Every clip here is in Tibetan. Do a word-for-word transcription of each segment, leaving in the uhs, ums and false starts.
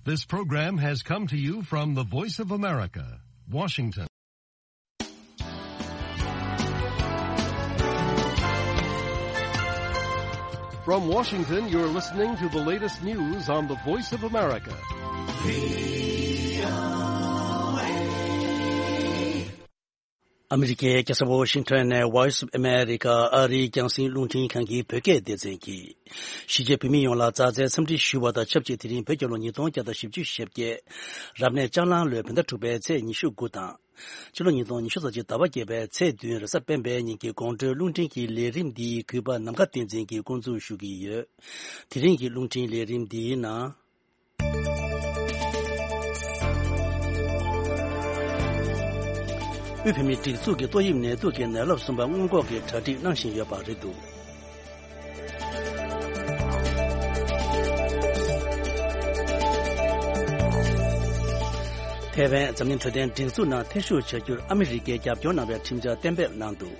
This program has come to you from the Voice of America, Washington. From Washington, you're listening to the latest news on the Voice of America. ཨ་མི་རི་ཀའི་རྒྱལ་ས་ཝོ་ཤིང་ཊོན་ནས་Voice of America ཨ་རིའི་རྒྱང་སྲིང་རླུང་འཕྲིན་ཁང་གི་བོད་སྐད་སྡེ་ཚན་གྱིས། གཞིས་བྱེས་བོད་མི་ཡོངས་ལ་མཛའ་བརྩེའི་འཚམས་འདྲི་ཞུ་བ་དང་ཆབས་ཅིག་དེ་རིང་བོད་རྒྱལ་ལོ་ཉིས་སྟོང་བརྒྱ་དང་བཞི་བཅུ་ཞེ་བརྒྱད། རབ་གནས་ལྕགས་གླང་ལོའི་བོད་ཟླ་དྲུག་པའི་ཚེས་ཉི་ཤུ་དགུ་དང་། ཕྱི་ལོ་ཉིས་སྟོང་ཉི་ཤུ་རྩ་གཅིག་ཟླ་བ་བརྒྱད་པའི་ཚེས་བདུན་རེས་གཟའ་སྤེན་པའི་ཉིན་གྱི་དགོང་དྲོའི་རླུང་འཕྲིན་གྱི་ལས་རིམ་འདིའི་གུས་པ་ནམ་མཁའ་བསྟན་འཛིན་གྱིས་འགོ་འཛུགས་ཞུ་གི་ཡོད། དེ་རིང་གི་རླུང་འཕྲིན་ལས་རིམ་འདིའི་ནང་། དབུས་བོད་མིའི་སྒྲིག་འཛུགས་ཀྱིས་ཏོག་དབྱིབས་ནད་དུག་གི་ནད་རླབས་གསུམ་པ་སྔོན་འགོག་གི་གྲ་སྒྲིག་གནང་བཞིན་ཡོད་པ་རེད་འདུག་ཐའེ་ཝན་འཛམ་གླིང་འཕྲོད་བསྟེན་སྒྲིག་འཛུགས་ནང་ཐེ་ཞུགས་བྱ་རྒྱུར་ཨ་མི་རི་ཀས་རྒྱབ་སྐྱོར་གནང་བའི་ཁྲིམས་འཆར་གཏན་འབེབས་གནང་འདུག་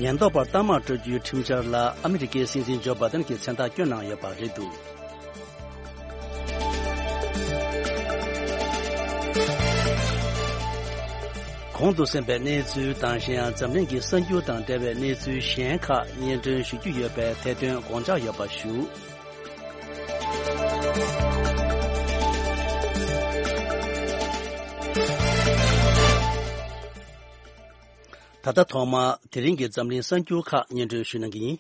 ཉེན་རྟོག་པར་གཏའ་མར་སྤྲོད་རྒྱུའི་ཁྲིམས་འཆར་ལ་ཨ་མི་རི་ཀའི་སྲིད་འཛིན་ཇོ་བྷའི་ཏན་གྱིས་མཚན་རྟགས་བསྐྱོན་གནང་ཡོད་པ་རེད་འདུག་གོང་དུ་གསན་པའི་གནས་ཚུལ་དང་གཞན་ཡང་འཛམ་གླིང་གི་གསར་འགྱུར་དང་འབྲེལ་བའི་གནས་ཚུལ་གཞན་ཁག་སྙན་སྒྲོན་ཞུ་རྒྱུ་ཡོད་པས་དེ་དོན་དགོངས་འཇགས་ཡོད་པ་ཞུ། ད་ལྟ་ཐོག་མར་དེ་རིང་གི་འཛམ་གླིང་གསར་འགྱུར་ཁག་སྙན་སྒྲོན་ཞུ་གནང་གི་ཡིན།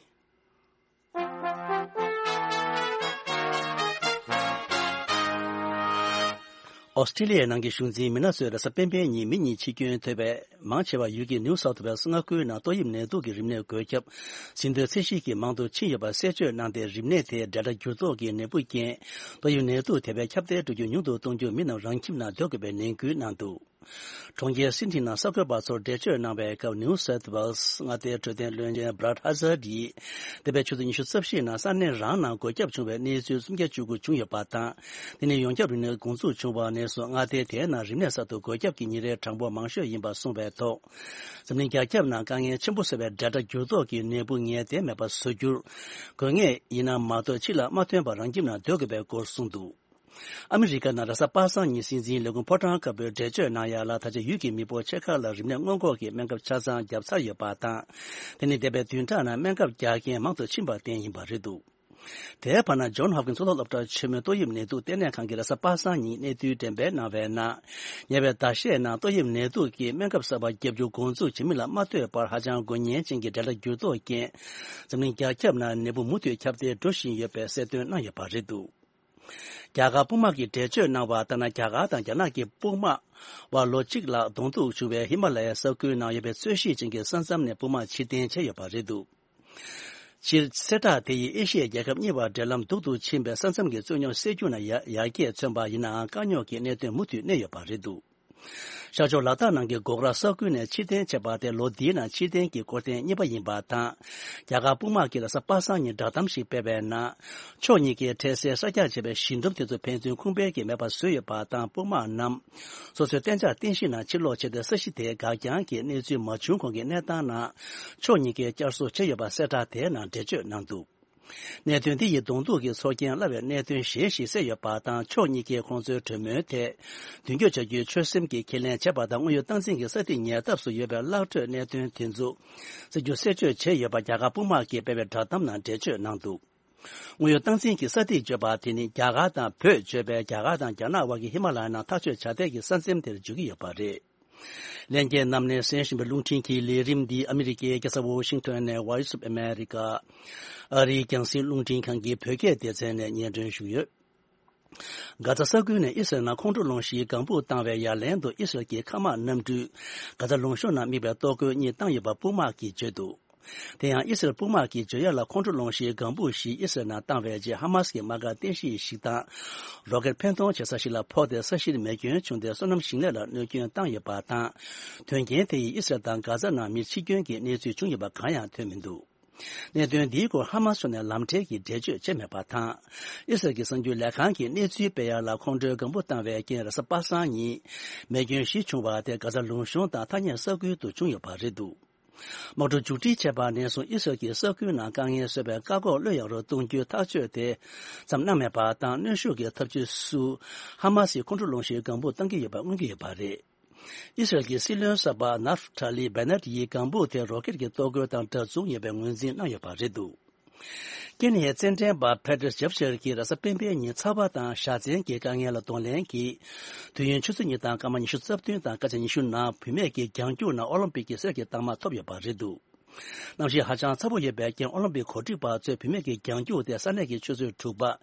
ཨོ་སི་ཀྲི་ལི་ཡའི་ནང་གི་གཞུང་འཛིན་མི་སྣ་ཚོས་རེས་གཟའ་སྤེན་པའི་ཉིན་མི་གཉིས་འཆི་སྐྱོན་ཐེབས་པའི་མང་ཆེ་བ་ཡུལ་གྱི་ནིའུ་སའུཐ་ཝེལ་མངའ་ཁུལ་ནང་ཏོག་དབྱིབས་ནད་དུག་གི་རིམས་ནད་འགོས་ཁྱབ་ཟིན་ཐོའི་ཚད་གཞི་གི་མང་དུ་ཕྱིན་ཡོད་པ་གསལ་བརྗོད་གནང་སྟེ། རིམས་ནད་དེ་ཌེལ་ཊ་འགྱུར་ལྡོག་གི་ནད་འབུ་རྐྱེན་ཏོག་དབྱིབས་ནད་དུག་ཐེབས་པའི་ཁྱབ་གདལ་འགྲོ་རྒྱུ་ཉུང་དུ་གཏོང་རྒྱུར་མི་རྣམས་རང་ཁྱིམ་ནང་སྡོད་དགོས་པའི་ནན་སྐུལ་གནང་འདུག་གྲོང་ཁྱེར་སིད་ནི་ནང་གསར་འགོད་པ་ཚོར་འགྲེལ་བརྗོད་གནང་བའི་སྐབས། ནིའུ་སའུཐ་ཝེལ་མངའ་སྡེའི་འཕྲོད་བསྟེན་བློན་ཆེན་བྷ་རཱད་ཧ་ཛར་ཡིས། འདས་པའི་ཆུ་ཚོད་ཉི་ཤུ་རྩ་བཞི་ནང་ས་གནས་རང་ནང་འགོས་ཁྱབ་བྱུང་བའི་གནས་ཚུལ་སུམ་བརྒྱ་བཅུ་དགུ་བྱུང་ཡོད་པ་དང་། དེ་ནི་ཡོངས་ཁྱབ་རིམས་ནད་འགོ་འཛུགས་བྱུང་བ་ནས་བཟུང་མངའ་སྡེ་དེའི་ནང་རིམས་ནད་གསར་དུ་འགོས་ཁྱབ་ཀྱི་ཉིན་རེའི་གྲངས་འབོར་མང་ཤོས་ཡིན་པ་གསུངས་པའི་ཐོག་འཛམ་གླིང་རྒྱ་ཁྱབ་ནང་དཀའ་ངལ་ཆེན་པོ་བཟོས་པའི་ཌེལ་ཊ་འགྱུར་ལྡོག་གི་ནད་འབུ་ངེས་གཏན་མེད་པ་བཟོ་རྒྱུར། དགོས་ངེས་ཡིན་ན་མ་གཏོགས་ཕྱི་ལ་མ་ཐོན་པར་རང་ཁྱིམ་ནང་སྡོད་དགོས་པའི་སྐོར་གསུངས་འདུག་ཨ་མི་རི་ཀ་ནང་རེས་གཟའ་པ་སངས་ཉིན་སྲིད་འཛིན་ལས་ཁུངས་ཕོ་བྲང་དཀར་པོས་འགྲེལ་བརྗོད་གནང་ཡ་ལ། ད་ཆ་ཡུལ་གྱི་མི་འབོར་ཕྱེད་ཀ་ལ་རིམས་ནད་སྔོན་འགོག་གི་སྨན་ཁབ་ཆ་ཚང་བརྒྱབ་ཚར་ཡོད་པ་དང་། དེ་ནི་འདས་པའི་བདུན་ཕྲག་ནང་སྨན་ཁབ་རྒྱག་མཁན་མང་དུ་ཕྱིན་པར་བརྟེན་ཡིན་པ་རེད་འདུག་དེའི་བར་ན་ཇོན་ཧོབ་ཀིན་སི་མཐོ་སློབ་སློབ་གྲྭ་ཆེན་མོའི་ཏོག་དབྱིབས་ནད་དུག་ལྟེ་གནས་ཁང་གིས་རེས་གཟའ་པ་སངས་ཉིན་གནས་ཚུལ་འགྲེམས་སྤེལ་གནང་བའི་ནང་། ཉེ་བའི་ཟླ་ཤས་ནང་ཏོག་དབྱིབས་ནད་དུག་གི་སྨན་ཁབ་གསར་པ་བརྒྱབ་རྒྱུ་འགོ་འཛུགས་བྱེད་མི་ལ་མ་ལྟོས་པར་ཧ་ཅང་དགོས་ངེས་ཅན་གྱི་ཌེལ་ཊ་འགྱུར་ལྡོག་རྐྱེན། འཛམ་གླིང་རྒྱ་ཁྱབ་ནང་ནད་འབུ་མུ་མཐུད་ཁྱབ་གདལ་འགྲོ་བཞིན་ཡོད་པའི་གསལ་སྟོན་གནང་ཡོད་པ་རེད་འདུག་རྒྱ་གར་དཔུང་དམག་གིས་འགྲེལ་བརྗོད་གནང་བ་ལྟར་ན། རྒྱ་གར་དང་རྒྱ་ནག་གི་དཔུང་དམག་བར་ལོ་གཅིག་ལྷག་གདོང་ཐུག་བྱུང་བའི་ཧི་མ་ལ་ཡའི་ས་ཁུལ་ནང་ཡོད་པའི་ཚོས་གཞིས་ཅན་གྱི་ས་མཚམས་ནས་དཔུང་དམག་ཕྱིར་འཐེན་བྱས་ཡོད་པ་རེད་འདུག་སྤྱིར་གསལ་བསྒྲགས་དེ་ཡིས་ཨེ་ཤི་ཡའི་རྒྱལ་ཁབ་གཉིས་བར་འབྲེལ་ལམ་སྡུག་ཏུ་ཕྱིན་པའི་ས་མཚམས་ཀྱི་རྩོད་རྙོག་སེལ་རྒྱུ་ནང་ཡར་ཡར་རྒྱས་མཚོན་པ་ཡིན་ནའང་། དཀའ་རྙོག་གི་གནད་དོན་མུ་མཐུད་གནས་ཡོད་པ་རེད་འདུག་ཤར་ཕྱོགས་ལ་དྭགས་ནང་གི་གོ་གྷ་ར་ས་ཁུལ་ནས་ཕྱིར་འཐེན་བྱས་པ་དེ་ལོ་འདིའི་ནང་ཕྱིར་འཐེན་གྱི་སྐོར་ཐེངས་གཉིས་པ་ཡིན་པ་དང་། རྒྱ་གར་དཔུང་དམག་གིས་རེས་གཟའ་པ་སངས་ཉིན་བསྒྲགས་གཏམ་ཞིག་སྤེལ་བའི་ནང་། ཕྱོགས་གཉིས་ཀས་འཕྲལ་སེལ་གསར་རྒྱག་བྱས་པའི་ཞི་འདུམ་དེ་ཚོ་ཕན་ཚུན་ཁུངས་སྤེལ་གྱིས་མེད་པར་བཟོས་ཡོད་པ་དང་། དཔུང་དམག་རྣམས་སོ་སོའི་གཏན་འཇགས་རྟེན་གཞི་ནང་ཕྱིར་ལོག་བྱས་ཏེ། ས་གཞི་དེའི་འགག་རྐྱང་གི་གནས་ཚུལ་མ་བྱུང་གོང་གི་གནས་སྟངས་ནང་ཕྱོགས་གཉིས་ཀས་བསྐྱར་གསོ་བྱས་ཡོད་པ་གསལ་བསྒྲགས་དེའི་ནང་འགྲེལ་བརྗོད་གནང་འདུག་གནད་དོན་འདི་ཡིས་གདོང་ཐུག་གི་ཚོར་རྐྱེན་སླ་བའི་གནད་དོན་གཞན་ཞིག་བསལ་ཡོད་པ་དང་། ཕྱོགས་གཉིས་ཀས་ཁོང་ཚོའི་གྲོས་མོལ་ཐད་མདུན་སྐྱོད་བྱ་རྒྱུའི་ཆོད་སེམས་ཀྱིས་ཁས་ལེན་བྱས་པ་དང་། དངོས་ཡོད་སྟངས་འཛིན་གྱི་ས་ཐིག་ཉེ་འདབས་སུ་ཡོད་པའི་གླག་འཕྲོད་གནད་དོན་དེ་ཚོ་གསལ་རྒྱུ་གསལ་བརྗོད་བྱས་ཡོད་པ་རྒྱ་གར་དཔུང་དམག་གིས་སྤེལ་བའི་བསྒྲགས་གཏམ་ནང་འགྲེལ་བརྗོད་གནང་འདུག་དངོས་ཡོད་སྟངས་འཛིན་གྱི་ས་ཐིག་བརྗོད་པ་དེ་ནི། རྒྱ་གར་དང་བོད་བརྗོད་པའི་རྒྱ་གར་དང་རྒྱ་ནག་དབར་གྱི་ཧི་མ་ལ་ཡ་ནང་ཐག་གཅོད་བྱ་ཐབས་ཀྱི་ས་མཚམས་དེར་འཇུག་གི་ཡོད་པ་རེད། ལྷན་རྒྱས་རྣམས་ནས་གསན་བཞིན་པའི་རླུང་འཕྲིན་གྱི་ལས་རིམ་འདི་ཨ་མི་རི་ཀའི་རྒྱལ་ས་ཝོ་ཤིང་ཊོན་ནས་Voice of America ཨ་རིའི་རྒྱང་སྲིང་རླུང་འཕྲིན་ཁང་གི་བོད་སྐད་སྡེ་ཚན་ནས་སྙན་སྒྲོན་ཞུས་ཡོད། གྷ་ཛ་ས་ཁུལ་ནས་ཨི་སི་རལ་ནང་ཁོང་ཁྲོ་སློང་གཞིའི་ལྒང་ཕུག་བཏང་བའི་ཡ་ལན་དུ། ཨི་སི་རལ་གྱི་མཁའ་དམག་གནམ་གྲུས་གྷ་ཛ་ལུང་གཤོང་ནང་དམིགས་པའི་གཏོར་རྒོལ་གཉིས་བཏང་ཡོད་པ་དཔུང་དམག་གིས་བརྗོད་འདུག་དེ་ཡང་ཨི་སི་རལ་དཔུང་དམག་གིས་བརྗོད་ཡ་ལ། ཁོང་ཁྲོ་སློང་གཞིའི་ལྒང་ཕུག་བཞི་ཨི་སི་རལ་ནང་བཏང་བའི་རྗེས། ཧ་མ་སི་གི་དམག་སྒར་རྟེན་གཞི་ཞིག་དང་རོ་ཀེད་འཕེན་གཏོང་བྱེད་ས་ཞིག་ལ་ཕོག་སྟེ། ས་གཞིར་མེ་སྐྱོན་བྱུང་སྟེ། སོ་ནམ་ཞིང་ལས་ལ་གནོད་སྐྱོན་བཏང་ཡོད་པ་དང་། དོན་རྐྱེན་དེ་ཡིས་ཨི་སི་རལ་དང་གྷ་ཛ་ནང་མིར་འཆི་སྐྱོན་གྱི་གནས་ཚུལ་བྱུང་ཡོད་པ་གང་ཡང་ཐོན་མི་འདུག་གནད་དོན་འདིའི་སྐོར་ཧ་མ་སི་ཕྱོགས་ནས་ལམ་འཕྲལ་གྱི་འགྲེལ་བརྗོད་བྱས་མེད་པ་དང་། ཨི་སི་རལ་གྱི་གསར་འགྱུར་ལས་ཁང་གིས་གནས་ཚུལ་སྤེལ་ཡ་ལ། ཁོང་ཁྲོའི་ལྒང་ཕུ་བཏང་བའི་རྐྱེན་རེས་གཟའ་པ་སངས་ཉིན་མེ་སྐྱོན་བཞི་བྱུང་བ་དེ་གྷ་ཛ་ལུང་གཤོང་དང་ཐ་སྙད་ས་ཁུལ་དུ་བྱུང་ཡོད་པ་རེད་འདུག་དམག་འཁྲུག་མཇུག་སྒྲིལ་བྱས་པ་ནས་བཟུང་ཨི་སི་རལ་གྱིས་ས་ཁུལ་ནང་དཀའ་ངལ་བཟོས་པའི་བཀག་འགོག་གློད་ཡག་རུ་གཏོང་རྒྱུའི་ཐག་གཅོད་དེ་ཙམ་གནང་མེད་པ་དང་། གནོན་ཤུགས་ཀྱི་ཐབས་ཇུས་སུ་ཧ་མ་སིའི་ཁོང་ཁྲོ་སློང་གཞིའི་ལྒང་བུ་གཏང་གི་ཡོད་པ་མངོན་གྱི་ཡོད་པ་རེད། ཨི་སི་རལ་གྱི་སྲིད་བློན་གསར་པ་ནཱབ་ཐ་ལི་བེ་ནེད་ཡིས་ལྒང་བུ་དེ་རོ་ཀེད་ཀྱི་གཏོར་རྒོལ་དང་འདྲ་མཚུངས་ཡིན་པའི་ངོས་འཛིན་གནང་ཡོད་པ་རེད་འདུག་ཀེན་ཡའི་རྩེད་འགྲན་པ་ཕེ་ཏྲེས་ཇབ་ཤེར་གྱིས་རེས་གཟའ་སྤེན་པའི་ཉིན་ཚ་བ་དང་བཞའ་ཚན་གྱི་དཀའ་ངལ་ལ་གདོང་ལེན་གྱིས། དུས་ཡུན་ཆུ་ཚོད་གཉིས་དང་སྐར་མ་ཉི་ཤུ་རྩ་བདུན་དང་སྐར་ཆ་ཉི་ཤུ་ནང་བུད་མེད་ཀྱི་རྒྱང་རྒྱུག་ནང་ཨོ་ལིམ་པིག་གི་གསེར་གྱི་རྟགས་མ་ཐོབ་ཡོད་པ་རེད་འདུག་གནམ་གཤིས་ཧ་ཅང་ཚ་པོ་ཡོད་པའི་རྐྱེན། ཨོ་ལིམ་པིག་གོ་སྒྲིག་པ་ཚོས་བུད་མེད་ཀྱི་རྒྱང་རྒྱུག་དེ་ས་གནས་ཀྱི་ཆུ་ཚོད་དྲུག་པ།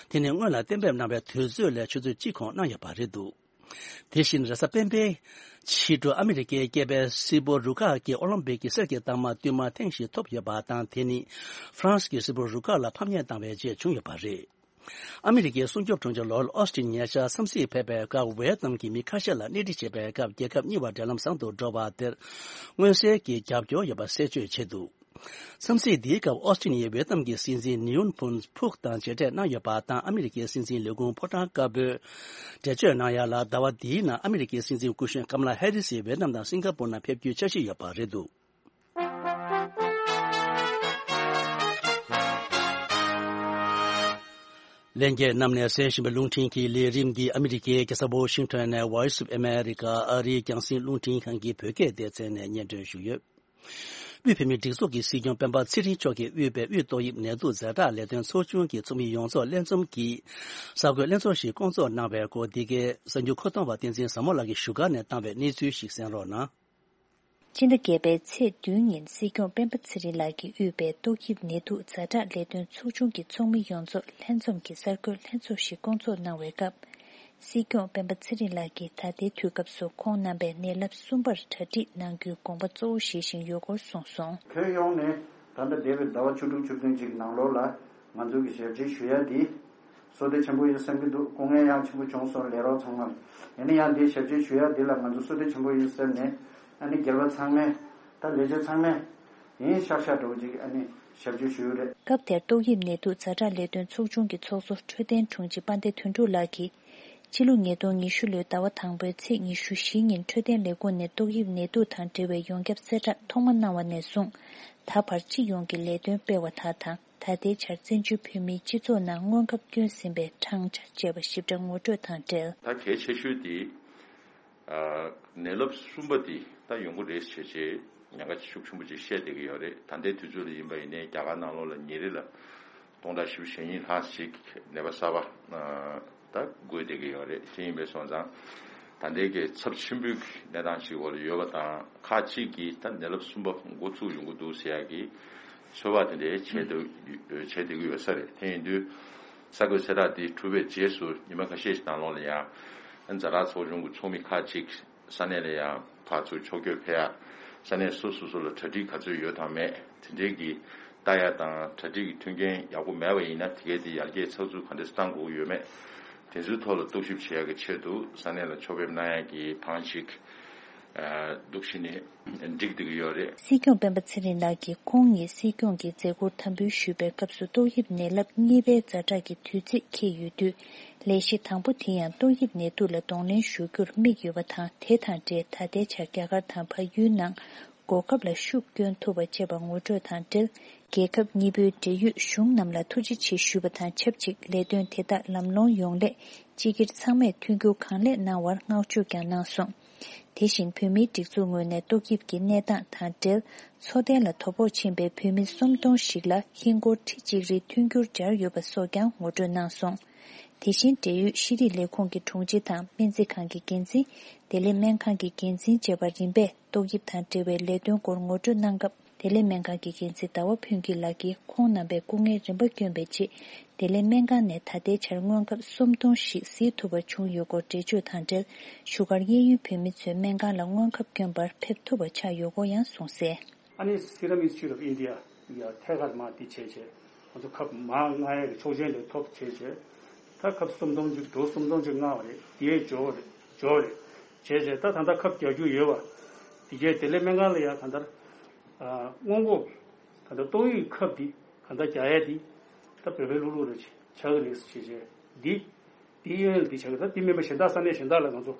དེ་ནི་སྔོན་ལ་གཏན་འབེབས་གནང་བའི་དུས་ཚོད་ལས་ཆུ་ཚོད་གཅིག་གོང་གནང་ཡོད་པ་རེད་འདུག་དེ་བཞིན་རེས་གཟའ་སྤེན་པའི་ཕྱི་དྲོ་ཨ་མི་རི་ཀའི་སྐྱེས་པའི་སིལ་བུ་རུ་ཁག་གིས་ཨོ་ལིམ་པིག་གི་གསེར་གྱི་རྟགས་མ་བསྟུད་མར་ཐེངས་ཤིག་ཐོབ་ཡོད་པ་དང་། དེ་ནི་ཧྥ་རན་སི་གི་སིལ་བུ་རུ་ཁག་ལ་ཕམ་ཉེས་བཏང་བའི་རྗེས་བྱུང་ཡོད་པ་རེད། ཨ་མི་རི་ཀའི་སྲུང་སྐྱོབ་དྲུང་ཆེ་ལོ་ཨོ་སི་ཊིན་ཉེ་ཆར་འཚམས་གཟིགས་ཕེབས་པའི་སྐབས། ཝེ་ཏི་ནམ་གྱི་མི་ཁ་ཤས་ལ་སྣེ་ཁྲིད་བྱེད་པའི་སྐབས། རྒྱལ་ཁབ་གཉིས་བར་འབྲེལ་ལམ་བཟང་དུ་འགྲོ་བ་དེར་མངོན་གསལ་གྱི་རྒྱབ་སྐྱོར་ཡོད་པ་གསལ་བརྗོད་བྱས་འདུག་འཚམས་གཟིགས་འདིའི་སྐབས་ཨོ་སི་ཊིན་ཡིས་ཝེ་ཏི་ནམ་གྱི་སྲིད་འཛིན་ནིའུན་ཕུན་ཕུག་དང་མཇལ་འཕྲད་གནང་ཡོད་པ་དང་། ཨ་མི་རི་ཀའི་སྲིད་འཛིན་ལས་ཁུངས་ཕོ་བྲང་དཀར་པོས་འགྲེལ་བརྗོད་གནང་ཡ་ལ། ཟླ་བ་འདིའི་ནང་ཨ་མི་རི་ཀའི་སྲིད་འཛིན་སྐུ་གཞོན་ཀམ་ལ་ཧེ་རི་སི་ཝེ་ཏི་ནམ་དང་སིང་ག་པུར་ནང་ཕེབས་རྒྱུའི་འཆར་གཞི་ཡོད་པ་རེད་འདུག་ལྷན་རྒྱས་རྣམས་ནས་གསན་བཞིན་པའི་རླུང་འཕྲིན་གྱི་ལས་རིམ་འདི་ཨ་མི་རི་ཀའི་རྒྱལ་ས་ཝོ་ཤིང་ཊོན་ནས་Voice of America ཨ་རིའི་རྒྱང་སྲིང་རླུང་འཕྲིན་ཁང་གི་བོད་སྐད་སྡེ་ཚན་ནས་སྙན་སྒྲོན་ཞུས་ཡོད། དབུས་བོད་མིའི་སྒྲིག་འཛུགས་ཀྱི་སྲིད་སྐྱོང་སྤེན་པ་ཚེ་རིང་མཆོག་གིས་དབུས་པའི་དབུས་ཏོག་དབྱིབས་ནད་དུག་ཛ་དྲག་ལས་དོན་ཚོགས་ཆུང་གི་ཚོགས་མི་ཡོངས་རྫོགས་ལྷན་འཛོམས་ཀྱིས་གསར་འགོད་ལྷན་ཚོགས་ཤིག་བསྐོང་ཚོགས་གནང་བའི་སྐོར། འདི་གའི་གསར་འགྱུར་མཁོ་གཏོང་བ་བསྟན་འཛིན་བཟང་མོ་ལགས་ཀྱིས་བཞུགས་སྒར་ནས་བཏང་བའི་གནས་ཚུལ་ཞིག་གསན་རོགས་གནང་། སྤྱི་ཟླ་བརྒྱད་པའི་ཚེས་བདུན་ཉིན་སྲིད་སྐྱོང་སྤེན་པ་ཚེ་རིང་ལགས་ཀྱིས་དབུས་པའི་ཏོག་དབྱིབས་ནད་དུག་ཛ་དྲག་ལས་དོན་ཚོགས་ཆུང་གི་ཚོགས་མི་ཡོངས་རྫོགས་ལྷན་འཛོམས་ཀྱི་གསར་འགོད་ལྷན་ཚོགས་ཤིག་བསྐོང་ཚོགས་གནང་བའི་སྐབས། སྲིད་སྐྱོང་སྤེན་པ་ཚེ་རིང་ལགས་ཀྱིས་ད་ལྟའི་དུས་སྐབས་སུ་ཁོང་རྣམ་པས་ནད་རླབས་གསུམ་པར་གྲ་སྒྲིག་གནང་རྒྱུའི་དགོངས་པ་གཙོ་བོ་བཞེས་བཞིན་ཡོད་སྐོར་གསུངས་སོང་། ཁྱོན་ཡོངས་ནས་ད་ལྟ་འདས་པའི་ཟླ་བ་བཅུ་དྲུག་བཅུ་བདུན་ཅིག་ནང་ལོགས་ལ་ང་ཚོ་གི་ཞབས་ཕྱི་ཞུ་ཡ་འདི་བསོད་བདེ་ཆེན་པོ་ཡིན་བསམ་གྱི་འདུག་སྐུ་ངལ་ཡང་ཆེན་པོ་བྱུང་སོང་། ལས་རོགས་ཚང་མར། ཡིན་ན་ཡང་འདི་ཞབས་ཕྱི་ཞུ་ཡ་འདི་ལ་ང་ཚོ་བསོད་བདེ་ཆེན་པོ་ཡིན་ཟེར་ནས་ཨ་ནི་སྒེར་པ་ཚང་མས་ད་ལས་བྱེད་ཚང་མས་ཡིན་ཤག་ཤག་འདྲ་བོ་ཅིག་ཨ་ནི་ཞབས་ཕྱི་ཞུ་ཡོད་རེད། སྐབས་དེར་ཏོག་དབྱིབས་ནད་དུག་ཛ་དྲག་ལས་དོན་ཚོགས་ཆུང་གི་ཚོགས་གཙོ་འཕྲོད་བསྟེན་དྲུང་ཆེ་དཔལ་ལྡན་དོན་གྲུབ་ལགས་ཀྱིས། ཕྱི་ལོ་ཉིས་སྟོང་ཉི་ཤུ་ལོའི་ཟླ་བ་དང་པོའི་ཚེས་ཉི་ཤུ་བཞི་ཉིན་འཕྲོད་བསྟེན་ལས་ཁུངས་ནས་ཏོག་དབྱིབས་ནད་དུག་དང་འབྲེལ་བའི་ཡོངས་ཁྱབ་གསལ་བསྒྲགས་ཐོག་མ་གནང་བ་ནས་བཟུང་། ད་བར་སྤྱི་ཡོངས་ཀྱི་ལས་དོན་སྤེལ་བ་དག་དང་། ད་ལྟའི་ཆར་བཙན་བྱོལ་བོད་མིའི་སྤྱི་ཚོགས་ནང་སྔོན་ཁབ་བསྐྱོན་ཟིན་པའི་གྲངས་ཆ་བཅས་པ་ཞིབ་ཕྲ་ངོ་སྤྲོད་དང་འབྲེལ། ད་གལ་ཆེ་ཤོས་དེ། ཨ། ནད་རླབས་གསུམ་པ་འདི་ད་ཡོང་གི་རེད་ཟེར་བྱས་ཉེན་ཁ་ཤུགས་ཆེན་པོ་ཅིག་བཤད་བསྡད་ཀྱི་ཡོད་རེད། ད་ལྟའི་དུས་ཚོད་ལ་ཡིན་པ་ཡིན་ནའི་རྒྱ་གར་ནང་ལོགས་ལ་ཉིན་རེ་ལ་སྟོང་ཕྲག་བཞི་བཅུ་ཞེ་གཉིས་ལྷག་ཞིག་ནད་པ་གསར་པ་ཨ། ད་འགོས་བསྡད་ཀྱི་ཡོད་རེད། དེ་ཡིན་པས་སོང་ཙང་ད་ལྟའི་གི་ཚབས་ཆེན་པོའི་གནས་སྟངས་ཤིག་འོག་ལ་ཡོད་པ་དང་། ཁག་ཅིག་གིས་ད་ནད་རླབས་གསུམ་པ་འགོ་ཚུགས་ཡོང་གི་འདུག་ཟེར་ཡག་གི་ཚོད་དཔག་དེ་འདྲའི་བྱས་བསྡད་བྱས་བསྡད་ཀྱི་ཡོད་ས་རེད། དེ་ཡིན་དུས་གསར་འགོད་གསལ་བསྒྲགས་འདི་གྲུབ་པའི་རྗེས་སུ་ཉི་མ་ཁ་ཤས་ཤིག་ནང་ལོགས་ལ་ཡང་ཛ་དྲག་ཚོགས་ཆུང་གི་ཚོགས་མི་ཁག་ཅིག་ས་གནས་ལ་ཡང་ཕར་ཚུར་ཕྱོགས་བསྐྱོད་ཕེབས་ཡ། ས་གནས་སོ་སོ་སོ་ལ་གྲ་སྒྲིག་ག་ཚོད་ཡོད་དང་མེད་དེ་འདྲའི་གི་ལྟ་ཡ་དང་། གྲ་སྒྲིག་གི་མཐུན་རྐྱེན་ཡག་པོ་མེད་པ་ཡིན་ན་དེ་གའི་དེ་ཡར་རྒྱས་ཚགས་ཚུད་ག་འདྲས་བཏང་དགོས་ཀྱི་ཡོད་མེད། དེ་ཚོའི་ཐོག་ལ་རྟོག་ཞིབ་བྱེད་ཡ་གི་ཆེད་དུ་ས་གནས་ལ་ཕྱོགས་ཕེབས་གནང་ཡ་གི་ཐང་ཞིག་འདུག་བྱས་ནས་འགྲིག་བསྡད་ཀྱི་ཡོད་རེད། སྲིད་སྐྱོང་སྤེན་པ་ཚེ་རིང་ལགས་ཀྱིས་ཁོང་ཉིད་སྲིད་སྐྱོང་གི་མཛད་ཁུར་དམ་འབུལ་ཞུས་པའི་སྐབས་སུ་ཏོག་དབྱིབས་ནད་རླབས་གཉིས་པའི་ཛ་དྲག་གི་དུས་ཚིགས་འཁེལ་ཡོད་དུས། ལས་གཞི་དང་པོ་དེ་ཡང་ཏོག་དབྱིབས་ནད་དུག་ལ་གདོང་ལེན་ཞུ་རྒྱུར་དམིགས་ཡོད་པ་དང་། དེ་དང་འབྲེལ་ད་ལྟའི་ཆར་རྒྱ་གར་དང་ཕ་ཡུལ་ནང་གོ་སྐབས་ལ་ཤུགས་བསྐྱོན་ཐུབ་པ་བཅས་པ་ངོ་སྤྲོད་དང་འབྲེལ། རྒྱལ་ཁབ་གཉིས་པོའི་འབྲེལ་ཡོད་གཞུང་རྣམས་ལ་ཐུགས་རྗེ་ཆེ་ཞུས་པ་དང་ཆབས་ཅིག་ལས་དོན་དེ་དག་ལམ་ལྷོང་ཡོང་སླད་སྤྱི་སྒེར་ཚང་མས་མཐུན་འགྱུར་གང་ལེགས་གནང་བར་བསྔགས་བརྗོད་ཀྱང་གནང་སོང་། དེ་བཞིན་བོད་མིའི་སྒྲིག་འཛུགས་ངོས་ནས་ཏོག་དབྱིབས་ཀྱི་གནས་སྟངས་དང་འབྲེལ། འཚོ་རྟེན་ལ་དོ་ཕོག་ཕྱིན་པའི་བོད་མི་སུམ་སྟོང་ཞིག་ལ་ཧིན་སྒོར་ཁྲི་གཅིག་རེའི་མཐུན་འགྱུར་སྦྱར་ཡོད་པ་སོགས་ཀྱང་ངོ་སྤྲོད་གནང་སོང་། དེ་བཞིན་འབྲེལ་ཡོད་ཤེས་རིག་ལས་ཁུངས་ཀྱི་དྲུང་ཆེ་དང་སྨན་རྩིས་ཁང་གི་འགན་འཛིན། བདེ་ལེགས་སྨན་ཁང་གི་འགན་འཛིན་བཅས་པ་རིམ་པས་ཏོག་དབྱིབས་དང་འབྲེལ་བའི་ལས་དོན་སྐོར་ངོ་སྤྲོད་གནང་སྐབས། བདེ་ལེགས་སྨན་ཁང་གི་འགན་འཛིན་ཟླ་བ་ཕུན་སྐྱིད་ལགས་ཀྱིས་ཁོང་རྣམ་པས་སྐུ་ངལ་རིམ་པ་བསྐྱོན་པའི་རྗེས། བདེ་ལེགས་སྨན་ཁང་ནས་ད་ལྟའི་ཆར་སྔོན་ཁབ་སུམ་སྟོང་ཞིག་གཟིགས་ཐུབ་པ་བྱུང་ཡོད་སྐོར་འགྲེལ་བརྗོད་དང་འབྲེལ། བཞུགས་སྒར་གཡས་གཡོན་བོད་མི་ཚོས་སྨན་ཁང་ལ་སྔོན་ཁབ་བསྐྱོན་པར་ཕེབས་ཐུབ་པ་ཆགས་ཡོད་སྐོར་ཡང་གསུངས་གསལ། ཨ་ནི་Serum Institute of India ཡ་ཐད་ཀར་མ་དེ་བྱས་བྱས་ང་ཚོ་ཁབ་མ་མངགས་ཡ་གི་ཆོག་མཆན་དེ་ཐོབ་བྱས་བྱས། ད་ཁབ་སུམ་སྟོང་ཅིག་འདུག་སུམ་སྟོང་ཅིག་མངགས་པ་རེད། དེ་འབྱོར་བ་རེད། འབྱོར་བ་རེད། བྱས་བྱས་ད་ད་ལྟ་ཁབ་རྒྱག་རྒྱུ་ཡོད་པ། དེ་གས་བདེ་ལེགས་སྨན་ཁང་ལ་ཡ་ད་ལྟར་ཨ་སྔོན་འགོག་ད་ལྟ་ཏོག་དབྱིབས་ཁབ་འདི་ག་འདྲ་རྒྱག་ཡ་འདི་ད་བོད་པའི་ལུགས་ལུགས་རེ་ཆགས་ཀྱི་རེད་ཟེར་བྱས་བྱས་འདི། འདི་གཡས་གཡོན་ལ་འདི་ཆགས་ཀྱི། ད་འདི་མིན་པ་གཞན་དག་ས་གནས་གཞན་དག་ལ་ང་ཚོ་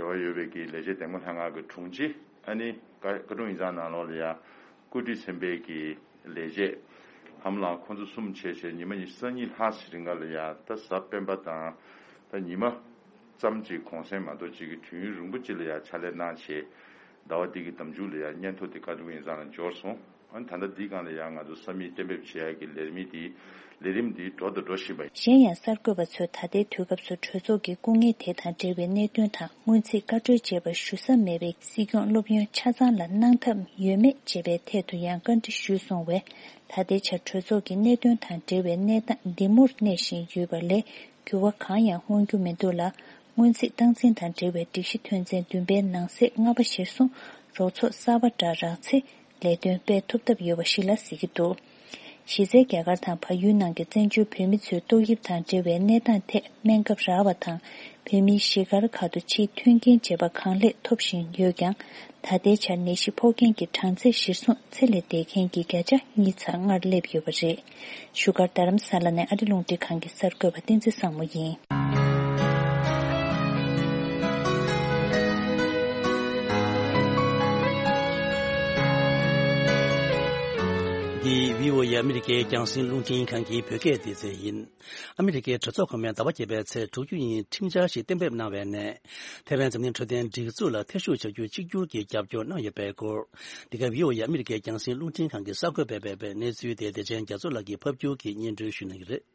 འབྲེལ་བ་ཡོད་པའི་གི་ལས་བྱེད་འདེམས་ངོ་ལྷན་ཁང་གི་དྲུང་ཆེ། ཨ་ནི་བཀའ་བཀའ་དྲུང་ཡིག་ཚང་ནང་ལོགས་ལ་ཡ་བཀོད་སྒྲིག་ཚན་པའི་གི་ལས་བྱེད་ཧམ་ལང་ཁོང་ཚོ་གསུམ་བྱས་བྱས་ཉི་མ་ཉི་ཤུ་རྩ་གཉིས་ལྷག་ཙམ་རིང་ག་ལ་ཡ་ད་གཟའ་སྤེན་པ་དང་ད་ཉི་མ་ཙམ་གཅིག་གུང་སེང་མ་གཏོགས་གཅིག་གི་དུས་ཡུན་རིང་པོ་གཅིག་ལ་ཡ་ཕྱག་ལས་གནང་བྱས། ཟླ་བ་འདི་གི་ཟླ་མཇུག་ལ་ཡ་སྙན་ཐོ་དེ་བཀའ་དྲུང་ཡིག་ཚང་ལ་འབྱོར་སོང་། ཨ་ནི་ད་ལྟ་འདིའི་སྒང་ལ་ཡང་ང་ཚོ་ས་མིག་གཏན་འབེབས་བྱེད་ཡག་གི་ལས་མི་འདི་ལས་རིམ་འདི་འགྲོ་དང་འགྲོ་བཞིན་པ་ཡིན། གཞན་ཡང་གསར་འགོད་པ་ཚོས་ད་ལྟའི་དུས་སྐབས་སུ་གྲོས་ཚོགས་ཀྱི་སྐུ་ངལ་དེ་དང་འབྲེལ་བའི་གནད་དོན་དང་སྔོན་རྩིས་བཀའ་འཁྲོལ་བྱས་པ་ཞུ་ས་མེད་པའི་སྲིད་སྐྱོང་སློབ་ཡོན་ཆ་ཚང་ལ་གནང་ཐབས་ཡོད་མེད་བཅས་པའི་ཐད་དུ་ཡང་བཀའ་འདྲི་ཞུས་སོང་བས། ད་ལྟའི་ཆར་གྲོས་ཚོགས་ཀྱི་གནད་དོན་དང་འབྲེལ་བའི་གནས་སྟངས་འདི་མུར་གནས་བཞིན་ཡོད་པ་ལས་འགྱུར་བ་གང་ཡང་མངོན་རྒྱུ་མི་འདུག་ལ། སྔོན་རྩིས་སྟངས་འཛིན་དང་འབྲེལ་བའི་སྒྲིག་གཞི་དོན་ཚན་བདུན་པའི་ནང་གསེས་ལྔ་པ་གཞིར་བཟུང་རོགས་ཚོགས་གསར་པ་འདྲ་རག་ཚེ། ལས་དོན་སྤེལ་ཐུབ་ཐབས་ཡོད་པ་ཞིག་ལ་གཟིགས་ཀྱི་འདུག་གཞི་རྩའི་རྒྱ་གར་དང་བལ་ཡུལ་ནང་གི་བཙན་བྱོལ་བོད་མི་ཚོའི་ཏོག་དབྱིབས་དང་འབྲེལ་བའི་གནས་སྟངས་ཐད་སྨན་ཁབ་རག་པ་དང་། བོད་མིའི་གཞིས་སྒར་ཁག་ཏུ་ཕྱིའི་མཐུན་རྐྱེན་བྱེད་པ་གང་ལེགས་ཐོབ་བཞིན་ཡོད་ཀྱང་། ད་ལྟའི་ཆར་ནད་གཞི་ཕོག་མཁན་གྱི་གྲངས་ཚད་གཞིར་བཟུང་ཚེ་ལས་འདས་མཁན་གྱི་བརྒྱ་ཆ་གཉིས་ཚར་སྔར་སླེབས་ཡོད་པ་རེད། བཞུགས་སྒར་རྡ་རམ་ས་ལ་ནས་ཨ་རི་རླུང་འཕྲིན་ཁང་གི་གསར་འགོད་པ་བསྟན་འཛིན་བཟང་མོ་ཡིན། འདི་བྷི་ཨོ་ཨེ་ཨ་མི་རི་ཀའི་རྒྱང་སྲིང་རླུང་འཕྲིན་ཁང་གི་བོད་སྐད་སྡེ་ཚན་ཡིན། ཨ་མི་རི་ཀའི་གྲོས་ཚོགས་གོང་མས་ཟླ་བ་བརྒྱད་པའི་ཚེས་དྲུག་ཅུ་ཉིན་ཁྲིམས་འཆར་ཞིག་གཏན་འབེབས་གནང་བའི་ནང་། ཐའེ་ཝན་འཛམ་གླིང་འཕྲོད་བསྟེན་སྒྲིག་འཛུགས་ལ་ཐེ་ཞུགས་བྱ་རྒྱུ་གཅིག་གྱུར་གྱིས་རྒྱབ་སྐྱོར་གནང་ཡོད་པའི་སྐོར། འདི་ག་བྷི་ཨོ་ཨེ་ཨ་མི་རི་ཀའི་རྒྱང་སྲིང་རླུང་འཕྲིན་ཁང་གི་གསར་འགོད་པས་སྤེལ་བའི་གནས་ཚུལ་དེ་བདེ་ཆེན་རྒྱ་མཚོ་ལགས་ཀྱིས་ཕབ་སྒྱུར་གྱིས་སྙན་སྒྲོན་ཞུ་གནང་གི་རེད།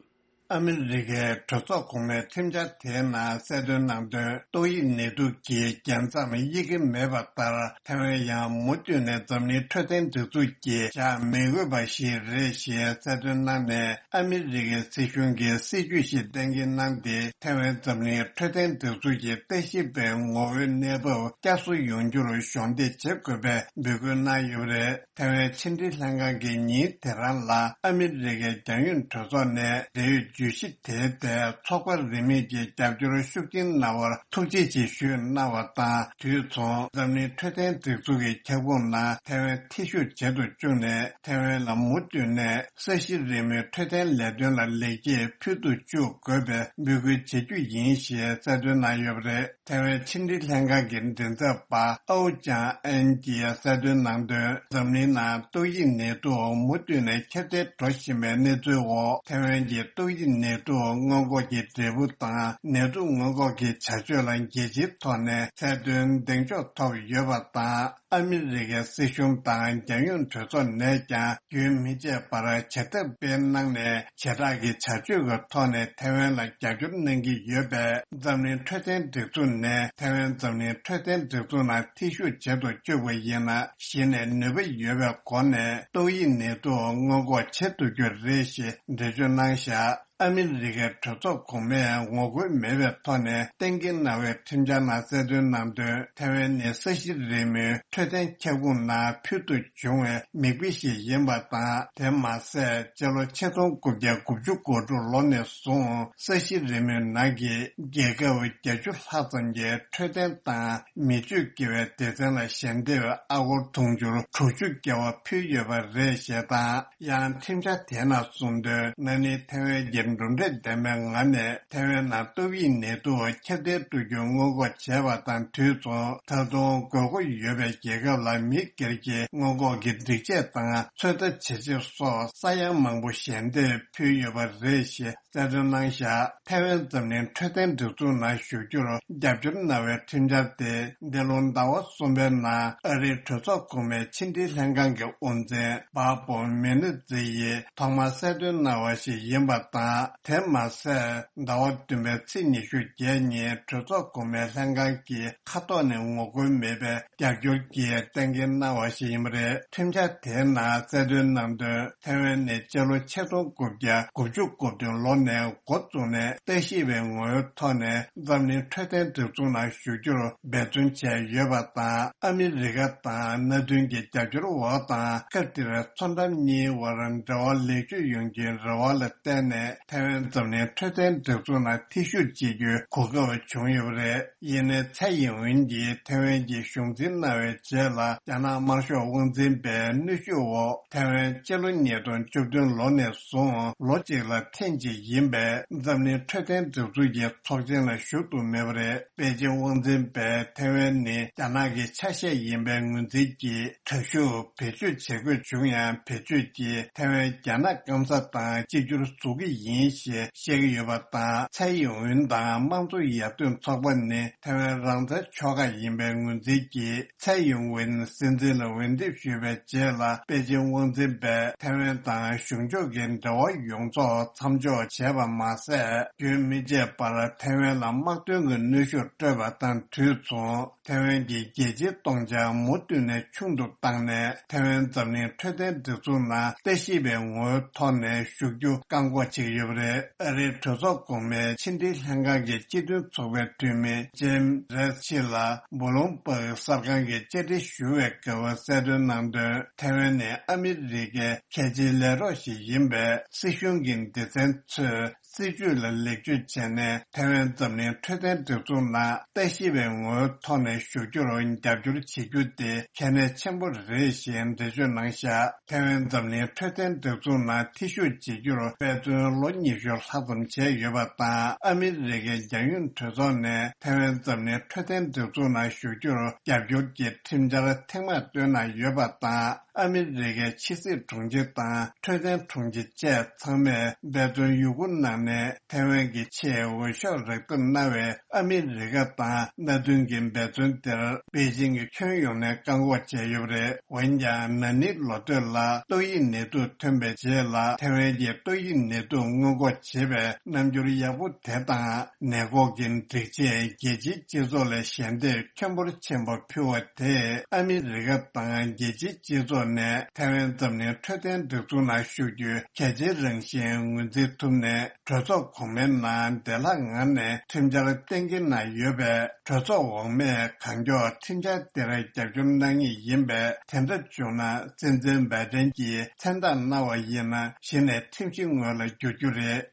ཨ་མི་རི་ཀའི་གྲོས་ཚོགས་གོང་མའི་ཁྲིམས་འཆར་དེའི་ནང་གསལ་སྟོན་གནང་དོན། ཏོག་དབྱིབས་ནད་དུག་གི་རྒྱལ་མཚམས་དབྱེ་གི་མེད་པ་ལྟར། ཐའེ་ཝན་ཡང་མུ་མཐུད་ནས་འཛམ་གླིང་འཕྲོད་བསྟེན་སྒྲིག་འཛུགས་ཀྱིས་བཞག་མི་དགོས་པ་ཞིག་རེད་ཞེས་གསལ་སྟོན་གནང་ནས། ཨ་མི་རི་ཀའི་སྲིད་གཞུང་གིས་སྲིད་ཇུས་ཤིག་གཏན་འཁེལ་གནང་སྟེ། ཐའེ་ཝན་འཛམ་གླིང་འཕྲོད་བསྟེན་སྒྲིག་འཛུགས་ཀྱི་ལྟ་ཞིབ་པའི་ངོ་བོའི་གནས་བབ་བསྐྱར་གསོ་ཡོང་རྒྱུར་གཞོགས་འདེགས་བྱེད་དགོས་པའི་འབོད་སྐུལ་གནང་ཡོད་པ་རེད། ཐའེ་ཝན་ཕྱི་འབྲེལ་ལྷན་ཁང་གིས་ཉིན་དེ་རང་ལ་ཨ་མི་རི་ཀའི་རྒྱང་ཡོལ་གྲོས་ཚོགས་ནས་འབྲེལ་ཡོད་བརྗོད་གཞི་དེའི་ཐད་ཚོགས་པ་རིས་མེད་ཀྱི་རྒྱབ་སྐྱོར་ཤུགས་ཆེན་གནང་བར་ཐུགས་རྗེ་ཆེ་ཞུས་གནང་བ་དང་། དུས་མཚུངས་འཛམ་གླིང་འཕྲོད་བསྟེན་སྒྲིག་འཛུགས་ཀྱི་ཁྱབ་ཁོངས་ནང་ཐའེ་ཝན་ཐེ་ཞུགས་བྱེད་དུ་བཅུག་ནས། ཐའེ་ཝན་ལ་མུ་མཐུད་ནས་ས་གཞི་རིལ་མོའི་འཕྲོད་བསྟེན་ལས་དོན་ལ་ལེགས་སྐྱེས་ཕུལ་དུ་བཅུག་དགོས་པའི་འབོད་སྐུལ་བྱེད་རྒྱུ་ཡིན་ཞེས་གསལ་སྟོན་གནང་ཡོད་པ་རེད། ཐའེ་ཝན་ཕྱི་འབྲེལ་ལྷན་ཁང་གི་མགྲིན་ཚབ་པ་ཨའོ་ཅང་ཨན་གྱིས་གསལ་སྟོན་གནང་དོན། འཛམ་གླིང་ནང་ཏོག་དབྱིབས་ནད་དུག་མུ་མཐུད་ནས་ཁྱབ་གདལ་འགྲོ་བཞིན་པའི་གནས་ཚུལ་འོག་ཐའེ་ཝན་གྱི་ཏོག་དབྱིབས་ནད་དུག་སྔོན་འགོག་གི་འབྲས་བུ་དང་། ནད་དུག་སྔོན་འགོག་གི་བྱ་སྤྱོད་ལ་རྒྱལ་སྤྱིའི་ཐོག་ནས་ཚད་མཐོའི་གདེང་འཇོག་ཐོབ་ཡོད་པ་དང་། ཨ་མི་རི་ཀའི་སྲིད་གཞུང་དང་རྒྱང་ཡོལ་གྲོས་ཚོགས་ནས་ཀྱང་རྒྱུན་མི་ཆད་པར་བྱེད་ཐབས་སྤེལ་གནང་ནས། བྱེ་བྲག་གི་བྱ་སྤྱོད་ཀྱི་ཐོག་ནས་ཐའེ་ཝན་ལ་རྒྱབ་སྐྱོར་གནང་གི་ཡོད་པས། འཛམ་གླིང་འཕྲོད་བསྟེན་སྒྲིག་འཛུགས་ནས་ཐའེ་ཝན་འཛམ་གླིང་འཕྲོད་བསྟེན་སྒྲིག་འཛུགས་ནང་ཐེ་ཞུགས་བྱེད་དུ་བཅུག་པ་ཡིན་ན། གཞི་ནས་ནུས་པ་ཡོད་པའི་སྒོ་ནས་ཏོག་དབྱིབས་ནད་དུག་སྔོན་འགོག་བྱེད་ཐུབ་རྒྱུ་རེད་ཞེས་འགྲེལ་བརྗོད་གནང་བཞག་ཨ་མི་རི་ཀའི་གྲོས་ཚོགས་གོང་མས་ངོ་རྒོལ་མེད་པའི་ཐོག་ནས་གཏན་འཁེལ་གནང་བའི་ཁྲིམས་འཆར་ནང་གསལ་སྟོན་གནང་དོན། ཐའེ་ཝན་ནི་ས་གཞི་རིལ་མོའི་འཕྲོད་བསྟེན་ཁྱབ་ཁོངས་ནང་ཕུལ་དུ་བྱུང་བའི་མིག་དཔེ་ཞིག་ཡིན་པ་དང་། དེ་མ་ཟད། སྤྱི་ལོ་ཆིག་སྟོང་དགུ་བརྒྱ་དགུ་བཅུ་གོ་དྲུག་ལོ་ནས་བཟུང་ས་གཞི་རིལ་མོའི་ནང་གི་རྒྱལ་ཁབ་བརྒྱད་ཅུ་ལྷག་ཙམ་གྱི་འཕྲོད་བསྟེན་དང་མི་སྤྱོད་དགེ་བའི་སྡེ་ཚན་ལ་ཞལ་འདེབས་ཨ་སྒོར་དུང་ཕྱུར་དྲུག་ཅུ་བརྒལ་བ་ཕུལ་ཡོད་པ་རེད་ཞེས་དང་། ཡང་ཁྲིམས་འཆར་དེ་ནང་གསུངས་དོན། ན་ནིང་ཐའེ་ཝན་གྱི་ གྲུབ་འབྲས་ལྡན་པའི་ངང་ནས་ཐའེ་ཝན་ནང་ཏོག་དབྱིབས་ནད་དུག་ཁྱབ་གདལ་གཏོང་རྒྱུའི་སྔོན་འགོག་བྱས་པ་དང་དུས་མཚུངས། ད་དུང་དགོས་མཁོ་ཡོད་པའི་རྒྱལ་ཁབ་ལ་མི་སྒེར་གྱི་སྔོན་འགོག་གི་སྒྲིག་ཆས་དང་ཚོད་ལྟ་བྱེད་ཆས་སོགས་ས་ཡ་མང་པོ་ཞལ་འདེབས་ཕུལ་ཡོད་པ་རེད་ཞེས་གསལ་སྟོན་གནང་བཞག་ཐའེ་ཝན་འཛམ་གླིང་འཕྲོད་བསྟེན་སྒྲིག་འཛུགས་ནང་ཞུགས་རྒྱུར་རྒྱབ་སྐྱོར་གནང་བའི་ཁྲིམས་འཆར་དེ་འདི་ལོ་ཟླ་བ་གསུམ་པའི་ནང་ཨ་རིའི་གྲོས་ཚོགས་གོང་མའི་ཕྱི་འབྲེལ་ལྷན་ཁང་གི་དབུ་འཛིན་བྷ་བོ་མེ་ནི་ཛི་ཡིས་ཐོག་མར་གསལ་སྟོན་གནང་བ་ཞིག་ཡིན་པ་དང་། དེ་མ་ཟད། ཟླ་བ་བདུན་པའི་ཚེས་ཉི་ཤུ་བརྒྱད་ཉིན་གྲོས་ཚོགས་གོང་མའི་ལྷན་ཁང་གི་ཁ་ཐོག་ནས་ངོ་རྒོལ་མེད་པའི་རྒྱབ་སྐྱོར་གྱིས་གཏན་འཁེལ་གནང་བ་ཞིག་ཡིན་པ་རེད། ཁྲིམས་འཆར་དེའི་ནང་གསལ་སྟོན་གནང་དོན། ཐའེ་ཝན་ནི་སྤྱི་ལོ་ཆིག་སྟོང་དགུ་བརྒྱ་དགུ་བཅུ་གོ་བདུན་ལོ་ནས་འགོ་བཙུགས་ནས་ལྟ་ཞིབ་པའི་ངོ་བོའི་ཐོག་ནས་འཛམ་གླིང་འཕྲོད་བསྟེན་སྒྲིག་འཛུགས་ནང་ཞུགས་རྒྱུར་འབད་བརྩོན་བྱས་ཡོད་པ་དང་། ཨ་མི་རི་ཀ་དང་མནའ་མཐུན་གྱི་རྒྱབ་སྐྱོར་འོག་དང་། སྐབས་དེར་མཚོ་འགྲམ་གཉིས་དབར་འབྲེལ་བ་ལེགས་བཅོས་ཡོང་རྒྱུའི་རེ་བ་ལ་བརྟེན་ནས། ཐའེ་ཝན་འཛམ་གླིང་འཕྲོད་བསྟེན་སྒྲིག་འཛུགས་ནང་ཐེ་ཞུགས་བྱེད་རྒྱུའི་གོ་སྐབས་བྱུང་ཡོད་པ་རེད། ཡིན་ནའི་ཚའེ་ཡིན་ཝིན་གྱིས་ཐའེ་ཝན་གྱི་གཞུང་འཛིན་གནང་བའི་རྗེས་ལ། རྒྱ་ནག་དམར་ཤོག་དབང་འཛིན་པའི་གནོན་ཤུགས་འོག་ཐའེ་ཝན་སྤྱི་ལོ་ཉིས་སྟོང་བཅུ་བདུན་ལོ་ནས་བཟུང་ལོ་གཅིག་ལ་ཐེངས་གཅིག་ཡིན་པའི་འཛམ་གླིང་འཕྲོད་བསྟེན་སྒྲིག་འཛུགས་ཀྱི་ཚོགས་ཆེན་ལ་ཞུགས་ཐུབ་མེད་པ་རེད། པེ་ཅིང་དབང་འཛིན་པས་ཐའེ་ཝན་ནི་རྒྱ་ནག་གི་ཆ་ཤས་ཡིན་པའི་ངོས་འཛིན་གྱིས། དྲག་ཤུགས་བེད་སྤྱོད་བྱེད་དགོས་བྱུང་ཡང་། བེད་སྤྱོད་ཀྱིས་ཐའེ་ཝན་རྒྱ་ནག་སྐམ་ས་དང་གཅིག་གྱུར་བཟོ་གི་ཡིན་ཞེས་བཤད་ཀྱི་ཡོད་པ་དང་། ཚའེ་ཡིན་ཝིན་དང་དམངས་གཙོ་ཡར་ཐོན་ཚོགས་པ་ནི་ཐའེ་ཝན་རང་བཙན་ཕྱོགས་ཁག་ཡིན་པའི་ངོས་འཛིན་གྱིས། ཚའེ་ཡིན་ཝིན་སྲིད་འཛིན་ལ་འོས་འདེམས་ཞུས་པའི་རྗེས་ལ། པེ་ཅིང་དབང་འཛིན་པས་ཐའེ་ཝན་དང་གཞུང་ཕྱོགས་ཀྱི་འབྲེལ་བ་ཡོངས་རྫོགས་མཚམས་འཇོག་བྱས་པ་མ་ཟད། རྒྱུན་མི་ཆད་པར་ཐའེ་ཝན་ལ་དམག་དོན་གྱི་གནོན་ཤུགས་སྤྲོད་པ་དང་དུས་མཚུངས། ཐའེ་ཝན་གྱི་རྒྱལ་སྤྱིའི་སྟོང་ཆ་མུ་མཐུད་ནས་ཆུང་དུ་བཏང་ནས། ཐའེ་ཝན་འཛམ་གླིང་འཕྲོད་བསྟེན་སྒྲིག་འཛུགས་ནང་ལྟ་ཞིབ་པའི་ངོ་བོའི་ཐོག་ནས་ཞུགས་རྒྱུ་བཀག་འགོག་བྱེད་ཀྱི་ཡོད་པ་རེད། ཨ་རིའི་གྲོས་ཚོགས་གོང་མའི་ཕྱི་འབྲེལ་ལྷན་ཁང་གི་སྤྱི་མཐུན་ཚོགས་པའི་འཐུས་མི་ཇེམ་རེད་ཆི་ལ་བྷུ་ལུམ་པག་གསར་ཁང་གི་བཅར་འདྲི་ཞུ་བའི་སྐབས་གསལ་སྟོན་གནང་དོན། ཐའེ་ཝན་ནི་ཨ་མི་རི་ཀའི་གལ་ཆེའི་ལས་རོགས་ཤིག་ཡིན་པས། སྲིད་གཞུང་གི་སྡེ་ཚན་ཚོས། སྲིད་ཇུས་ལ་ལེགས་བཅོས་བྱས་ནས། ཐའེ་ཝན་འཛམ་གླིང་འཕྲོད་བསྟེན་སྒྲིག་འཛུགས་ནང་ལྟ་ཞིབ་པའི་ངོ་བོའི་ཐོག་ནས་ཞུགས་རྒྱུར་རྒྱབ་སྐྱོར་བྱེད་རྒྱུ་དེ་གལ་གནད་ཆེན་པོ་རེད་ཞེས་འགྲེལ་བརྗོད་གནང་བཞག་ཐའེ་ཝན་འཛམ་གླིང་འཕྲོད་བསྟེན་སྒྲིག་འཛུགས་ནང་ཐེ་ཞུགས་བྱེད་རྒྱུར་དཔེ་མཚོན་ལོ་ཉི་ཤུ་ལྷག་ཙམ་བྱས་ཡོད་པ་དང་། ཨ་མི་རི་ཀའི་རྒྱལ་ཡོངས་གྲོས་ཚོགས་ནས་ཐའེ་ཝན་འཛམ་གླིང་འཕྲོད་བསྟེན་སྒྲིག་འཛུགས་ནང་ཞུགས་རྒྱུར་རྒྱབ་སྐྱོར་གྱི་ཁྲིམས་འཆར་ཐེངས་མང་བཏོན་གནང་ཡོད་པ་དང་། ཨ་མི་རི་ཀའི་ཕྱི་སྲིད་དྲུང་ཆེ་དང་འཕྲོད་བསྟེན་དྲུང་ཆེ་བཅས་ཚང་མས་འབད་བརྩོན་ཡོད་རྒུ་གནང་ནས། ཐའེ་ཝན་གྱི་ཆེས་འོས་ཤོག་རག་ཐབས་གནང་བའི་ཨ་མི་རི་ཀ་དང་མནའ་མཐུན་གྱི་འབད་བརྩོན་དེར་པེ་ཅིང་གིས་ཁྱོན་ཡོངས་ནས་བཀག་འགོག་བྱས་ཡོད་པ་རེད། འོན་ཀྱང་། ན་ནིང་ལོ་སྟོད་ལ་ཏོག་དབྱིབས་ནད་དུག་ཐོན་པའི་རྗེས་ལ། ཐའེ་ཝན་གྱིས་ཏོག་དབྱིབས་ནད་དུག་སྔོན་འགོག་བྱེད་པའི་རྣམ་འགྱུར་ཡག་པོ་དེ་དང་། ནད་འགོག་གི་སྒྲིག་ཆས་རྒྱལ་སྤྱིའི་སྤྱི་ཚོགས་ལ་ཞལ་འདེབས་ཁྱོན་འབོར་ཆེན་པོ་ཕུལ་བ་དེས། ཨ་མི་རི་ཀ་དང་རྒྱལ་སྤྱིའི་སྤྱི་ཚོགས་ནས་ཐའེ་ཝན་འཛམ་གླིང་འཕྲོད་བསྟེན་སྒྲིག་འཛུགས་ནང་ཞུགས་རྒྱུའི་གལ་ཆེའི་རང་བཞིན་ངོས་འཛིན་ཐུབ་ནས། གྲོས་ཚོགས་གོང་མའི་ནང་བདེ་བླག་ངང་ནས་ཁྲིམས་འཆར་གཏན་འཁེལ་གནང་ཡོད་པས། གྲོས་ཚོགས་འོག་མས་གང་མགྱོགས་ཁྲིམས་འཆར་དེར་རྒྱབ་སྐྱོར་གནང་ངེས་ཡིན་པས། དེ་འདྲ་བྱུང་ན། སྲིད་འཛིན་བྷའི་ཏན་གྱིས་མཚན་རྟགས་གནང་བ་ཡིན་ན། གཞི་ནས་ཁྲིམས་གཞི་ངོས་ལ་འགྱུར་རྒྱུ་རེད།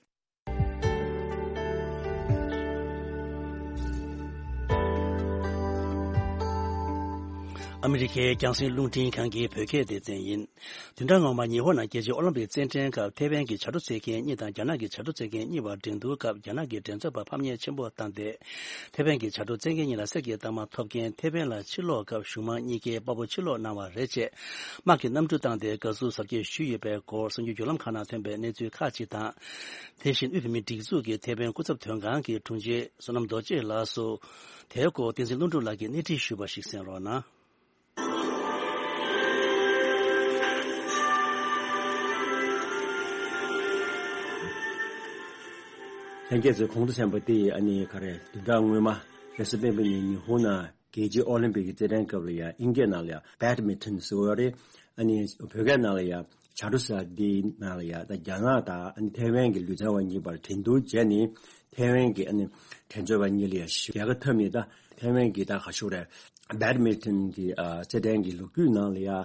ཨ་མི་རི་ཀའི་རྒྱང་སྲིང་རླུང་འཕྲིན་ཁང་གི་བོད་སྐད་སྡེ་ཚན་ཡིན། བདུན་ཕྲག་སྔོན་མ་ཉི་ཧོང་ནང་རྒྱལ་སྤྱིའི་ཨོ་ལིམ་པིག་རྩེད་འགྲན་སྐབས་ཐེ་ཝན་གྱི་བྱ་སྒྲོ་རྩེད་མཁན་གཉིས་དང་རྒྱ་ནག་གི་བྱ་སྒྲོ་རྩེད་མཁན་གཉིས་བར་འགྲན་བསྡུར་སྐབས་རྒྱ་ནག་གི་འགྲན་རྩོད་པ་ཕམ་ཉེས་ཆེན་པོ་བཏང་སྟེ། ཐེ་ཝན་གྱི་བྱ་སྒྲོ་རྩེད་མཁན་གཉིས་ལ་གསེར་གྱི་རྟགས་མ་ཐོབ་རྐྱེན། ཐེ་ཝན་ལ་ཕྱིར་ལོག་སྐབས་གཞུང་མང་གཉིས་ཀས་དཔའ་བོ་ཕྱིར་ལོག་གནང་བ་རེད་ཅེས་དམག་གི་གནམ་གྲུ་བཏང་སྟེ་དགའ་བསུ་གཟབ་རྒྱས་ཞུས་ཡོད་པའི་སྐོར་གསར་འགྱུར་བརྒྱུད་ལམ་ཁག་ནང་ཐོན་པའི་གནས་ཚུལ་ཁག་ཅིག་དང་། དེ་བཞིན་དབུས་བོད་མིའི་སྒྲིག་འཛུགས་ཀྱི་ཐེ་ཝན་སྐུ་ཚབ་དོན་ཁང་གི་དྲུང་ཆེ་བསོད་ནམས་རྡོ་རྗེ་ལགས་སུ། དེའི་སྐོར་བསྟན་འཛིན་ཀླུ་སྒྲུབ་ལགས་ཀྱིས་སྣེ་ཁྲིད་ཞུས་པ་ཞིག་གསན་རོགས་གནང་། ལྷན་རྒྱས་ཚོས་གོང་དུ་གསན་པ་དེ་ཨ་ནི་ག་རེ། བདུན་ཕྲག་སྔོན་མ་རེས་གཟའ་སྤེན་པ་ཉིན་ཉི་ཧོང་ནང་རྒྱལ་སྤྱིའི་ཨོ་ལིམ་པིག་གི་རྩེད་འགྲན་སྐབས་ལ་ཡ། ཨིན་སྐད་ནང་ལ་ཡ་བེད་མིན་ཊོན་ཟེར་བ་རེད། ཨ་ནི་བོད་སྐད་ནང་ལ་ཡ་བྱ་སྒྲོ་ཟེར་བ་འདིའི་ནང་ལ་ཡ། ད་རྒྱ་ནག་དང་ཨ་ནི་ཐའེ་ཝན་གྱི་ལུས་རྩལ་བ་གཉིས་བར་འགྲན་བསྡུར་བྱས་ནས། ཐའེ་ཝན་གྱི་ཨ་ནི་འགྲན་རྩོད་པ་གཉིས་ལ་ཡ་ཞི་བའི་རྒྱལ་ཁ་ཐོབ་ནས། ད་ཐའེ་ཝན་གྱི་ད་ག་ཞུ་རེད། བེད་མིན་ཊོན་གྱི་ཨ་རྩེད་འགྲན་གྱི་ལོ་རྒྱུས་ནང་ལ་ཡ། ཨ་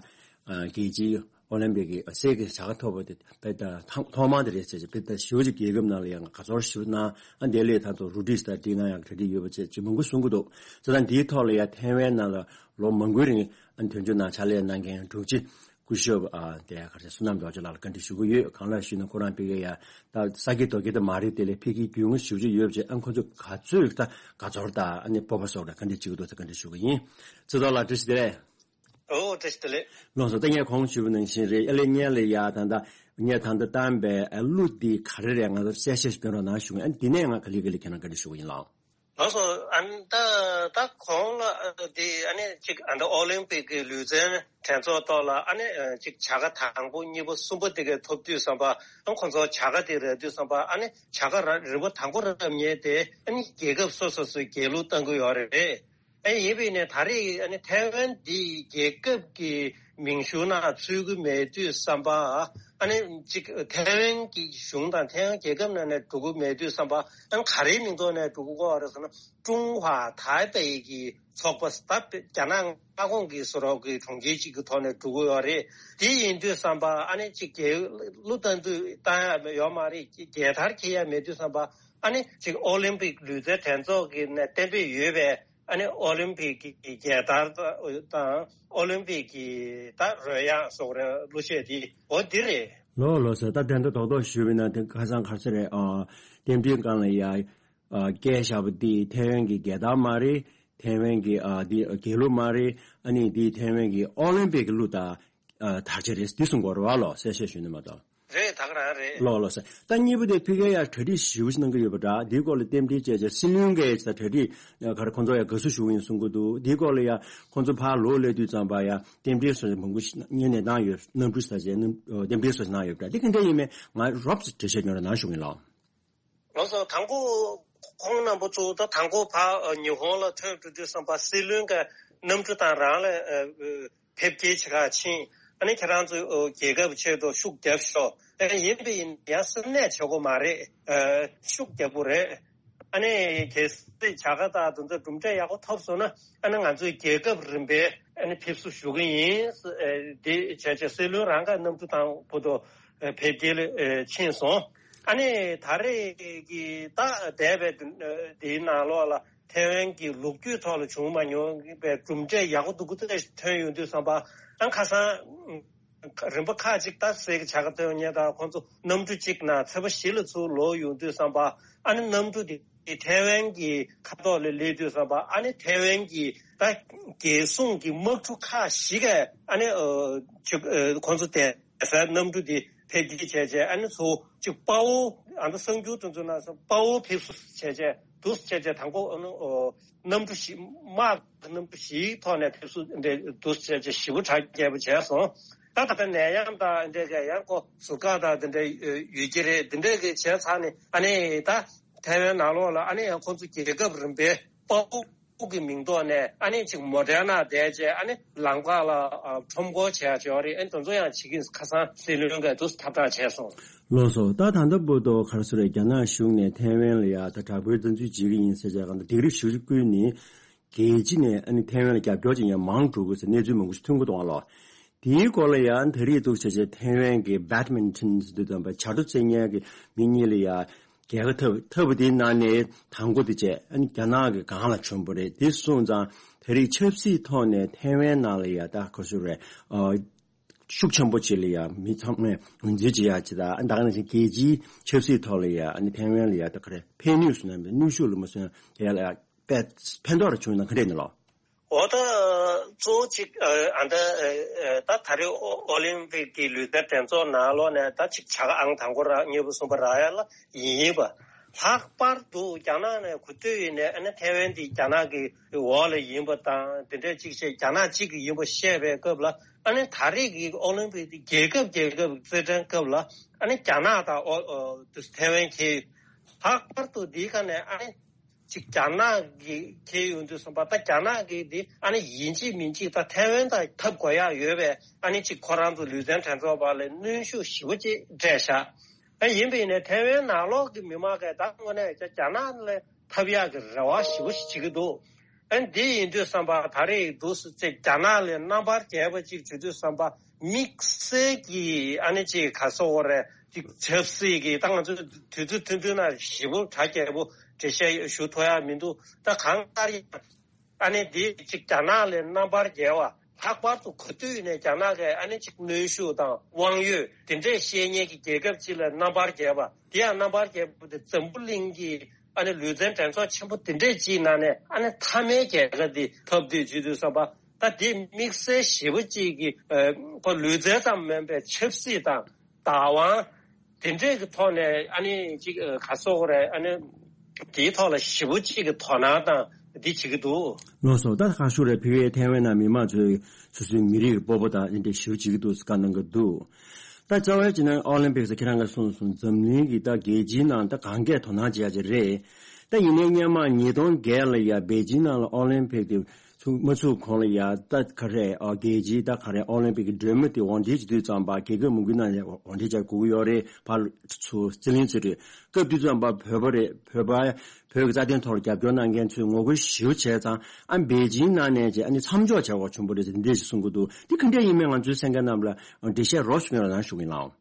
རྒྱལ་སྤྱིའི་ཨོ་ལིམ་པིག་གི་གསེར་གྱི་བྱ་དགའ་ཐོབ་པ་དེ་དཔེ་ད་ཐོག་མ་དེ་རེད་ཟེར། དཔེ་ད་ཞེ་པོ་ཅིག་རྒྱལ་ཁབ་ནང་ལ་ཡང་དགའ་ཚོར་ཞེ་པོ་གནང་། ཨ་དེ་ལས་ད་དུང་རུ་ཌི་ད་འགྲིག་གནང་ཡག་གྲ་སྒྲིག་ཡོད་པ་བཅས་ཅིག་མང་པོ་གསུང་གི་འདུག་བྱས་ཙང་འདིའི་ཐོག་ལ་ཡང་ཐའེ་ཝན་ནང་ལ་ལོ་མང་པོའི་རིང་ཨ་དོན་གཅོད་ནང་ཕྱག་ལས་གནང་མཁན་དྲུག་ཅུ་ སྐུ་ཞབས་ཨ་དེ་ག་རེ་བསོད་ནམས་རྡོ་རྗེ་ལགས་ལ་བཀའ་འདྲི་ཞུ་གི་ཡོད། གང་ལགས་ཞུས་ན་ཁོ་རང་ཕ་གི་ཡ་ད་ས་དགེ་རྡོ་དགེ་དེ་མ་རེད། དེ་ལས་ཕ་གིའི་རྒྱུས་མངའ་ཞེ་པོ་ཅིག་ཡོད་པ་བྱས། ཨ་ཁོ་ཚོ་ག་ཚོད་ད་དགའ་ཚོར་དང་ཨ་ནི་སྤོབས་པ་སོགས་ལ་བཀའ་འདྲི་བྱེད་ཀྱི་འདུག་ཟེར་བཀའ་འདྲི་ཞུ་གི་ཡིན། ཚེ་ཐར་ལགས་བཀྲ་ཤིས་བདེ་ལེགས། ཨོ་བཀྲ་ཤིས་བདེ་ལེགས། ལགས་སོ། ད་ངས་གོང་ཞུས་པ་ནང་བཞིན་རེད། ཨ་ལས་ངས་ལ་ཡ་ད་ད་ངས་ད་ད་བཏང་པའི་ཨ་གླུ་འདི་ག་རེ་རེད་ང་ཚོར་གསལ་བཤད་ཞིག་སྐྱོན་རོགས་གནང་ཞུ་གི་ཡིན། ཨ་ནི་འདི་ནས་ང་ག་ལེ་ག་ལེ་ཁྱེད་རང་བཀའ་འདྲི་ཞུ་གི་ཡིན་ལགས། ལགས་སོ། ཨ་ནི་ད་ད་གོང་ལ་ཨ་དེ་ཨ་ནི་གཅིག་ཨ་ནི་ཨོ་ལིམ་པིག་གི་ལུས་རྩལ་གྲས་ཚོགས་ཐོག་ལ་ཨ་ནི་ཨ་གཅིག་བྱ་དགའ་དང་པོ་གཉིས་པ་གསུམ་པ་དེ་ག་ཐོབ་དུས་ཙམ་པ། ཨ་ཁོང་ཚོ་བྱ་དགའ་དེ་རག་དུས་ཙམ་པ་ཨ་ནི་བྱ་དགའ་ར་རིམ་པ་དང་པོ་རག་མཁན་དེ་ཨ་ནི་རྒྱལ་ཁབ་སོ་སོ་སོའི་རྒྱལ་གླུ་བཏང་གི་ཡོད་རེད། ཨ་ཡིན་པས་ནས་ད་རེས་ཨ་ནི་ཐའེ་ཝན་འདི་རྒྱལ་ཁབ་ཀྱི་མིང་གཞུང་ནང་ཚུད་ཀྱི་མེད་དུས་ཙམ་པ། ཨ་ནི་གཅིག་ཐའེ་ཝན་གྱི་གཞུང་དང་ཐའེ་ཝན་རྒྱལ་ཁབ་ནང་ནས་འགྲོ་གི་མེད་དུས་ཙམ་པ། ཨ་ནི་ག་རེའི་མིང་ཐོག་ནས་འགྲོ་གི་ཡོད་རེད་ཟེར་ན། ཀྲུང་ཧྭ་ཐའེ་པེ་གི་ཚོགས་པ་ད་རྒྱ་ནག་མངའ་ཁོངས་ཀྱི་སུ་རོག་གི་གྲོང་ཁྱེར་གཅིག་གི་ཐོག་ནས་འགྲོ་གི་ཡོད་རེད། དེ་ཡིན་དུས་ཙམ་པ་ཨ་ནི་གཅིག་རྒྱལ་གླུ་བཏང་དུས་བཏང་ཡ་ཡོད་མ་རེད། རྒྱལ་དར་འཁྱེར་ཡ་མེད་དུས་ཙམ་པ་ཨ་ནི་གཅིག་ཨོ་ལིམ་པིག་ལུས་རྩལ་གྲས་ཚོགས་ཀྱི་ནས་གཏན་འབེབས་ཡོད་པའི་ཨ་ནི་ཨོ་ལིམ་པིག་གི་རྒྱལ་དར་དང་ཨོ་ལིམ་པིག་གི་ད་རོལ་དབྱངས་སོགས་རེད། གླུ་གཞས་འདི་འོ་འདི་རེད། ལོ་ལོ་ཟེར་ད་དེ་འདྲ་རྡོག་རྡོག་ཞུས་པ་ཡིན་ན་དེ་ཁ་སང་ག་ཚོད་རེད། ཨ་རྟེན་འབྲེལ་སྒང་ལ་ཡ་ཨ་སྐད་བཞག་པ་འདི་ཐའེ་ཝན་གྱི་རྒྱལ་དར་མ་རེད། ཐའེ་ཝན་གྱི་ཨ་འདི་རྒྱལ་གླུ་མ་རེད། ཨ་ནི་འདི་ཐའེ་ཝན་གྱི་ཨོ་ལིམ་པིག་གི་གླུ་དང་ཨ་དར་ཆ་རེད། འདི་གསུང་དགོས་རེད་བ་ལོ། གསལ་བཤད་ཞུས་ན་མ་གཏོགས། རེད། ད་ག་རང་རེད། ལོ་ལོ་ཟེར། ད་གཉིས་པ་དེ་ཕ་གི་ཡ་གྲ་སྒྲིག་ཞེ་པོ་ཞིག་གནང་གི་ཡོད་པ་འདྲ། འདིའི་སྐོར་ལ་རྟེན་འབྲེལ་བྱས་བྱས་སྲིད་བློན་གྱིས་ད་གྲ་སྒྲིག་ག་རེ་ཁོང་ཚོ་ཡ་དགའ་བསུ་ཞུ་གི་ཡིན་གསུང་གི་འདུག། འདིའི་སྐོར་ལ་ཡ་ཁོང་ཚོ་ཕར་ལོག་སླེབས་དུས་ཙམ་པ་ཡ་རྟེན་འབྲེལ་སོགས་མང་པོ་ཞིག་གནང་ཡས་གནང་ཡོད། གནམ་གྲུ་ཟ་བྱས་གནམ་རྟེན་འབྲེལ་སོགས་གནང་ཡོད་པ་འདྲ། འདི་ག་འདྲ་ཡིན་མིན་ང་རོབ་ཙམ་འགྲེལ་བཤད་ཉོ་ར་གནང་ཞུ་གི་ཡིན་ལགས། ལགས་སོ། དང་པོ་ཁོང་རྣམ་པ་ཚོ་ད་དང་པོ་ཕར་ཉི་ཧོང་ལ་ཐོན་འགྲོ་དུས་ཙམ་པ་སྲིད་བློན་གྱི་གནམ་གྲུ་དང་རང་ལ་ཕེབས་སྐྱེལ་བྱེད་ག་ཕྱིན། ཨ་ནི་ཁྱེད་རང་ཚོ་རྒྱལ་ཁབ་ཆེད་དུ་ཤུགས་རྒྱབ་ཤོག། ཨ་ཡིན་པས་ཡིན་ཡང་སེམས་ནད་བྱེད་དགོས་མ་རེད། ཤུགས་རྒྱབ་དགོས་རེད། ཨ་ནི་གལ་སྲིད་བྱ་དགའ་དང་དེ་ཚོ་གྲུབ་འབྲས་ཡག་པོ་ཐོབ་སོང་ན་ཨ་ནི་ང་ཚོས་རྒྱལ་ཁབ་རིམ་པས་ཨ་ནི་ཕེབས་བསུ་ཞུ་གི་ཡིན། དེ་བྱས་བྱས་སྲིད་བློན་རང་ག་གནམ་གྲུ་དང་བུ་དོ་ཕེབས་སྐྱེལ་ཕྱིན་སོང་། ཨ་ནི་ད་རེས་ཀྱི་ད་འདས་པའི་དེའི་ནང་ལོགས་ལ་ཐའེ་ཝན་གྱི་ལོ་རྒྱུས་ཐོག་ལ་བྱུང་མ་མྱོང་པའི་གྲུབ་འབྲས་ཡག་པོ་འདུག་གི་ཐོན་ཡོང་དུས་ཙམ་པ་ཨ་ཁ་སང་རིམ་པ་ཁག་ཅིག་ད་སེ་གི་བྱ་དགའ་ཐོན་ཡོང་ད་ཁོང་ཚོ་གནམ་གྲུ་གཅིག་ནང་ཚེས་པ་བཞི་ལ་ཚུར་ལོག་ཡོང་དུས་ཙམ་པ་ཨ་ནི་གནམ་གྲུ་དེ་ཐའེ་ཝན་གྱི་ཁ་ཐོག་ལ་སླེབས་དུས་ཙམ་པ་ཨ་ནི་ཐའེ་ཝན་གྱི་ད་རྒྱལ་སྲུང་གི་དམག་གྲུ་ཁག་ཞིག་ག་ཨ་ནི་ཁོང་ཚོ་དེ་སའི་གནམ་གྲུ་དེ་ཕེབས་སྐྱེལ་བྱས་བྱས་ཨ་ནི་ཚུར་གཅིག་དཔའ་བོ་ཨ་ནི་གསར་འགྱུར་དེ་ཚོ་ནང་དཔའ་བོ་ཕེབས་བསུ་བྱས་བྱས་འདུག་བྱས་བྱས་དང་པོ་ཨ་ནི་གནམ་གྲུ་བཞི་དམག་གི་གནམ་གྲུ་བཞིའི་ཐོག་ནས་ཕེབས་བསུ་འདི་འདུག་བྱས་བྱས་ཞེ་པོ་གྲ་རྒྱས་པོ་བྱས་སོང་། ད་ད་ལྟ་ནད་ཡམས་དང་འདི་འདྲ་གི་ཡང་ཁོ་ཟུར་བཀག་དང་འདི་འདྲ་ཡོད་ཀྱི་རེད། འདི་འདྲ་གི་བྱས་ཚར་ནས་ཨ་ནི་ད་ཐའེ་ཝན་ནང་ལོགས་ལ་ཨ་ནི་ཡང་ཁོང་ཚོ་རྒྱལ་ཁབ་རིམ་པའི་དཔའ་བོ་ཁོ་གི་མིང་ཐོག་ནས་ཨ་ནི་ཅིག་མོ་ཌེ་ན་བསྡད་བྱས་ཨ་ནི་ལམ་ཁ་ལ་ཨ་ཁྲོམ་སྐོར་བྱས་བྱས་རེད། ཨ་ནི་དེ་ཚོ་ཡང་བྱེད་ཀྱིན་ཁ་སང་སྲིད་བློན་གྱིས་དུ་ཐབས་གྲངས་བྱས་སོང་། ལགས་སོ། ད་ད་ལྟ་བར་དུ་ག་རེ་ཟེར་རེད། རྒྱ་ནག་གཞུང་ནས་ཐའེ་ཝན་ལ་ཡ་ད་དྲག་པོའི་བཙན་འཛུལ་བྱེད་ཀྱི་ཡིན་ཟེར་བྱས་གང་ལྟར་སྡིགས་ར་ཞེ་པོ་བསྐུལ་ནས་རྒྱལ་སྤྱི་ནས་ཨ་ནི་ཐའེ་ཝན་ལ་རྒྱབ་སྐྱོར་བྱེད་མཁན་མང་འགྲོ་གི་ཟེར་གནས་ཚུལ་མང་པོ་ཞིག་ཐོན་གྱི་འདུག་ཨ་ལོ། དེའི་སྐོར་ལ་ཡང་ད་རེས་འདུག་བྱས་བྱས་ཐའེ་ཝན་གྱི་badminton་ཟེར་དུས་ཙམ་པ་བྱ་དོ་རྩེད་མཁན་གྱི་མི་གཉིས་ལ་ཡ་རྒྱལ་ཁ་ཐོབ་ཐོབ་པ་དེའི་ནང་ནས་དང་པོ་དེ་བྱས་ཨ་ནི་རྒྱ་ནག་གི་སྒང་ལ་བྱོན་པ་རེད། དེ་སོང་ཙང་ད་རེས་ཆབ་སྲིད་ཐོག་ནས་ཐའེ་ཝན་ནང་ལ་ཡ་ད་ག་ཚོད་རེད། ཨ་ཤུགས་ཆེན་པོ་ཅིག་ལ་ཡ་མི་ཚང་མས་ངོས་འཛིན་བྱེད་ཡ་ཅིག་དང་ཨ་ད་ག་ནང་བཞིན་རྒྱལ་སྤྱིའི་ཆབ་སྲིད་ཐོག་ལ་ཡ་ཨ་ནི་ཐའེ་ཝན་ལ་ཡ་ད་ག་རེ་ཕན་ནུས་སུ་ན་མེད་ནུས་ཤུགས་ལ་མ་སོན་དེ་ལ་ཡ་དཔེ་ཕན་ཐོགས་ར་བྱུང་ན་ག་འདྲས་ནི་ལོ། འོ་ད་གཙོ་བོ་གཅིག་ཨ་ད་ཨ་ད་ད་རེས་ཨོ་ཨོ་ལིམ་པིག་གི་ལུས་རྩལ་གྲས་ཚོགས་ནང་ལོགས་ནས་ད་གཅིག་བྱ་དགའ་ཨང་དང་པོ་རག་གཉིས་པ་གསུམ་པ་རག་ཡ་ལ་ཡིན་ཡིན་པ། ལྷག་པར་དུ་རྒྱ་ནག་ནས་གོ་ཐོས་ཡིན་ནས་ཨ་ནི་ཐའེ་ཝན་འདི་རྒྱ་ནག་གི་འོག་ལ་ཡིན་པ་དང་དེ་འདྲས་གཅིག་བཤད་རྒྱ་ནག་གཅིག་གི་ཡིན་པ་བཤད་པའི་སྐབས་ལ་ཨ་ནི་ད་རེས་ཀྱི་ཨོ་ལིམ་པིག་འདི་རྒྱལ་ཁབ་རྒྱལ་ཁབ་རྩེད་འགྲན་སྐབས་ལ་ཨ་ནི་རྒྱ་ནག་དང་ཨོ་ཨོ་ཐའེ་ཝན་ཁེལ། ལྷག་པར་དུ་འདིའི་ཁ་ནས་ཨ་ནི་ཅིག་རྒྱ་ནག་གི་ཁེལ་ཡོང་དུས་ཙམ་པ་ད་རྒྱ་ནག་གི་འདི་ཨ་ནི་ཡིན་གཅིག་མིན་གཅིག་ད་ཐའེ་ཝན་དང་འཐབ་དགོས་ཡག་ཡོད་པས་ཨ་ནི་ཅིག་ཁོ་རང་ཚོ་ལུས་རྩལ་འགྲན་ཚོགས་པ་ལ་གནོན་ཤུགས་ཞེ་པོ་ཅིག་སྤྲད་བཞག། ཨ་ཡིན་པ་ཡིན་ནའི་ཐའེ་ཝན་ནང་ལོགས་ཀྱི་མི་མང་གིས་ད་དངོས་གནས་རྒྱ་ནག་ལ་འཐབ་ཡག་གི་རེ་བ་ཞེ་པོ་ཞིག་བྱེད་ཀྱི་འདུག། ཨ་འདི་ཡིན་དུས་ཙམ་པ་ད་རེས་འདུག་སེ་ཅིག་རྒྱ་ནག་ལ་རྣམ་པར་རྒྱལ་བ་ཅིག་བྱེད་དུས་ཙམ་པ་དམིགས་བསལ་གྱི་ཨ་ནི་ཅིག་ག་སོ་བོ་རེད་ཅིག་ཆབ་སྲིད་ཀྱི་ད་ང་ཚོས་དུས་ཚོད་ཐུང་ཐུང་ན་ཞེ་པོ་གྲ་རྒྱས་པོ་འགྲེལ་བཤད་ཞུ་ཐུབ་ཡག་མི་འདུག། ད་གང་ལྟར་ཡང་ཨ་ནི་འདི་ཅིག་རྒྱ་ནག་ལ་རྣམ་པར་རྒྱལ་བ། ལྷག་པར་དུ་ག་དུས་ནས་རྒྱ་ནག་གིས་ཨ་ནི་ཅིག་གནོན་ཤུགས་དང་དབང་ཡོད་དེ་འདྲས་བཤད་མཁན་གྱི་རྒྱལ་ཁབ་ཅིག་ལ་རྣམ་པར་རྒྱལ་བ། དེ་ཡང་རྣམ་པར་རྒྱལ་བ་དེ་འཛམ་བུ་གླིང་གི་ཨ་ནི་ལུས་རྩལ་འགྲན་ཚོགས་ཆེན་པོ་དེ་འདྲས་ཅིག་ནང་ནས་ཨ་ནི་མཐའ་མའི་རྒྱལ་ཁ་དེ་ཐོབ་དུས་བྱེད་དུས་ཙམ་པ། ད་དེ་དམིགས་བསལ་ཞེ་པོ་ཅིག་གི་ཨ་ཁོ་ལུས་རྩལ་ཙམ་མིན་པའི་ཆབ་སྲིད་དང་བདག་དབང་དེ་འདྲས་ཀྱི་ཐོག་ནས་ཨ་ནི་ཅིག་ཨ་ག་སོགས་རེད། ཨ་ནི་དེའི་ཐོག་ལ་ཞེ་པོ་ཅིག་གི་དོ་སྣང་དང་འདི་བྱེད་ཀྱི་འདུག་ལགས་སོ། ད་ཁ་ཤུ་རེད། ཕི་བའི་ཐེ་ཝན་ནང་མི་མང་ཚོས་སོ་སོའི་མི་རིགས་ཀྱི་སྤོབས་པ་དང་འདི་འདྲ་ཞེ་པོ་བྱེད་ཀྱི་འདུག་བཀའ་གནང་གི་འདུག་ད་རྩ་བའི་ཅི་ན་ཨོ་ལིམ་པིག་ཟེར་ཁྱེད་རང་གིས་གསུངས་སོང་། འཛམ་གླིང་གི་ད་རྒྱལ་སྤྱིའི་ནང་ད་གང་གས་དོ་སྣང་བྱེད་ཡ་ཅིག་རེད། ད་ཡིན་ནའི་སྔོན་མ་ཉིས་སྟོང་བརྒྱད་ལ་ཡ་པེ་ཅིན་ནང་ལ་ཨོ་ལིམ་པིག་དེ་ཚུགས་མ་ཚུགས་གོང་ལ་ཡ་ད་ག་རེ་ཨ་རྒྱལ་སྤྱིའི་ད་ག་རེ་ཨོ་ལིམ་པིག་གི་གྲོས་མོལ་དེ་དབང་འབྱེད་བྱེད་དུས་ཙམ་པ་རྒྱལ་ཁབ་མང་པོའི་ནང་ནས་དབང་འབྱེད་བྱ་དགོས་ཀྱི་ཡོད་རེད། ཕར་ཚུར་རྩིས་ལེན་བྱེད་དུས་སྐབས་དེ་ཙམ་པ་བོད་པ་རེད། བོད་པ་བོད་ཀྱི་རྩ་དོན་ཐོག་ལ་རྒྱབ་སྐྱོར་གནང་མཁན་ཚོས་ངོ་རྒོལ་ཞེ་པོ་བྱས་ཙང་ཨ་པེ་ཅིན་ནང་ནས་ཀྱི་ཨ་ནི་མཚམས་འཇོག་བྱ་དགོས་བྱུང་བ་རེད་ཟེར་འདི་འདྲ་ཞིག་གསུང་གི་འདུག་འདི་ག་འདྲ་ཡིན་མིན་ང་ཚོའི་གསན་མཁན་རྣམས་ལ་འགྲེལ་བཤད་རོབ་ཞུ་ཡོང་ལ་ན་ཞུ་གི་ཡིན་ལགས།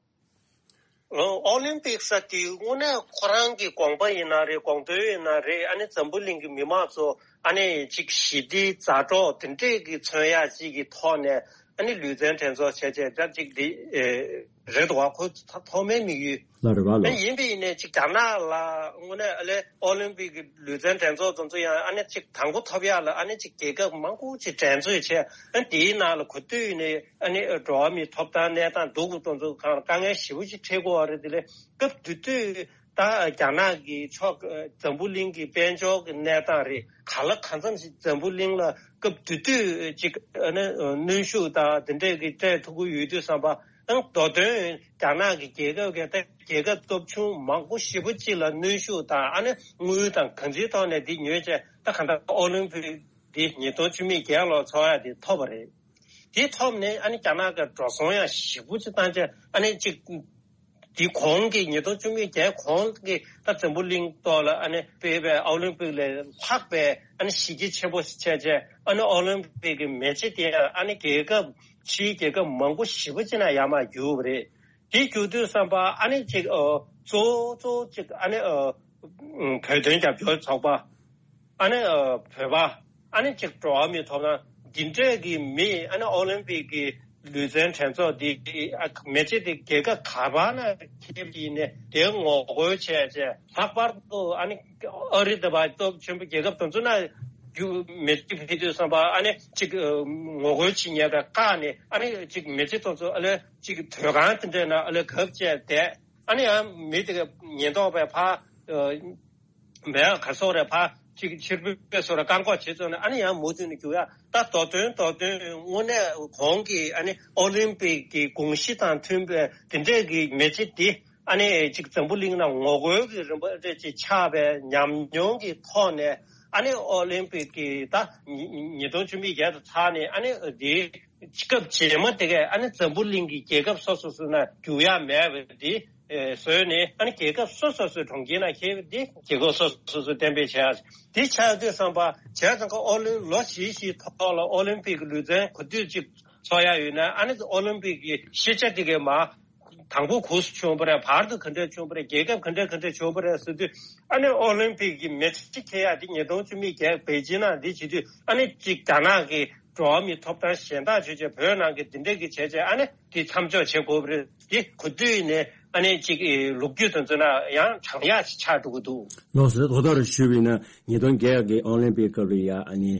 ཨོ་ལིམ་པིག་ཟེར་དེ་དངོས་གནས་ཁོ་རང་གི་དགོངས་པ་ཡིན་ན་རེད། དགོངས་དོན་ཡིན་ན་རེད། ཨ་ནི་འཛམ་བུ་གླིང་གི་མི་མང་ཚོ་ཨ་ནི་ཅིག་ཞི་བདེ་མཛའ་གྲོགས་དེ་འདྲས་ཀྱི་མཚོན་ཡ་ཅིག་གི་ཐོག་ནས་ཨ་ནི་ལུས་རྩལ་འགྲན་ཚོགས་བྱས་བྱས་ད་ཅིག་འདི་ཨེ་རེད་འདུག་བ། ཁོ་ཐ་ཐོག་མའི་དམིགས་ཡུལ་ལ་རེད་བ་ལོ། ཨ་ཡིན་པ་ཡིན་ནས་ཅིག་རྒྱ་ནག་ལ་དངོས་གནས་ཨ་ལས་ཨོ་ལིམ་པིག་གི་ལུས་རྩལ་འགྲན་ཚོགས་དེ་ཚོ་ཡང་ཨ་ནི་ཅིག་དང་པོ་ཐོབ་ཡ་ལ་ཨ་ནི་ཅིག་རྒྱལ་ཁབ་མང་པོ་ཅིག་འགྲན་རྩོད་བྱས། ཨ་དེའི་ནང་ལ་ག་དུས་ནས་ཨ་ནི་འགྲོ་བ་མིའི་ཐོབ་ཐང་གནས་སྟངས་སྡུག་གི་དོན་ཚོ་གང་དཀའ་ངལ་ཞེ་པོ་ཅིག་འཕྲད་དགོས་པ་རེད། དེ་ལས་སྐབས་དེ་དུས་ད་རྒྱ་ནག་གི་ཕྱོགས་འཛམ་བུ་གླིང་གི་དཔལ་འབྱོར་གྱི་གནས་སྟངས་རེད། ག་ལ་གང་འཚམ་ཞིག་འཛམ་བུ་གླིང་ལ་སྐབས་དེ་དུས་ཅིག་ཨ་ནི་གནོན་ཤུགས་དང་དེ་འདྲས་ཀྱི་སྤྲད་ཐུབ་ཀྱི་ཡོད་དུས་ཙམ་པ། ཨང་མདོ་དོན་རྒྱ་ནག་གི་རྒྱལ་ཁབ་ཀྱི་ད་རྒྱལ་ཁབ་སྟོབས་ཆུང་མང་པོ་ཞེ་པོ་ཅིག་ལ་གནོན་ཤུགས་དང་ཨ་ནི་དངུལ་དང་གང་ཅིའི་ཐོག་ནས་འདི་ཉོས་བྱས་ད་གང་ལྟར་ཨོ་ལིམ་པིག་འདི་ཉིས་སྟོང་བཅུ་མེད་བརྒྱད་ལོ་ཚོགས་ཡ་འདི་ཐོབ་པ་རེད། དེ་ཐོབ་ནས་ཨ་ནི་རྒྱ་ནག་གི་འགྲོ་སོང་ཡང་ཞེ་པོ་ཅིག་བཏང་བྱས་ཨ་ནི་ཅིག་དེ་གོང་གི་ཉིས་སྟོང་བཅུ་མེད་བརྒྱད་གོང་གི་ད་འཛམ་བུ་གླིང་ཐོག་ལ་ཨ་ནི་སྤེལ་བའི་ཨོ་ལིམ་པིག་ལས་ལྷག་པའི་ཨ་ནི་གཞི་རྒྱ་ཆེན་པོ་ཞིག་བྱས་བྱས་ཨ་ནི་ཨོ་ལིམ་པིག་གི་མེ་ལྕེ་དེ་ཨ་ནི་རྒྱལ་ཁབ་ཕྱིའི་རྒྱལ་ཁབ་མང་པོ་ཞེ་པོ་ཅིག་ནང་ཡར་མར་རྒྱུག་པ་རེད། དེ་རྒྱུག་དུས་ཙམ་པ་ཨ་ནི་ཅིག་ཨ་གཙོ་བོ་གཙོ་བོ་ཅིག་ཨ་ནི་ཨ་བོད་དོན་རྒྱབ་སྐྱོར་ཚོགས་པ། ཨ་ནི་ཨ་བོད་པ། ཨ་ནི་ཅིག་འགྲོ་བ་མིའི་ཐོབ་ཐང་འདི་འདྲས་ཀྱི་མི་ཨ་ནི་ཨོ་ལིམ་པིག་གི་ལུས་རྩལ་འགྲན་ཚོགས་འདི་ཨ་མེ་ལྕེ་འདི་རྒྱལ་ཁབ་ག་པ་ན་ཁེབས་ཀྱི་ནས་དེ་ངོ་རྒོལ་བྱས་བྱས་ལྷག་པར་དུ་ཨ་ནི་ཨ་རི་དང་པ་སྟོབས་ཆེན་པོ་རྒྱལ་ཁབ་དེ་ཚོ་ན་རྒྱུ་མེ་ལྕེ་ཕེབས་དུས་ཙམ་པ་ཨ་ནི་ཅིག་ཨ་ངོ་རྒོལ་བྱེད་མཁན་དང་བཀག་ནས་ཨ་ནི་ཅིག་མེ་ལྕེ་དེ་ཚོ་ཨ་ལས་ཅིག་དོས་ཁང་དེ་འདྲས་ན་ཨ་ལས་གབ་བྱས་བསྡད། ཨ་ནི་ཡང་མི་དེ་ག་ཉེན་རྟོག་པས་ཕ་ཨ་མེད་ག་སོགས་རེ་ཕ་ཅིག་ཕྱིར་འབུད་སོགས་རེ་བཀག་འགོག་བྱེད་ཚོད་ནས་ཨ་ནི་ཡང་མུ་མཐུད་ནས་རྒྱུག་ཡ། ད་མདོ་དོན་མདོ་དོན་དངོས་གནས་གོང་གི་ཨ་ནི་ཨོ་ལིམ་པིག་གི་དགོངས་གཞི་དང་མཐུན་པའི་དེ་འདྲས་ཀྱི་མེ་ལྕེ་འདི་ཨ་ནི་ཅིག་འཛམ་བུ་གླིང་ནང་ངོ་རྒོལ་གྱི་རིམ་པ་རེ་ཅིག་ཆགས་པའི་ཉམས་མྱོང་གི་ཐོག་ནས་ཨ་ནི་ཨོ་ལིམ་པིག་གི་ད་ཉིས་ཉིས་སྟོང་བཅུ་མེད་བརྒྱད་དུ་ཚར་ནས་ཨ་ནི་འདི་སྐབས་རྗེས་མ་དེ་གས་ཨ་ནི་འཛམ་བུ་གླིང་གི་རྒྱལ་ཁབ་སོ་སོ་སོ་ན་རྒྱུག་ཡ་མེད་པ་འདི་ཨེ་བཟོས་ནས་ཨ་ནི་རྒྱལ་ཁབ་སོ་སོ་སོའི་གྲོང་ཁྱེར་ན་ཁེལ་བ་འདི་རྒྱལ་ཁབ་སོ་སོ་སོ་གཏན་འབེབས་བྱས་ཡ། འདི་ཆགས་དུས་ཙམ་པ་བྱས་ཙང་ཀ་ཨོ་ལིམ་ལོ་བཞི་བཞིའི་ཐོག་ལ་ཨོ་ལིམ་པིག་གི་ལུས་རྩལ་ག་དུས་ཅིག་ཚོགས་ཡ་ཡོད་ན་ཨ་ནི་ཨོ་ལིམ་པིག་གི་ཤེས་བྱ་དེ་གས་མ་དང་པོ་གོང་སུ་བྱུང་བ་རེད། བར་དུ་ག་འདྲས་བྱུང་བ་རེད། རྒྱལ་ཁབ་ག་འདྲས་ག་འདྲས་བྱུང་བ་རེད་ཟེར་དུས་ཨ་ནི་ཨོ་ལིམ་པིག་གི་མེ་ལྕེ་ཁེལ་ཡ་དེ་ཉིས་སྟོང་བཅུ་མེད་བརྒྱད་པེ་ཅིན་ནང་འདི་བྱེད་དུས་ཨ་ནི་གཅིག་རྒྱ་ནག་གི་འགྲོ་བ་མིའི་ཐོབ་ཐང་གཞན་དག་བྱས་བྱས་བོད་ནང་གི་འདི་འདྲས་ཀྱི་བྱས་བྱས་ཨ་ནི་འདི་མཚམས་འཇོག་བྱེད་དགོས་པ་རེད། འདི་ག་དུས་ནས་ཨ་ནི་གཅིག་ལོ་རྒྱུས་དེ་ཚོ་ན་ཡང་དྲང་ཡག་ཅིག་ཆགས་འགྲོ་གི་འདུག་ལགས་སོ། ད་ལྟ་རུ་ཞུས་པ་ཡིན་ན་ཉིས་སྟོང་བརྒྱད་ཀྱི་ཨོ་ལིམ་པིག་སྐབས་ལ་ཡ་ཨ་ནི་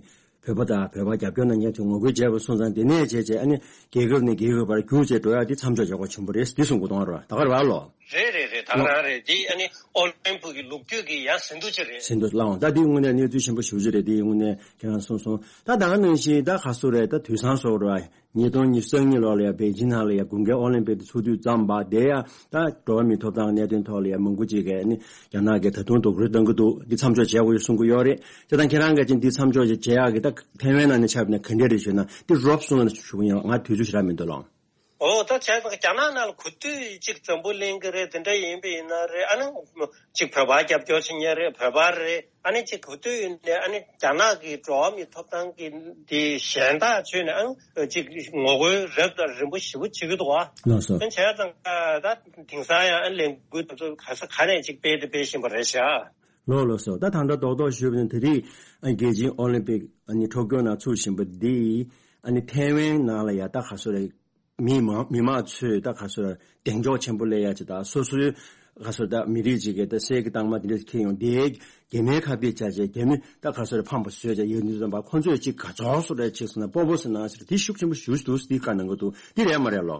བོད་པ་དང་བོད་པ་རྒྱབ་སྐྱོར་གནང་མཁན་ཚོས་ངོ་རྒོལ་བྱས་པ་སོང་ཙང་དེ་ནས་བྱས་བྱས་ཨ་ནི་རྒྱལ་ཁབ་ནས་རྒྱལ་ཁབ་བར་རྒྱུག་བྱས་འགྲོ་ཡག་དེ་མཚམས་འཇོག་བྱེད་དགོས་བྱུང་བ་རེད། འདི་གསུང་དགོས་དོན་རེད། ད་ག་རེད་བ་ལོ། རེད་རེད་རེད། ད་ག་རང་རེད། འདི་ཨ་ནི་ཨོ་ལིམ་པིག་གི་ལོ་རྒྱུས་ཀྱི་ཡང་ཟིན་ཐོ་ཅིག་རེད། ཟིན་ཐོ་བླངས་འོང་། ད་འདི་དངོས་གནས་གནས་ཚུལ་ཆེན་པོ་ཞེ་པོ་ཅིག་རེད། འདི་དངོས་གནས་ཁྱེད་རང་གསུངས་སོང་། ད་ད་ག་ནང་བཞིན་ད་ག་སུ་རེད། ད་དུས་སང་སོགས་རེད་བ། ཉིས་སྟོང་ཉི་ཤུ་རྩ་གཉིས་ལོ་ལ་ཡ་པེ་ཅིན་ནང་ལ་ཡ་དགུན་ཁའི་ཨོ་ལིམ་པིག་དེ་ཚུགས་དུས་ཙམ་པ་དེ་ཡ་ད་འགྲོ་བ་མིའི་ཐོབ་ཐང་གི་གནད་དོན་ཐོག་ལ་ཡ་མང་པོ་ཅིག་གིས་ནི་རྒྱ་ནག་གིས་ད་དུང་རྡོག་རོལ་གཏོང་གི་འདུག་འདི་མཚམས་འཇོག་བྱེད་དགོས་ཡོད་གསུང་གི་ཡོད་རེད། དེ་དང་ཁྱེད་རང་གིས་ཅིག་འདི་མཚམས་འཇོག་ཅིག་བྱེད་ཡག་གི་ད་ཐའེ་ཝན་ནང་ནས་ཆགས་པ་ན་ག་འདྲས་རེད་ཞུས་ན་འདི་རོབ་གསུངས་ན་ཞུ་གི་ཡིན། ང་དུས་ཚོད་ཞེ་དྲག་མི་འདུག་ལགས། ཨོ་ད་བྱས་ཙང་རྒྱ་ནག་ནང་ལ་ག་དུས་ཅིག་འཛམ་བུ་གླིང་གི་རེད། དེ་འདྲ་ཡིན་པ་ཡིན་ན་རེད། ཨ་ནི་ཅིག་བོད་པ་རྒྱབ་སྐྱོར་བྱེད་མཁན་རེད། བོད་པ་རེད། ཨ་ནི་ཅིག་ག་དུས་ཡིན་ནའི་ཨ་ནི་རྒྱ་ནག་གི་འགྲོ་བ་མིའི་ཐོབ་ཐང་གི་དེ་གཞན་དག་ཚོས་ནས་ཨ་ནི་ཅིག་ངོ་རྒོལ་རབ་དང་རིམ་པ་ཞེ་པོ་བྱེད་ཀྱི་འདུག་བ། ལགས་སོ། ཨ་ནི་བྱས་ཙང་ད་དེང་སང་ཡང་ཨ་ནི་ལས་འགུལ་དེ་ཚོ་ག་ས་ག་ནས་ཅིག་སྤེལ་དེ་སྤེལ་བཞིན་པ་རེད་ཤག་ལགས་ལགས་སོ། ད་ད་ལྟ་རྡོག་རྡོག་ཞུས་པ་ནི་དེ་རིང་ཨ་རྒྱལ་སྤྱིའི་ཨོ་ལིམ་པིག་ཨ་ནི་ཊོ་ཀྱོ་ནང་ཚུགས་བཞིན་པ་འདི་ཨ་ནི་ཐའེ་ཝན་ནང་ལ་ཡ་ད་ག་སོ་རེད། མི་མང་མི་མང་ཚོས་ད་ག་སོ་རེད་གདེང་འཇོག་ཆེན་པོ་སླེབས་ཡ་ཅིག་དང་སོ་སོའི་ག་སོ་ད་མི་རིགས་ཅིག་གི་ད་གསེར་གྱི་རྟགས་མ་དེ་འདྲ་འཁྱེར་ཡོང་དེ་རྒྱ་མིའི་ཁ་གཏད་བཅག་བྱས་རྒྱ་མི་ད་ག་སོ་རེད་ཕམ་པ་བཟོས་བྱས་ཡོད་ནི་ཙམ་པ་ཁོ་ཚོས་ཅིག་ག་ཚོད་སོ་རེད་ཅིག་སོང་ན་སྤོབས་པོ་ཟེར་ན་ཟེར་དེ་ཤུགས་ཆེན་པོ་ཞུ་ཞུ་འདུག་དེ་བཀའ་གནང་གི་འདུག་དེ་རེད་མ་རེད་ལོ།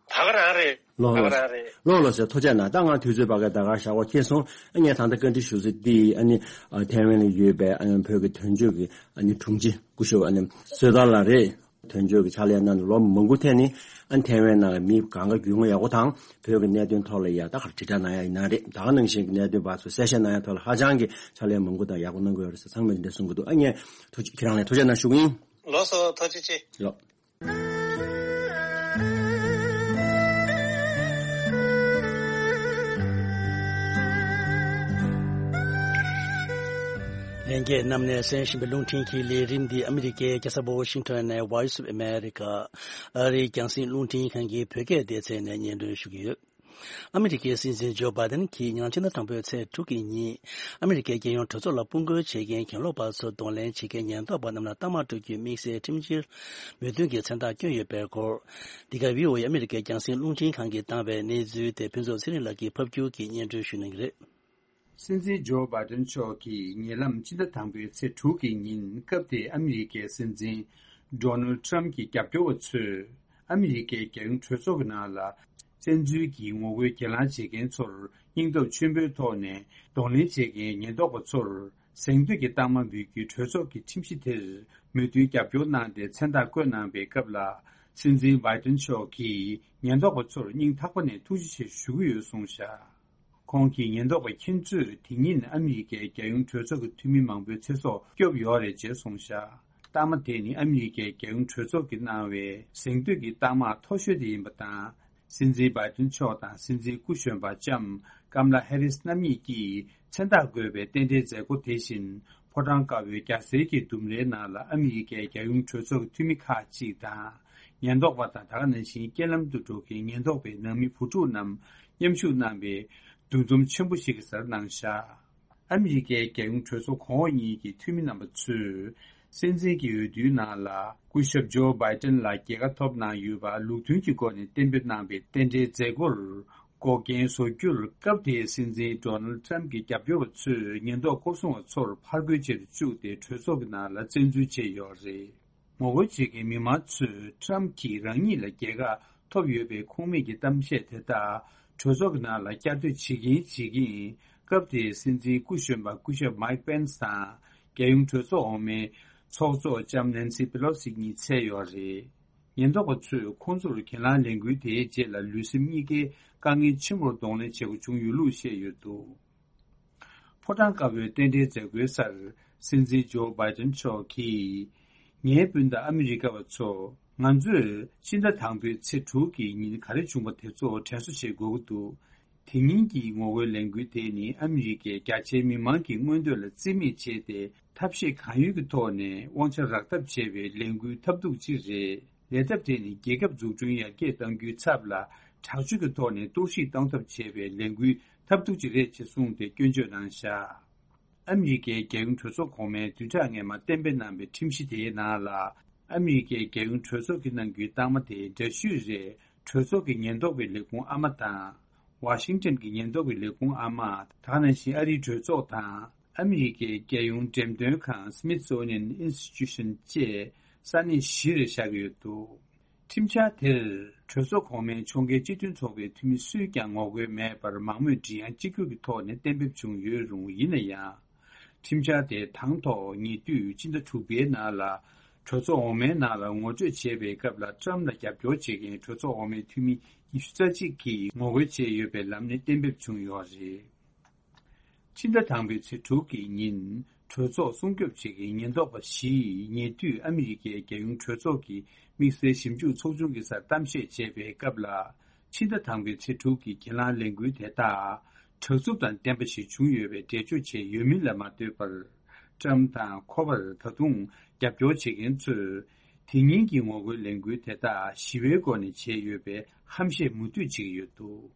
ད་ག་རང་རེད། ལོ་ད་ག་ལོ་རང་རེད། ལོ་ལོ་ཟེར་ཐུགས་རྗེ་གནང་། ད་ང་དུས་ཚོད་བར་སྐབས་ད་ག་ཞག་པོ་འཁེལ་སོང་། ཨ་ངས་ད་ལྟ་བཀའ་འདྲི་ཞུ་ས་འདི་ཨ་ནི་ཨ་ཐའེ་ཝན་ལ་ཡོད་པའི་ཨ་ནི་བོད་ཀྱི་དོན་གཅོད་ཀྱི་ཨ་ནི་དྲུང་ཆེ་སྐུ་ཞབས་ཨ་ནི་བསོད་དར་ལགས་རེད། དོན་གཅོད་ཀྱི་ཕྱག་ལས་གནང་ནས་ལོ་མང་པོ་ཐལ་ནས་ཨ་ནི་ཐའེ་ཝན་ནང་ལ་མི་གང་ག་རྒྱུས་མངའ་ཡག་པོ་དང་བོད་ཀྱི་གནད་དོན་ཐོག་ལ་ཡ་ད་ག་དྲིལ་བསྒྲགས་གནང་ཡ་ཡིན་ན་རེད། ད་ག་ནང་བཞིན་གྱི་གནད་དོན་བར་དུ་གསལ་བཤད་གནང་ཡ་ཐོག་ལ་ཧ་ཅང་གི་ཕྱག་ལས་མང་པོ་དང་ཡག་པོ་གནང་གི་ཡོད་རེད་ཟེར་ཚང་མས་འདི་འདྲ་གསུང་གི་འདུག་ཨ་ངས་ཐུགས་རྗེ་ཁྱེད་རང་ལ་ཐུགས་རྗེ་གནང་ཞུ་གི་ཡིན། ལགས་སོ་ཐུགས་རྗེ་ཆེ། ལགས། ལྷན་རྒྱས་རྣམས་ནས་གསན་བཞིན་པའི་རླུང་འཕྲིན་གྱི་ལས་རིམ་འདི་ཨ་མི་རི་ཀའི་རྒྱལ་ས་ཝ་ཤིང་ཊོན་ནས་Voice of America ཨ་རིའི་རྒྱང་སྲིང་རླུང་འཕྲིན་ཁང་གི་བོད་སྐད་སྡེ་ཚན་ནས་སྙན་སྒྲོན་ཞུ་གི་ཡོད། ཨ་མི་རི་ཀའི་སྲིད་འཛིན་ཇོ་བྷའི་ཏན་གྱིས་ཉེ་ལམ་ཕྱི་ཟླ་དང་པོའི་ཚེས་དྲུག་གི་ཉིན་ཨ་མི་རི་ཀའི་རྒྱལ་ཡོངས་གྲོས་ཚོགས་ལ་དཔུང་རྒོལ་བྱེད་མཁན་གྱེན་ལོག་པ་ཚོར་གདོང་ལེན་བྱེད་མཁན་ཉེན་རྟོག་པ་རྣམས་ལ་གཏའ་མ་སྤྲོད་རྒྱུའི་དམིགས་བསལ་ཁྲིམས་བཤེར་མོས་མཐུན་གྱི་མཚན་རྟགས་བསྐྱོན་ཡོད་པའི་སྐོར། འདི་ག་བྷི་ཨོ་ཨེ་ཨ་མི་རི་ཀའི་རྒྱང་སྲིང་རླུང་འཕྲིན་ཁང་གིས་བཏང་བའི་གནས་ཚུལ་དེ་ཕུན་ཚོགས་ཚེ་རིང་ལགས་ཀྱིས་ཕབ་སྒྱུར་གྱིས་སྙན་སྒྲོན་ཞུ་གནང་གི་རེད། སྲིད་འཛིན་ཇོ་བྷའི་ཏན་མཆོག་གིས་ཉེ་ལམ་ཕྱི་ཟླ་དང་པོའི་ཚེས་དྲུག་གི་ཉིན་སྐབས་དེའི་ཨ་མི་རི་ཀའི་སྲིད་འཛིན་ཌོ་ནལ་ཌི་ཊརམ་ཕི་གྱི་རྒྱབ་སྐྱོར་བ་ཚོས་ཨ་མི་རི་ཀའི་རྒྱལ་ཡོངས་གྲོས་ཚོགས་ཀྱི་ནང་ལ་བཙན་འཛུལ་གྱིས་ངོ་རྒོལ་གྱེན་ལངས་བྱེད་མཁན་ཚོར་སྙིང་སྟོབས་ཆེན་པོའི་ཐོག་ནས་གདོང་ལེན་བྱེད་མཁན་ཉེན་རྟོག་པ་ཚོར་གཟེངས་བསྟོད་ཀྱི་རྟགས་མ་འབུལ་རྒྱུའི་གྲོས་ཚོགས་ཀྱི་ཁྲིམས་གཞི་དེར་མོས་མཐུན་རྒྱབ་སྐྱོར་གནང་སྟེ་མཚན་རྟགས་བཀོད་གནང་པའི་སྐབས་ལ། སྲིད་འཛིན་བྷའི་ཏན་མཆོག་གིས་ཉེན་རྟོག་པ་ཚོར་སྙིང་ཐག་པ་ནས་ཐུགས་རྗེ་ཆེ་ཞུ་གི་ཡོད་གསུངས་བཞག་ཁོང་གིས་ཉེན་རྟོག་པ་ཁྱེད་ཚོས་དེ་ཉིན་ཨ་མི་རི་ཀའི་རྒྱལ་ཡོངས་གྲོས་ཚོགས་ཀྱི་འཐུས་མི་མང་པོའི་ཚེ་སྲོག་སྐྱོབ་ཡོད་རེད་ཅེས་གསུངས་བཞག་རྟགས་མ་དེ་ནི་ཨ་མི་རི་ཀའི་རྒྱལ་ཡོངས་གྲོས་ཚོགས་ཀྱིས་གནང་བའི་གཟེངས་བསྟོད་ཀྱི་རྟགས་མ་མཐོ་ཤོས་དེ་ཡིན་པ་དང་། སྲིད་འཛིན་བྷའི་ཏན་མཆོག་དང་སྲིད་འཛིན་སྐུ་གཞོན་པ་ལྕམ་ཀམ་ལ་ཧེ་རིས་རྣམ་གཉིས་ཀྱིས་མཚན་རྟགས་བཀོད་པའི་རྟེན་འབྲེལ་མཛད་སྒོ་དེ་བཞིན་ཕོ་བྲང་དཀར་པོའི་རྒྱལ་སའི་གི་ལྡུམ་རའི་ནང་ལ་ཨ་མི་རི་ཀའི་རྒྱལ་ཡོངས་གྲོས་ཚོགས་ཀྱི་འཐུས་མི་ཁག་ཅིག་དང་། ཉེན་རྟོག་པ་དང་ད་ག་ནང་བཞིན་རྐྱེན་ལམ་དུ་འགྲོ་མཁན་ཉེན་རྟོག་པའི་ནང་མི་བུ་ཕྲུག་རྣམས་མཉམ་ཞུགས་གནང་བའི་འདུ་འཛོམས་ཆེན་པོ་ཞིག་གི་སར་གནང་བཞག་ཨ་མི་རི་ཀའི་རྒྱལ་ཡོངས་གྲོས་ཚོགས་གོང་འོག་གཉིས་ཀྱི་འཐུས་མི་རྣམ་པ་ཚོས་སྲིད་འཛིན་གྱི་འོས་བསྡུའི་ནང་ལ་སྐུ་ཞབས་ཇོ་བྷའི་ཏན་ལ་རྒྱལ་ཁ་ཐོབ་གནང་ཡོད་པ་ལུགས་མཐུན་གྱི་སྒོ་ནས་གཏན་འབེབས་གནང་བའི་རྟེན་འབྲེལ་མཛད་སྒོར་འགོག་རྐྱེན་བཟོ་རྒྱུར་སྐབས་དེའི་སྲིད་འཛིན་ཌོ་ནལ་ཌི་ཊརམ་ཕི་གྱི་རྒྱབ་སྐྱོར་བ་ཚོས་ཉེན་རྟོག་སྐོར་སྲུང་བ་ཚོར་ཕར་རྒོལ་བྱེད་དུ་བཅུག་སྟེ་གྲོས་ཚོགས་ཀྱི་ནང་ལ་བཙན་འཛུལ་བྱས་ཡོད་རེད། ངོ་རྒོལ་བྱེད་མཁན་མི་མང་ཚོས་ཊརམ་ཕི་གིས་རང་ཉིད་ལ་རྒྱལ་ཁ་ཐོབ་ཡོད་པའི་ཁུངས་མེད་ཀྱི་གཏམ་བཤད་དེ་དག་གྲོས་ཚོགས་ཀྱི་ནང་ལ་བསྐྱར་ཟློས་བྱེད་ཀྱིན་བྱེད་ཀྱིན་སྐབས་དེའི་སྲིད་འཛིན་སྐུ་གཞོན་པ་སྐུ་ཞབས་མའིག་པེན་སི་དང་རྒྱལ་ཡོངས་གྲོས་ཚོགས་འོག་མའི་ཚོགས་གཙོ་ལྕམ་ནན་སི་པེ་ལོ་སི་གཉིས་འཚོལ་ཡོད་རེད། ཉེན་རྟོག་པ་ཚོས་ཁོང་ཚོར་གྱེན་ལངས་ལས་འགུལ་དེའི་རྗེས་ལ་ལུས་སེམས་གཉིས་ཀའི་དཀའ་ངལ་ཆེན་པོར་གདོང་ལེན་བྱེད་དགོས་བྱུང་ཡོད་ལུགས་བཤད་ཡོད་འདུག་ཕོ་བྲང་དཀར་པོའི་རྟེན་འབྲེལ་མཛད་སྒོའི་སར་སྲིད་འཛིན་ཇོ་བྷའི་ཏན་མཆོག་གིས། ངའི་སྤུན་ཟླ་ཨ་མི་རི་ཀ་བ་ཚོ། ང་ཚོས་ཕྱི་ཟླ་དང་པོའི་ཚེས་དྲུག་གི་ཉིན་ག་རེ་བྱུང་བ་དེ་ཚོ་དྲན་གསོ་བྱེད་དགོས་ཀྱི་འདུག་དེ་ཉིན་གྱི་ངོ་རྒོལ་ལས་འགུལ་དེ་ནི་ཨ་མི་རི་ཀའི་རྒྱ་ཆེའི་མི་མང་གི་མངོན་འདོད་ལ་རྩིས་མེད་བྱས་ཏེ་ཐབས་ཤེས་གང་ཡོད་ཀྱི་ཐོག་ནས་དབང་ཆ་རག་ཐབས་བྱེད་པའི་ལས་འགུལ་ཐབས་སྡུག་ཅིག་རེད། ལས་ཐབས་དེ་ནི་རྒྱལ་ཁབ་འཛུགས་སྐྲུན་ཡར་རྒྱས་གཏང་རྒྱུའི་ཚབ་ལ་དྲག་སྤྱོད་ཀྱི་ཐོག་ནས་གཏོར་བཤིག་གཏོང་ཐབས་བྱེད་པའི་ལས་འགུལ་ཐབས་སྡུག་ཅིག་རེད་ཅེས་གསུངས་ཏེ་སྐྱོན་བརྗོད་གནང་བཞག་ཨ་མི་རི་ཀའི་རྒྱལ་ཡོངས་གྲོས་ཚོགས་གོང་མའི་བདུན་ཕྲག་སྔོན་མ་གཏན་འབེབས་གནང་བའི་ཁྲིམས་གཞི་དེའི་ནང་ལ། ཨ་མི་རི་ཀའི་རྒྱལ་ཡོངས་གྲོས་ཚོགས་ཀྱིས་གནང་རྒྱུའི་རྟགས་མ་དེ་འདྲ་བཤུས་རེད། གྲོས་ཚོགས་ཀྱི་ཉེན་རྟོག་པའི་ལས་ཁུངས་ཨ་མ་དང་། ཝ་ཤིང་ཊོན་གྱི་ཉེན་རྟོག་པའི་ལས་ཁུངས་ཨ་མ། ད་ག་ནང་བཞིན་ཨ་རིའི་གྲོས་ཚོགས་དང་། ཨ་མི་རི་ཀའི་རྒྱལ་ཡོངས་འགྲེམས་སྟོན་ཁང་Smithsonian Institution་བཅས་ས་གནས་བཞི་རེ་བཞག་གི་ཡོད་འདུག་ཁྲིམས་འཆར་དེར་གྲོས་ཚོགས་གོང་མའི་ཕྱོགས་འགལ་སྤྱི་མཐུན་ཚོགས་པའི་འཐུས་མི་སུས་ཀྱང་ངོ་རྒོལ་མེད་པར་མང་མོས་མགྲིན་དབྱངས་གཅིག་གྱུར་གྱི་ཐོག་ནས་གཏན་འབེབས་བྱུང་ཡོད་རུང་། ཡིན་ན་ཡང་། ཁྲིམས་འཆར་དེ་དང་ཐོག་ཉེ་དུས་ཕྱི་ཟླ་དྲུག་པའི་ནང་ལ་གྲོས་ཚོགས་འོག་མའི་ནང་ལ་ངོ་སྤྲོད་བྱས་པའི་སྐབས་ལ་ཊརམ་ཕི་ལ་རྒྱབ་སྐྱོར་བྱེད་མཁན་གྲོས་ཚོགས་འོག་མའི་འཐུས་མི་ཉི་ཤུ་རྩ་གཅིག་གིས་ངོ་རྒོལ་བྱས་ཡོད་པའི་ལམ་ནས་གཏན་འབེབས་བྱུང་ཡོད་རེད། ཕྱི་ཟླ་དང་པོའི་ཚེས་དྲུག་གི་ཉིན་གྲོས་ཚོགས་སྲུང་སྐྱོབ་བྱེད་མཁན་ཉེན་རྟོག་པ་བཞིས་ཉེ་དུས་ཨ་མི་རི་ཀའི་རྒྱལ་ཡོངས་གྲོས་ཚོགས་ཀྱི་དམིགས་བསལ་ཞིབ་འཇུག་ཚོགས་ཆུང་གི་སར་གཏམ་བཤད་བྱས་པའི་སྐབས་ལ། ཕྱི་ཟླ་དང་པོའི་ཚེས་དྲུག་གི་གྱེན་ལངས་ལས་འགུལ་དེ་དག་དྲག་རྩུབ་དང་ལྡན་པ་ཞིག་བྱུང་ཡོད་པའི་འགྲེལ་བརྗོད་བྱས་ཡོད་མིན་ལ་མ་ལྟོས་པར། ཊརམ་ཕི་དང་ཁོ་པར་ད་དུང་རྒྱབ་སྐྱོར་བྱེད་མཁན་ཚོས་དེ་ཉིན་གྱི་ངོ་རྒོལ་ལས་འགུལ་དེ་དག་ཞི་བའི་སྒོ་ནས་བྱས་ཡོད་པའི་ཧམ་བཤད་མུ་མཐུད་བྱེད་ཀྱི་ཡོད་འདུག་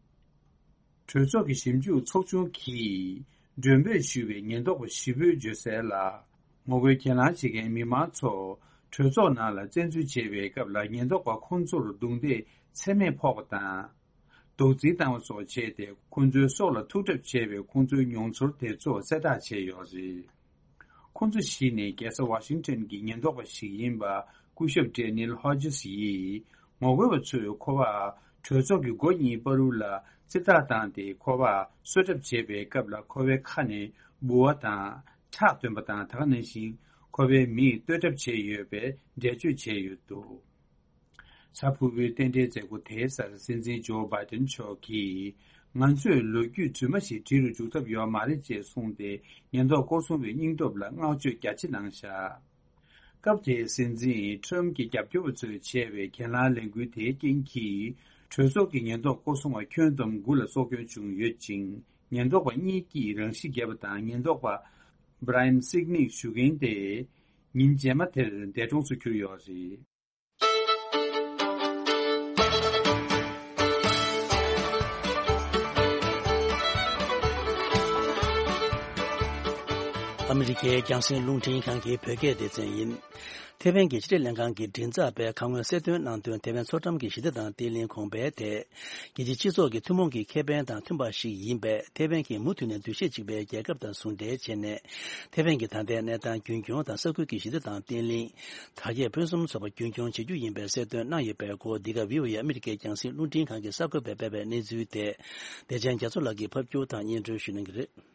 གྲོས་ཚོགས་ཀྱི་ཞིབ་འཇུག་ཚོགས་ཆུང་གིས་ མགྲོན་འབོད་ཞུས་པའི་ཉེན་རྟོག་པ་ཞི་བོས་བརྗོད་གསལ་ལ། ངོ་རྒོལ་གྱེན་ལངས་བྱེད་མཁན་མི་མང་ཚོ་གྲོས་ཚོགས་ནང་ལ་བཙན་འཛུལ་བྱེད་པའི་སྐབས་ལ་ཉེན་རྟོག་པ་ཁོང་ཚོར་རྡུང་རྡེག་ཚད་མེད་ཕོག་པ་དང་། རྡོག་རྫིས་བཏང་བ་སོགས་བྱས་ཏེ་ཁོང་ཚོའི་སྲོག་ལ་ཐུག་གྲབས་བྱས་པའི་ཁོང་ཚོའི་མྱོང་ཚོར་དེ་ཚོ་གསལ་བསྒྲགས་བྱས་ཡོད་རེད། ཁོང་ཚོ་བཞི་ནི་རྒྱལ་ས་ཝ་ཤིང་ཊོན་གྱི་ཉེན་རྟོག་པ་ཞིག་ཡིན་པ་སྐུ་ཞབས་ཌེ་ནིལ་ཧོ་ཇིས་ཡིས་ངོ་རྒོལ་བ་ཚོས་ཁོ་པ་གྲོས་ཚོགས་ཀྱི་སྒོ་གཉིས་བར་དུ་ལ་རྩིས་རྟགས་བཏང་སྟེ་ཁོ་པ་གསོད་གྲབས་བྱེད་པའི་སྐབས་ལ་ཁོ་པའི་ཁ་ནས་འབུ་བ་དང་ཁྲག་ཐོན་པ་དང་། ད་ག་ནང་བཞིན་ཁོ་པའི་མིག་གཏོད་གྲབས་བྱས་ཡོད་པའི་འགྲེལ་བརྗོད་བྱས་ཡོད་འདུག་གཟའ་ཕུར་བུའི་རྟེན་འབྲེལ་མཛད་སྒོ་དེའི་སར་སྲིད་འཛིན་ཇོ་བྷའི་ཏན་མཆོག་གིས། ང་ཚོས་ལོ་རྒྱུས་རྫུན་མ་ཞིག་བྲིས་རུ་འཇུག་ཐབས་ཡོད་མ་རེད་ཅེས་གསུངས་ཏེ། ཉེན་རྟོག་སྐོར་སྲུང་བའི་སྙིང་སྟོབས་ལ་བསྔགས་བརྗོད་རྒྱ་ཆེ་གནང་བཞག་སྐབས་དེའི་སྲིད་འཛིན་ཁྲོམ་གྱི་རྒྱབ་སྐྱོར་བ་ཚོས་བྱས་པའི་གྱེན་ལངས་ལས་འགུལ་དེའི་རྐྱེན་གྱིས། གྲོས་ཚོགས་ཀྱི་ཉེན་རྟོག་སྐོར་སྲུང་བ་ཁྱོན་བསྡོམས་དགུ་ལ་སྲོག་སྐྱོན་བྱུང་ཡོད་ཅིང་། ཉེན་རྟོག་པ་གཉིས་ཀྱིས་རང་ཤི་བརྒྱབ་པ་དང་། ཉེན་རྟོག་པ་བྷ་ར་ཡན་སིག་ནིག་ཞུ་མཁན་དེ་ཉིན་རྗེས་མ་དེར་འདས་གྲོངས་སུ་གྱུར་ཡོད་རེད། ཨ་མི་རི་ཀའི་རྒྱང་སྲིང་རླུང་འཕྲིན་ཁང་གི་བོད་སྐད་སྡེ་ཚན་ཡིན། ཐེ་ཝན་གྱི་ཕྱི་དྲིལ་ལྷན་ཁང་གི་མགྲིན་ཚབ་པས་ཁ་སྔོན་གསལ་སྟོན་གནང་དོན། ཐེ་ཝན་མཚོ་འགྲམ་གྱི་ཞི་བདེ་དང་བརྟན་ལྷིང་གོང་འཕེལ་དེ། རྒྱལ་སྤྱིའི་སྤྱི་ཚོགས་ཀྱི་ཐུན་མོང་གི་ཁེ་ཕན་དང་མཐུན་པ་ཞིག་ཡིན་པས། ཐེ་ཝན་གྱིས་མུ་མཐུད་ནས་འདུ་ཤེས་གཅིག་པའི་རྒྱལ་ཁབ་དང་ཟུང་འབྲེལ་བྱས་ནས། ཐེ་ཝན་གྱི་ད་ལྟའི་གནས་སྟངས་རྒྱུན་འཁྱོངས་དང་། ས་ཁུལ་གྱི་ཞི་བདེ་དང་བརྟན་ལྷིང་། དར་རྒྱས་ཕུན་སུམ་ཚོགས་པ་རྒྱུན་འཁྱོངས་བྱེད་རྒྱུ་ཡིན་པའི་གསལ་སྟོན་གནང་ཡོད་པའི་སྐོར། འདི་ག་བྷི་ཨོ་ཨེ་ཨ་མི་རི་ཀའི་རྒྱང་སྲིང་རླུང་འཕྲིན་ཁང་གི་གསར་འགོད་པས་སྤེལ་བའི་གནས་ཚུལ་དེ། བདེ་ཆེན་རྒྱ་མཚོ་ལགས་ཀྱིས་ཕབ་སྒྱུར་དང་སྙན་སྒྲོན་ཞུ་གནང་གི་རེད།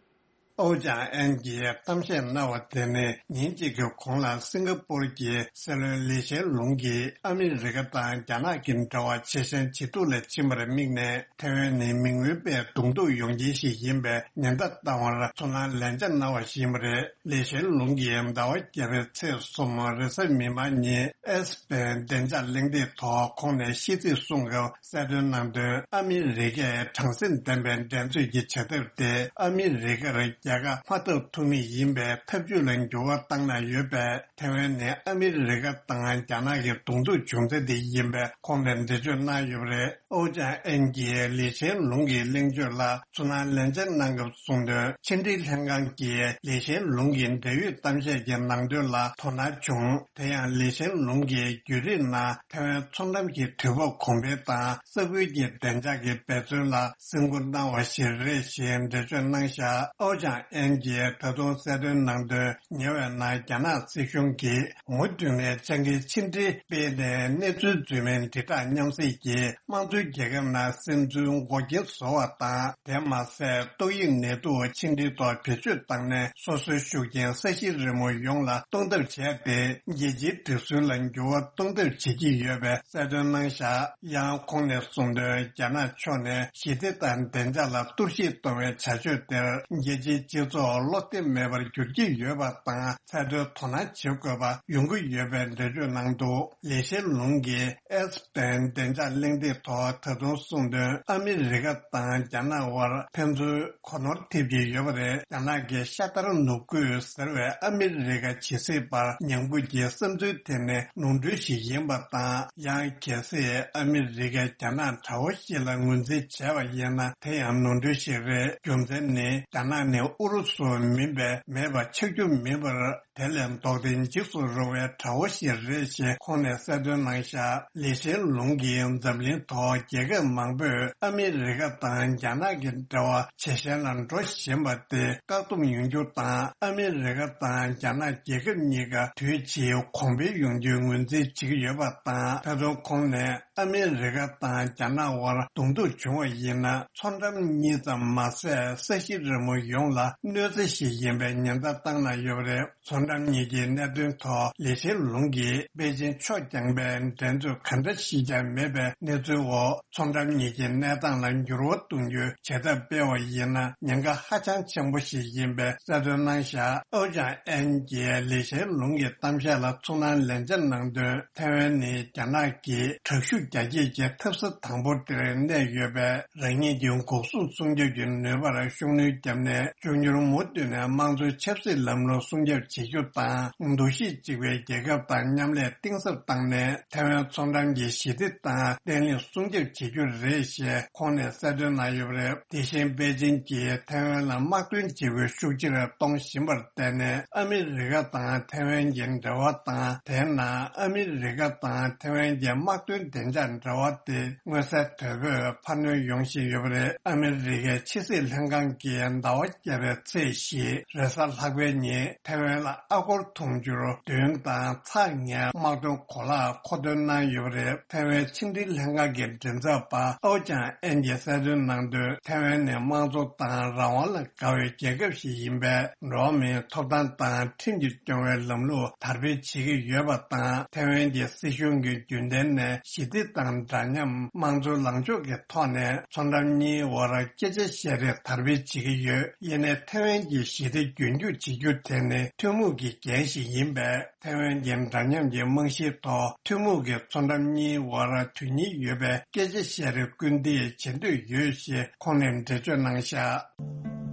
ཨོ་ཅང་ཨན་གྱིས་གཏམ་བཤད་གནང་བ་དེ་ནི། ཉིན་གཅིག་གི་གོང་ལ་སིང་ག་པུར་གྱི་སྲིད་བློན་ལི་ཤན་ལུང་གིས་ཨ་མི་རི་ཀ་དང་རྒྱ་ནག་གི་འབྲེལ་བ་ཇེ་ཞན་ཇེ་སྡུག་ལ་ཕྱིན་པར་དམིགས་ནས། ཐེ་ཝན་ནི་མི་མངོན་པའི་གདོང་ཐུག་ཡོང་རྐྱེན་ཞིག་ཡིན་པའི་ཉེན་བརྡ་བཏང་བར་ཚུར་སྣང་ལན་ཆ་གནང་བ་ཞིག་ཡིན་པ་རེད། ལི་ཤན་ལུང་གིས་ཟླ་བ་བརྒྱད་པའི་ཚེས་གསུམ་རེས་གཟའ་མིག་དམར་ཉིན་ཨེས་པན་བདེ་འཇགས་གླེང་སྟེགས་ཐོག་ཁོང་ནས་ཤིས་ཚིག་གསུང་སྐབས་གསལ་སྟོན་གནང་དོན། ཨ་མི་རི་ཀས་དྲང་སེམས་ལྡན་པའི་འགྲན་རྩོད་ཀྱི་བྱ་ཐབས་དེ་ཨ་མི་རི་ཀར་རྒྱལ་ཁ་མ་ཐོབ་ཐུབ་མུས་ཡིན་པའི་ཐབས་ཇུས་ལ་འགྱུར་བ་བཏང་གནང་ཡོད་པས། ཐེ་ཝན་ནི་ཨ་མི་རི་ཀ་དང་རྒྱ་ནག་གི་གདོང་ཐུག་བྱུང་ཚད་དེ་ཡིན་པའི་ཁོང་ནས་འགྲེལ་བརྗོད་གནང་ཡོད་པ་རེད། ཨོ་ཅང་ཨན་གྱིས་ལི་ཤན་ལུང་གི་གླེང་བརྗོད་ལ་ཚུར་སྣང་ལན་ཆ་གནང་སྐབས་གསུངས་དོན། ཕྱི་འབྲེལ་ལྷན་ཁང་གིས་ལི་ཤན་ལུང་གི་འབྲེལ་ཡོད་གཏམ་བཤད་ཀྱི་ནང་དོན་ལ་དོ་སྣང་བྱུང་། དེ་ཡང་ལི་ཤན་ལུང་གིས་བརྒྱུད་རིམ་ནང་ཐེ་ཝན་མཚོ་འགྲམ་གྱི་དུས་བབ་གོང་འཕེལ་དང་ས་ཁུལ་གྱི་བདེ་འཇགས་ཀྱི་འབད་བརྩོན་ལ་སེམས་ཁུར་གནང་བ་ཞིག་རེད་ཞེས་འགྲེལ་བརྗོད་གནང་བཞག་ཨོ་ཅང་ཨན་གྱིས་ད་དུང་གསལ་སྟོན་གནང་དོན། ཉེ་བའི་ནང་རྒྱ་ནག་སྲིད་གཞུང་གིས་མུ་མཐུད་ནས་སྤྱང་ཀིའི་ཕྱི་འབྲེལ་སྤེལ་ནས། གནས་ཚུལ་རྫུན་མའི་དྲིལ་བསྒྲགས་མཉམ་བསྲེས་ཀྱིས་དམངས་གཙོའི་རྒྱལ་ཁབ་ནང་སིམ་འཛུལ་འགོག་རྐྱེན་བཟོ་བ་དང་། དེ་མ་ཟད། ཏོག་དབྱིབས་ནད་དུག་ཕྱི་འབྲེལ་ཐོག་བེད་སྤྱོད་བཏང་ནས། སོ་སོའི་ཤུགས་རྐྱེན་ས་གཞི་རི་མོ་ཡོངས་ལ་གཏོང་ཐབས་བྱས་ཏེ། རྒྱལ་སྤྱིའི་སྒྲིག་སྲོལ་ལ་འགྱུར་བ་གཏོང་ཐབས་བྱེད་ཀྱི་ཡོད་པའི་གསལ་སྟོན་གནང་བཞག་ཡང་ཁོང་ནས་གསུངས་དོན། རྒྱ་ནག་ཕྱོགས་ནས་ཞི་བདེ་དང་བདེ་འཇགས་ལ་གཏོར་བཤིག་གཏོང་བའི་བྱ་སྤྱོད་དེར། རྒྱལ་སྤྱིའི་སྤྱི་ཚོགས་བློ་བདེ་མེད་པར་འགྱུར་གྱི་ཡོད་པ་དང་། ཚད་མཐོའི་དོ་སྣང་བྱེད་དགོས་པ་ཡོང་གི་ཡོད་པའི་འགྲེལ་བརྗོད་གནང་འདུག་ལི་ཤན་ལུང་གིས་ཨེས་པན་བདེ་འཇགས་གླེང་སྟེགས་ཐོག་ད་དུང་གསུངས་དོན། ཨ་མི་རི་ཀ་དང་རྒྱ་ནག་དབར་ཕན་ཚུན་གོ་ནོར་ཐེབས་ཀྱི་ཡོད་པ་རེད། རྒྱ་ནག་གི་ཤ་དར་ནུབ་རྒྱུད་ཟེར་བའི་ཨ་མི་རི་ཀ་ཇི་སྲིད་བར་ཉམས་རྒུད་ཀྱི་བསམ་ཚུལ་དེ་ནི་ནོར་འཁྲུལ་ཞིག་ཡིན་པ་དང་། ཡང་གལ་སྲིད་ཨ་མི་རི་ཀས་རྒྱ་ནག་དགྲ་བོ་ཞིག་ལ་ངོས་འཛིན་བྱས་པ་ཡིན་ན། དེ་ཡང་ནོར་འཁྲུལ་ཞིག་རེད། རྒྱུ་མཚན་ནི། རྒྱ་ནག་ནི་ཨུ་རུ་སུ་མིན་པའི་མེད་པ་ཆགས་རྒྱུ་མིན་པར། དེ་ལས་ལྡོག་སྟེ་འཇིགས་སུ་རུང་བའི་དགྲ་བོ་ཞིག་རེད་ཞེས་ཁོང་ནས་གསལ་སྟོན་གནང་བཞག་ལི་ཤན་ལུང་གིས་འཛམ་གླིང་ཐོག་རྒྱལ་ཁབ་མང་པོས་ཨ་མི་རི་ཀ་དང་རྒྱ་ནག་གི་འབྲེལ་བ་ཇེ་ཞན་ལ་འགྲོ་བཞིན་པ་དེ་བཀག་སྡོམ་ཡོང་རྒྱུ་དང་། ཨ་མི་རི་ཀ་དང་རྒྱ་ནག་རྒྱལ་ཁབ་གཉིས་ཀ་དུས་ཕྱིས་གོང་འཕེལ་ཡོང་རྒྱུའི་ངོས་འཛིན་བྱེད་ཀྱི་ཡོད་པ་དང་། ད་དུང་ཁོང་ནས། ཨ་མི་རི་ཀ་དང་རྒྱ་ནག་དབར་གདོང་ཐུག་བྱུང་བ་ཡིན་ན། མཚོ་འགྲམ་གཉིས་ཙམ་མ་ཟད། ས་གཞི་རི་མོ་ཡོངས་ལ་གནོད་འཚེ་ཞིག་ཡིན་པའི་ཉེན་བརྡ་བཏང་གནང་ཡོད་པ་རེད། མཚོ་འགྲམ་གཉིས་ཀྱི་གནད་དོན་ཐོག་ལི་ཤན་ལུང་གིས་པེ་ཅིན་ཕྱོགས་རྐྱང་པའི་འགྲན་རྩོད་ག་འདྲ་ཞིག་ཀྱང་མེད་པའི་གནས་ཚུལ་འོག་མཚོ་འགྲམ་གཉིས་ཀྱི་གནས་སྟངས་ལ་འགྱུར་བ་གཏོང་རྒྱུའི་བྱེད་ཐབས་སྤེལ་བ་ཡིན་ན། ཉེན་ཁ་ཧ་ཅང་ཆེན་པོ་ཞིག་ཡིན་པའི་གསལ་སྟོན་གནང་བཞག་ཨོ་ཅང་ཨན་གྱིས་ལི་ཤན་ལུང་གི་གཏམ་བཤད་ལ་ཚུར་སྣང་ལན་ཆ་གནང་དོན། ཐའེ་ཝན་ནི་རྒྱ་ནག་གི་དྲག་ཤུགས་རྒྱ་སྐྱེད་ཀྱི་འཐབ་ས་དང་པོ་དེར་གནས་ཡོད་པས། རང་ཉིད་ཀྱི་འགོག་སྲུང་སྲུང་སྐྱོབ་ཀྱི་ནུས་པར་ཤུགས་སྣོན་བརྒྱབ་ནས། འབྱོར་མུ་མཐུད་ནས་དམངས་གཙོའི་ཆབ་སྲིད་ལམ་ལུགས་སྲུང་སྐྱོབ་བྱེད་རྒྱུ་དང་། འདུ་ཤེས་གཅིག་པའི་རྒྱལ་ཁབ་དང་མཉམ་ལས་གཏིང་ཟབ་བཏང་ནས། ཐའེ་ཝན་མཚོ་འགྲམ་གྱི་ཞི་བདེ་དང་བརྟན་ལྷིང་སྲུང་སྐྱོབ་བྱེད་རྒྱུ་རེད་ཞེས་ཁོང་ནས་གསལ་སྟོན་གནང་ཡོད་པ་རེད། དེ་བཞིན་པེ་ཅིན་གྱིས་ཐའེ་ཝན་ལ་དམག་དོན་བྱེད་པོའི་ཤུགས་ཆེ་རུ་གཏོང་བཞིན་པར་བརྟེན་ནས། ཨ་མི་རི་ཀ་དང་ཐའེ་ཝན་གྱི་འབྲེལ་བ་དང་། དེའི་ནང་ཨ་མི་རི་ཀ་དང་ཐའེ་ཝན་གྱི་དམག་དོན་བདེ་འཇགས་འབྲེལ་བ་དེ་མངོན་གསལ་དོད་པོས་འཕར་སྣོན་ཡོང་བཞིན་ཡོད་པ་རེད། ཨ་མི་རི་ཀའི་ཕྱི་སྲིད་ལྷན་ཁང་གིས་ཟླ་བ་བརྒྱད་པའི་ཚེས་བཞི་རེས་གཟའ་ལྷག་པའི་ཉིན་ཐའེ་ཝན་ལ་ཨ་སྒོར་དུང་ཕྱུར་བདུན་དང་ཚེག་ལྔའི་དམག་དོན་གོ་ལག་མཁོ་འདོན་གནང་ཡོད་པ་རེད། ཐའེ་ཝན་ཕྱི་འབྲེལ་ལྷན་ཁང་གི་མགྲིན་ཚབ་པ་ཨའོ་ཅང་ཨན་གྱིས་གསལ་སྟོན་གནང་དོན། ཐའེ་ཝན་ནི་དམངས་གཙོ་དང་རང་དབང་ལ་དགའ་བའི་རྒྱལ་ཁབ་ཞིག་ཡིན་པས། འགྲོ་བ་མིའི་ཐོབ་ཐང་དང་ཁྲིམས་ཀྱིས་སྐྱོང་བའི་ལམ་ལུགས་དར་སྤེལ་བྱེད་ཀྱི་ཡོད་པ་དང་། ཐའེ་ཝན་གྱི་སྲིད་གཞུང་གི་རྒྱུན་ལྡན་ནས་ཞི་བདེ་དང་འདྲ་མཉམ། དམངས་གཙོའི་ལངས་ཕྱོགས་ཀྱི་ཐོག་ནས་མཚོ་འགྲམ་གཉིས་དབར་སྐད་ཆ་བཤད་རེས་དར་སྤེལ་བྱེད་ཀྱི་ཡོད། ཡིན་ནའི་ཐའེ་ཝན་གྱི་ཞི་བདེ་རྒྱུན་སྐྱོང་བྱེད་རྒྱུ་དེ་ནི་ཐུན་མོང་གི་འགན་ཞིག་ཡིན་པས། ཐའེ་ཝན་གྱི་འདྲ་མཉམ་གྱི་རྨང་གཞིའི་ཐོག་ཐུན་མོང་གི་མཚོ་འགྲམ་གཉིས་དབར་དོན་སྙིང་ཡོད་པའི་སྐད་ཆ་བཤད་རེས་སྐུལ་འདེད་བྱེད་འདོད་ཡོད་ཞེས་ཁོང་ནས་འགྲེལ་བརྗོད་གནང་བཞག།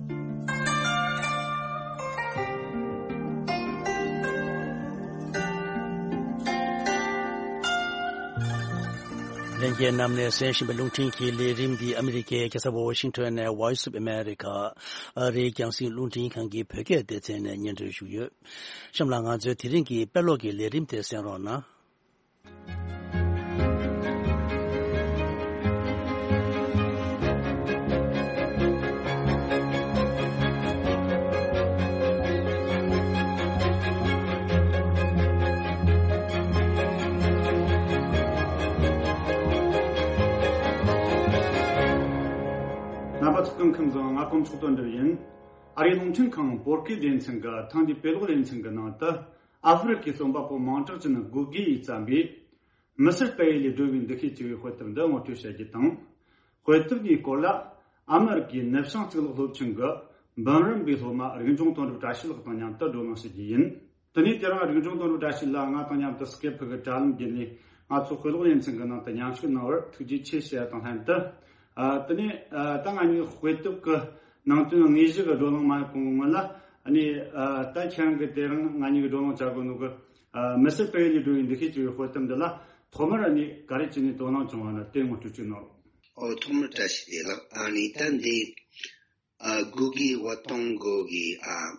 ལྷན་རྒྱས་རྣམས་ནས་གསན་བཞིན་པའི་རླུང་འཕྲིན་གྱི་ལས་རིམ་འདི་ཨ་མི་རི་ཀའི་རྒྱལ་ས་ཝ་ཤིང་ཊོན་ནས་Voice of America ཨ་རིའི་རྒྱང་སྲིང་རླུང་འཕྲིན་ཁང་གི་བོད་སྐད་སྡེ་ཚན་ནས་སྙན་སྒྲོན་ཞུས་ཡོད། གཤམ་ལ་ང་ཚོའི་དེ་རིང་གི་དཔེ་ཀློག་གི་ལས་རིམ་དེ་གསན་རོགས་གནང་། རྣམ་པ་ཚོ་སྐུ་ཁམས་བཟང་། ང་དཀོན་མཆོག་དོན་གྲུབ་ཡིན། ཨ་རིའི་རླུང་འཕྲིན་ཁང་བོད་སྐད་སྡེ་ཚན་གྱི་ཐེངས་འདིའི་དཔེ་ཀློག་ལེ་ཚན་གྱི་ནང་དུ། ཨ་ཧྥེ་རི་ཁའི་རྩོམ་པ་པོ་མིང་གྲགས་ཅན་གུ་གེ་ཡིས་བརྩམས་པའི། མི་སེར་སྤེལ་ཡུལ་ལས་སྒྲོལ་བའི་འདུ་ཤེས་ཅེས་པའི་དཔེ་དེབ་འདི་ངོ་སྤྲོད་བྱ་རྒྱུ་དང་། དཔེ་དེབ་འདིའི་སྐོར་ལ་ཨ་མེ་རི་ཀའི་ནུབ་བྱང་གཙུག་ལག་སློབ་ཆེན་གྱི་འབུམ་རམས་པའི་སློབ་མ་རིག་འབྱུང་དོན་གྲུབ་བཀྲ་ཤིས་ལགས་དང་མཉམ་དུ་བགྲོ་གླེང་བྱེད་རྒྱུ་ཡིན། དེ་ནས་དེ་རིང་རིག་འབྱུང་དོན་གྲུབ་བཀྲ་ཤིས་ལགས་ང་དང་མཉམ་དུ་སྐེ་ཕི་གི་དྲ་ལམ་བརྒྱུད་ནས་ང་ཚོ་དཔེ་ཀློག་ལེ་ཚན་གྱི་ནང་དུ་མཉམ་ཞུགས་གནང་བར་ཐུགས་རྗེ་ཆེ་ཞུ་ཡ་དང་ལྷན་དུ། ཨ། དེ་ནས་ཨ། ད་ང་གཉིས་དཔེ་དེབ་ཀྱི་ནང་དོན་དངོས་གཞི་གི་བགྲོ་གླེང་མ་ཡོང་གོང་གི་སྔོན་ལ། ཨ་ནི་ཨ། ད་ཁྱེད་རང་གིས་དེ་རིང་ང་གཉིས་ཀྱིས་བགྲོ་གླེང་བྱ་དགོས་ནོ་གི། ཨ། མི་སེར་སྤེལ་ཡུལ་ལས་སྒྲོལ་བའི་འདུ་ཤེས་ཅེས་པའི་དཔེ་དེབ་འདི་ལ་ཐོག་མར་ཨ་ནི་ག་རེ་བྱས་ནས་དོ་སྣང་བྱུང་བ་ན་དེ་ངོ་སྤྲོད་ཅིག་གནང་རོགས། ཨོ། ཐོག་མར་བཀྲ་ཤིས་བདེ་ལེགས། ཨ་ནི་ད་འདི་ཨ། གུ་གེ་ཝ་ཏོང་གོ་གི་ཨ།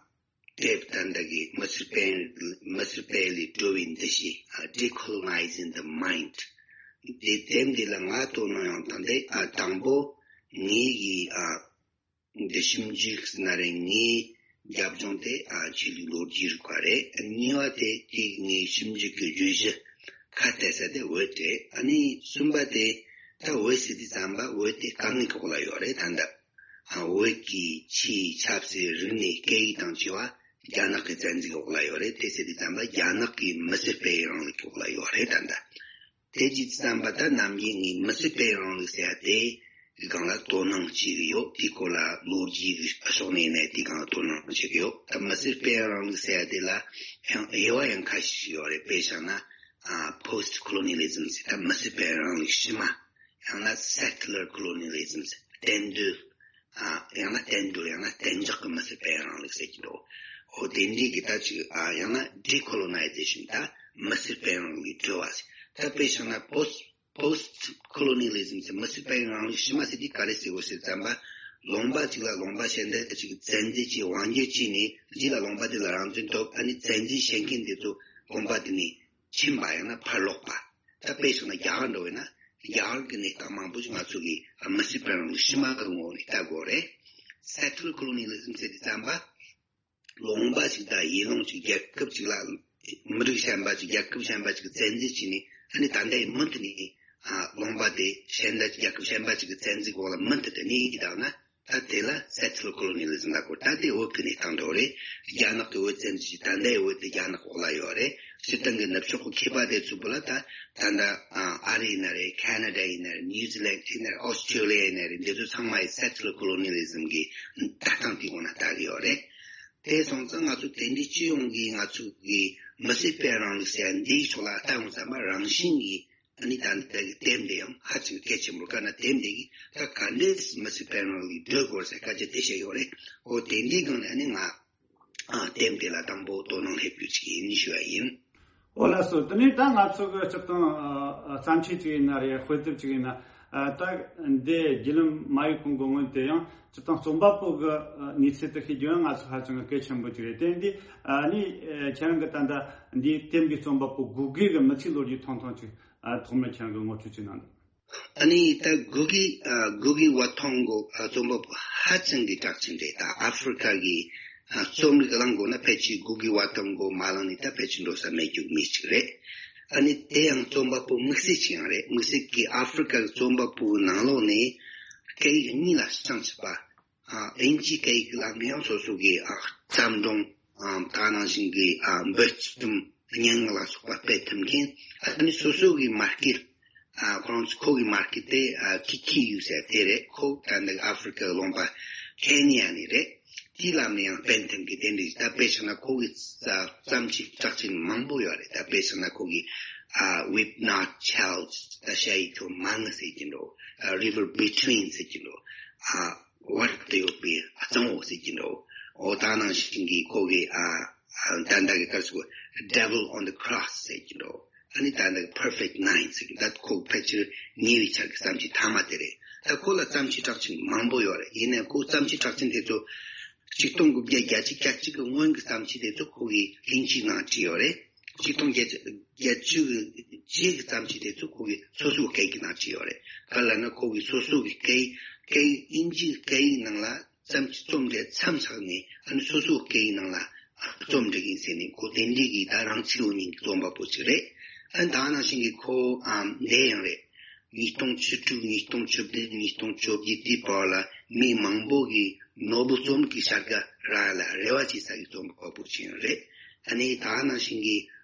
དེབ་ད་ལྟ་གི་མི་སེར་སྤེལ། མི་སེར་སྤེལ་ལས་སྒྲོལ་བའི་འདུ་ཤེས། ཨ། Decolonizing the Mind། འདི་དེབ་འདི་ལ་ང་དོ་སྣང་ཡོང་སྟངས་དེ། ཨ། དང་པོ་ངའི་གི་ཨ། འདི་ཞིབ་འཇུག་ཟེར་ན་རེད། ངའི་རྒྱབ་ལྗོངས་དེ་ཨ། ཆོས་ལུགས་ལོ་རྒྱུས་རིག་པ་རེད། གཉིས་པ་དེ་དེ་ངའི་ཞིབ་འཇུག་གི་བརྗོད་གཞི་ཁ་གཏད་ས་དེ་བོད་རེད། ཨ་ནི་གསུམ་པ་དེ་ད་བོད་ཟེར་དུས་ཙམ་པ་བོད་དེ་སྐད་ཡིག་གི་འོག་ལ་ཡོད་རེད། ད་ལྟ། ཨ། བོད་ཀྱི་ཆོས་ཆབ་སྲིད་རིག་གནས་སྐད་ཡིག་དང་བཅས་པ་རྒྱ་ནག་གི་བཙན་འཛུལ་འོག་ལ་ཡོད་རེད། དེ་ཟེར་དུས་ཙམ་པ་རྒྱ་ནག་གི་མི་སེར་སྤེལ་རིང་ལུགས་ཀྱི་འོག་ལ་ཡོད་རེད། ད་ལྟ་དེ་བྱས་དུས་ཙམ་པ་ད་ནམ་རྒྱུན་ངས་མི་སེར་སྤེལ་རིང་ལུགས་ཟེར་ཡ་དེ་གི་སྒང་ལ་དོ་སྣང་བྱེད་ཀྱི་ཡོད། དེའི་སྐོར་ལ་ལོ་རྒྱུས་ཀྱི་ཕྱོགས་ནས་ཡིན་ནའི་དེའི་སྒང་ལ་དོ་སྣང་བྱེད་ཀྱི་ཡོད། ད་མི་སེར་སྤེལ་རིང་ལུགས་ཟེར་ཡ་དེ་ལ་ཡང་དབྱེ་བ་ཡང་ཁ་ཤས་ཤིག་ཡོད་རེད། དཔེ་བཞག་ན། ཨ། Post Colonialism ཟེར། ད་མི་སེར་སྤེལ་རིང་ལུགས་ཕྱི་མ། ཡང་ན་Settler Colonialism ཟེར། གཏན་སྡོད། ཨ། ཡང་ན་གཏན་སྡོད། ཡང་ན་གཏན་འཇགས་ཀྱི་མི་སེར་སྤེལ་རིང་ལུགས་ཟེར་གྱི་འདུག། འོ་དེ་འདྲའི་གི་ད་ཅིག། ཨ། ཡང་ན་Decolonization ད་མི་སེར་སྤེལ་རིང་ལུགས་ཀྱི་འགྲོ་བ་ཟེར། ད་དཔེ་བཞག་ན་Post Post Colonialism ཟེར། མི་སེར་སྤེལ་རིང་ལུགས་ཕྱི་མ་ཟེར་དུས་ག་རེ་ཟེར་དགོས་ཟེར་ཙམ་པ། ལུང་པ་ཅིག་ལ་ལུང་པ་གཞན་དག་ཅིག་བཙན་འཛུལ་གྱིས་དབང་སྒྱུར་བྱས་ནས་རྗེས་ལ་ལུང་པ་དེ་ལ་རང་བཙན་ཐོབ། ཨ་ནི་བཙན་འཛུལ་བྱེད་མཁན་དེ་ཚོ་ལུང་པ་དེ་ནས་ཕྱིན་པ། ཡང་ན་ཕར་ལོག་པ། ད་དཔེ་བཞག་ན་རྒྱ་གར་འདྲ་བོ་ཡིན་ན་རྒྱ་གར་གྱི་གནས་སྟངས་མང་པོ་ཞིག་ང་ཚོ་གིས་མི་སེར་སྤེལ་རིང་ལུགས་ཕྱི་མ་གི་ངོ་བོ་ནས་ལྟ་དགོས་རེད། Settler Colonialism ཟེར་དུས་ཙམ་པ། ལུང་པ་ཞིག་དང་ཡུལ་ལུང་ཞིག་རྒྱལ་ཁབ་ཅིག་ལ། མི་རིགས་གཞན་པ་ཅིག་རྒྱལ་ཁབ་གཞན་པ་ཅིག་གི་བཙན་འཛུལ་བྱས་ནས། ཨ་ནི་ད་ལྟའི་མུ་མཐུད་ནས། ཨ། ལུང་པ་དེ་གཞན་དག་ཅིག་རྒྱལ་ཁབ་གཞན་པ་ཅིག་གི་བཙན་འཛུལ་འོག་ལ་མུ་མཐུད་དུ་གནས་ཀྱི་བསྡད་ན། ད་དེ་ལ་Settler Colonialism ལབ་དགོས། ད་དེ་བོད་ཀྱི་གནས་སྟངས་འདྲ་བོ་རེད། རྒྱ་ནག་གི་བོད་བཙན་འཛུལ་བྱས། ད་ལྟའི་བོད་དེ་རྒྱ་ནག་འོག་ལ་ཡོད་རེད། སྤྱིར་བཏང་གི་ནུབ་ཕྱོགས་ཀྱི་མཁས་པ་དེ་ཚོ་བོད་ལ་ད་ད་ལྟ། ཨ། ཨ་རི་ཡིན་ན་རེད། ཁ་ན་ཌ་ཡིན་ན་རེད། ནིའུ་ཛི་ལན་ཡིན་ན་རེད། ཨོ་སི་ཊྲེ་ལི་ཡ་ཡིན་ན་རེད། འདི་ཚོ་ཚང་མ་ཡི་Settler Colonialism གི་ལྟ་སྟངས་དེའི་ངོས་ནས་ལྟ་གི་ཡོད་རེད། དེ་སོང་ཙང་ང་ཚོ་དེ་འདྲའི་སྤྱི་ཡོངས་ཀྱི་ང་ཚོ་གི་མི་སེར་སྤེལ་རིང་ལུགས་ཟེར་ཡ་འདིའི་ཕྱོགས་ལ་ལྟ་ཡོང་ཙམ་པ། རང་བཞིན་གྱིས་ ཨ་ནི་ད་ལྟ་གི་དེབ་འདི་ཡང་ཧ་ཅང་གལ་ཆེན་པོ། ག་ན་དེབ་འདི་གིས་ད་ག་འདྲས་མི་སེར་དཔལ་རང་ལུགས་འགྲོ་དགོས་ཟེར་སྐད་ཆ་དེ་བཤད་ཡོད་རེད། འོ་དེ་འདྲའི་སྒང་ནས་ཨ་ནི་ང་ཨ་དེབ་འདི་ལ་དང་པོ་དོ་སྣང་སླེབས་རྒྱུ་ཅིག་ཡིན་ཞུ་བ་ཡིན། ཨོ་ལགས་སོ། དེ་ནས་ད་ང་ཚོ་གི་སྤྱིར་བཏང་ཨ་ཨ་བརྩམས་ཆོས་ཅིག་ཡིན་ན་རེད། དཔེ་དེབ་ཅིག་ཡིན་ན། ཨ་ད་འདི་བརྒྱུད་ལམ་མ་ཡིག་གོང་གི་སྔོན་དེ་ཡང་སྤྱིར་བཏང་རྩོམ་པ་པོ་གི་ཨ་གནས་ཚུལ་དེ་ཤེས་རྒྱུ་ཡང་ང་ཚོ་ཧ་ཅང་གི་གལ་ཆེན་པོ་ཅིག་རེད། དེ་འདི་ཨ་ནི་ཨ་ཁྱེད་རང་གི་ད་ལྟ་འདིའི་དེབ་འདིའི་རྩོམ་པ་པོ་སྒུག་གི་གི་མི་ཚེའི་ལོ་རྒྱུས་ཐུང་ཐུང་ཅིག་ཨ་ཐོག་མར་ཁྱེད་རང་གི་ངོ་སྤྲོད་ཅིག་གནང་དང་། ཨ་ནི་ད་སྒུག་གི་ཨ་སྒུག་གི་ཝ་ཐོང་གོ་ཨ་རྩོམ་པ་པོ་ཧ་ཅང་གི་གྲགས་ཆེན་རེད། ད་ཨ་ཧྥེ་རི་ཁ་གི་ཨ་རྩོམ་རིག་གླེང་དགོས་ན་ཕལ་ཆེར་སྒུག་གི་ཝ་ཐོང་གོ་མ་གླེང་ནས་ད་ཕལ་ཆེར་འགྲོ་ས་མེད་རྒྱུ་མི་ཞིག་རེད། ཨ་ནི་དེ་ཡང་རྩོམ་པ་པོ་དམིགས་བསལ་ཅིག་ཡང་རེད། དམིགས་བསལ་གྱི་ཨ་ཧྥེ་རི་ཁ་གི་རྩོམ་པ་པོའི་ནང་ལོགས་ནས་སྐད་ཡིག་གཉིས་ལ་བྱང་ཆུབ་པ། ཨ་དབྱིན་ཇིའི་སྐད་ཡིག་ལ་ཡང་སོ་སོ་གི་ཨ་བརྩམས་སྒྲུང་ཨ་ད་ནང་བཞིན་གྱི་ཨ་འབུར་རྩོམ་སྙན་ངག་ལ་སོགས་པ་སྤེལ་ཐུབ་མཁན། ཨ་ནི་སོ་སོ་གི་མར་ཀེཊ་ཨ་ཁོ་རང་ཚོ་ཁོ་གི་མར་ཀེཊ་དེ་ཨ་ཁི་ཁི་ཡུ་ཟེར་དེ་རེད། ཁོ་ད་ལྟ་ཨ་ཧྥེ་རི་ཁ་ལུང་པ་ཁེ་ནི་ཡ་ནས་རེད། དེའི་ལམ་ནས་ཡང་སྤེལ་ཐུབ་མཁན་དེ་འདྲ་ཞིག་ད་དཔེ་བཞག་ན་ཁོ་གི་ཨ་བརྩམས་ཆོས་གྲགས་ཆེན་མང་པོ་ཡོད་རེད། ད་དཔེ་བཞག་ན་ཁོ་གི་ཨ་Weep Not Child ད་ཤ་ཡི་ཁྱོད་མ་ངུ་ཟེར་གྱི་འགྲོ། ཨ་River Between ཟེར་གྱི་འགྲོ། ཨ་བར་དུ་ཡོད་པའི་གཙང་བོ་ཟེར་གྱི་འགྲོ། འོ་ད་ནང་བཞིན་གྱི་ཁོ་གི་ཨ་ཨ་ད་ལྟ་གི་སྐབས་སུ་Devil on the Cross ཟེར་གྱི་འགྲོ། ཨ་ནི་ད་ལྟ་གི་Perfect Nine ཟེར་གྱི་ད་ཁོ་ཕལ་ཆེར་ཉེ་བའི་ཆར་གྱི་བརྩམས་ཆོས་མཐའ་མ་དེ་རེད། ད་ཁོ་ལ་བརྩམས་ཆོས་གྲགས་ཆེན་མང་པོ་ཡོད་རེད། ཡིན་ནའང་ཁོ་བརྩམས་ཆོས་གྲགས་ཆེན་དེ་ཚོ་ཆིག་སྟོང་དགུ་བརྒྱ་བརྒྱད་ཅུ་གྱ་གཅིག་གི་སྔོན་གྱི་བརྩམས་ཆོས་དེ་ཚོ་ཁོ་གིས་དབྱིན་ཇིའི་ནང་བྲིས་ཡོད་རེད། ཆིག་སྟོང་བརྒྱད་བརྒྱད་ཅུ་གི་རྗེས་ཀྱི་བརྩམས་ཆོས་དེ་ཚོ་ཁོ་གིས་སོ་སོའི་སྐད་ཡིག་ནང་བྲིས་ཡོད་རེད། ག་ལ་ན་ཁོ་གིས་སོ་སོ་གི་སྐད་ཡིག་སྐད་ཡིག་དབྱིན་ཇིའི་སྐད་ཡིག་ནང་ལ་བརྩམས་ཆོས་རྩོམ་འབྲི་མཚམས་བཞག་ནས་ཨ་ནི་སོ་སོའི་སྐད་ཡིག་ནང་ལ་རྩོམ་འབྲི་གིན་ཟེར་ནས་ཁོ་དེ་འདྲའི་གི་ད་རང་ཚིག་ཡོད་མཁན་གྱི་རྩོམ་པ་པོ་ཅིག་རེད། ཨ་ནི་ད་ནང་བཞིན་གྱི་ཁོ་ཨ་འདི་ཡང་རེད། ཉིས་སྟོང་བཅུ་དྲུག་ཉིས་སྟོང་བཅུ་བདུན་ཉིས་སྟོང་བཅོ་བརྒྱད་དེའི་བར་ལ་མི་མང་པོ་གིས་ནོ་བེལ་རྩོམ་རིག་གི་བྱ་དགའ་རག་ལ་རེ་བ་བྱེད་ས་གི་རྩོམ་པ་པོ་ཅིག་ཡང་རེད། ཨ་ནི་ད་ནང་བཞིན་གྱི་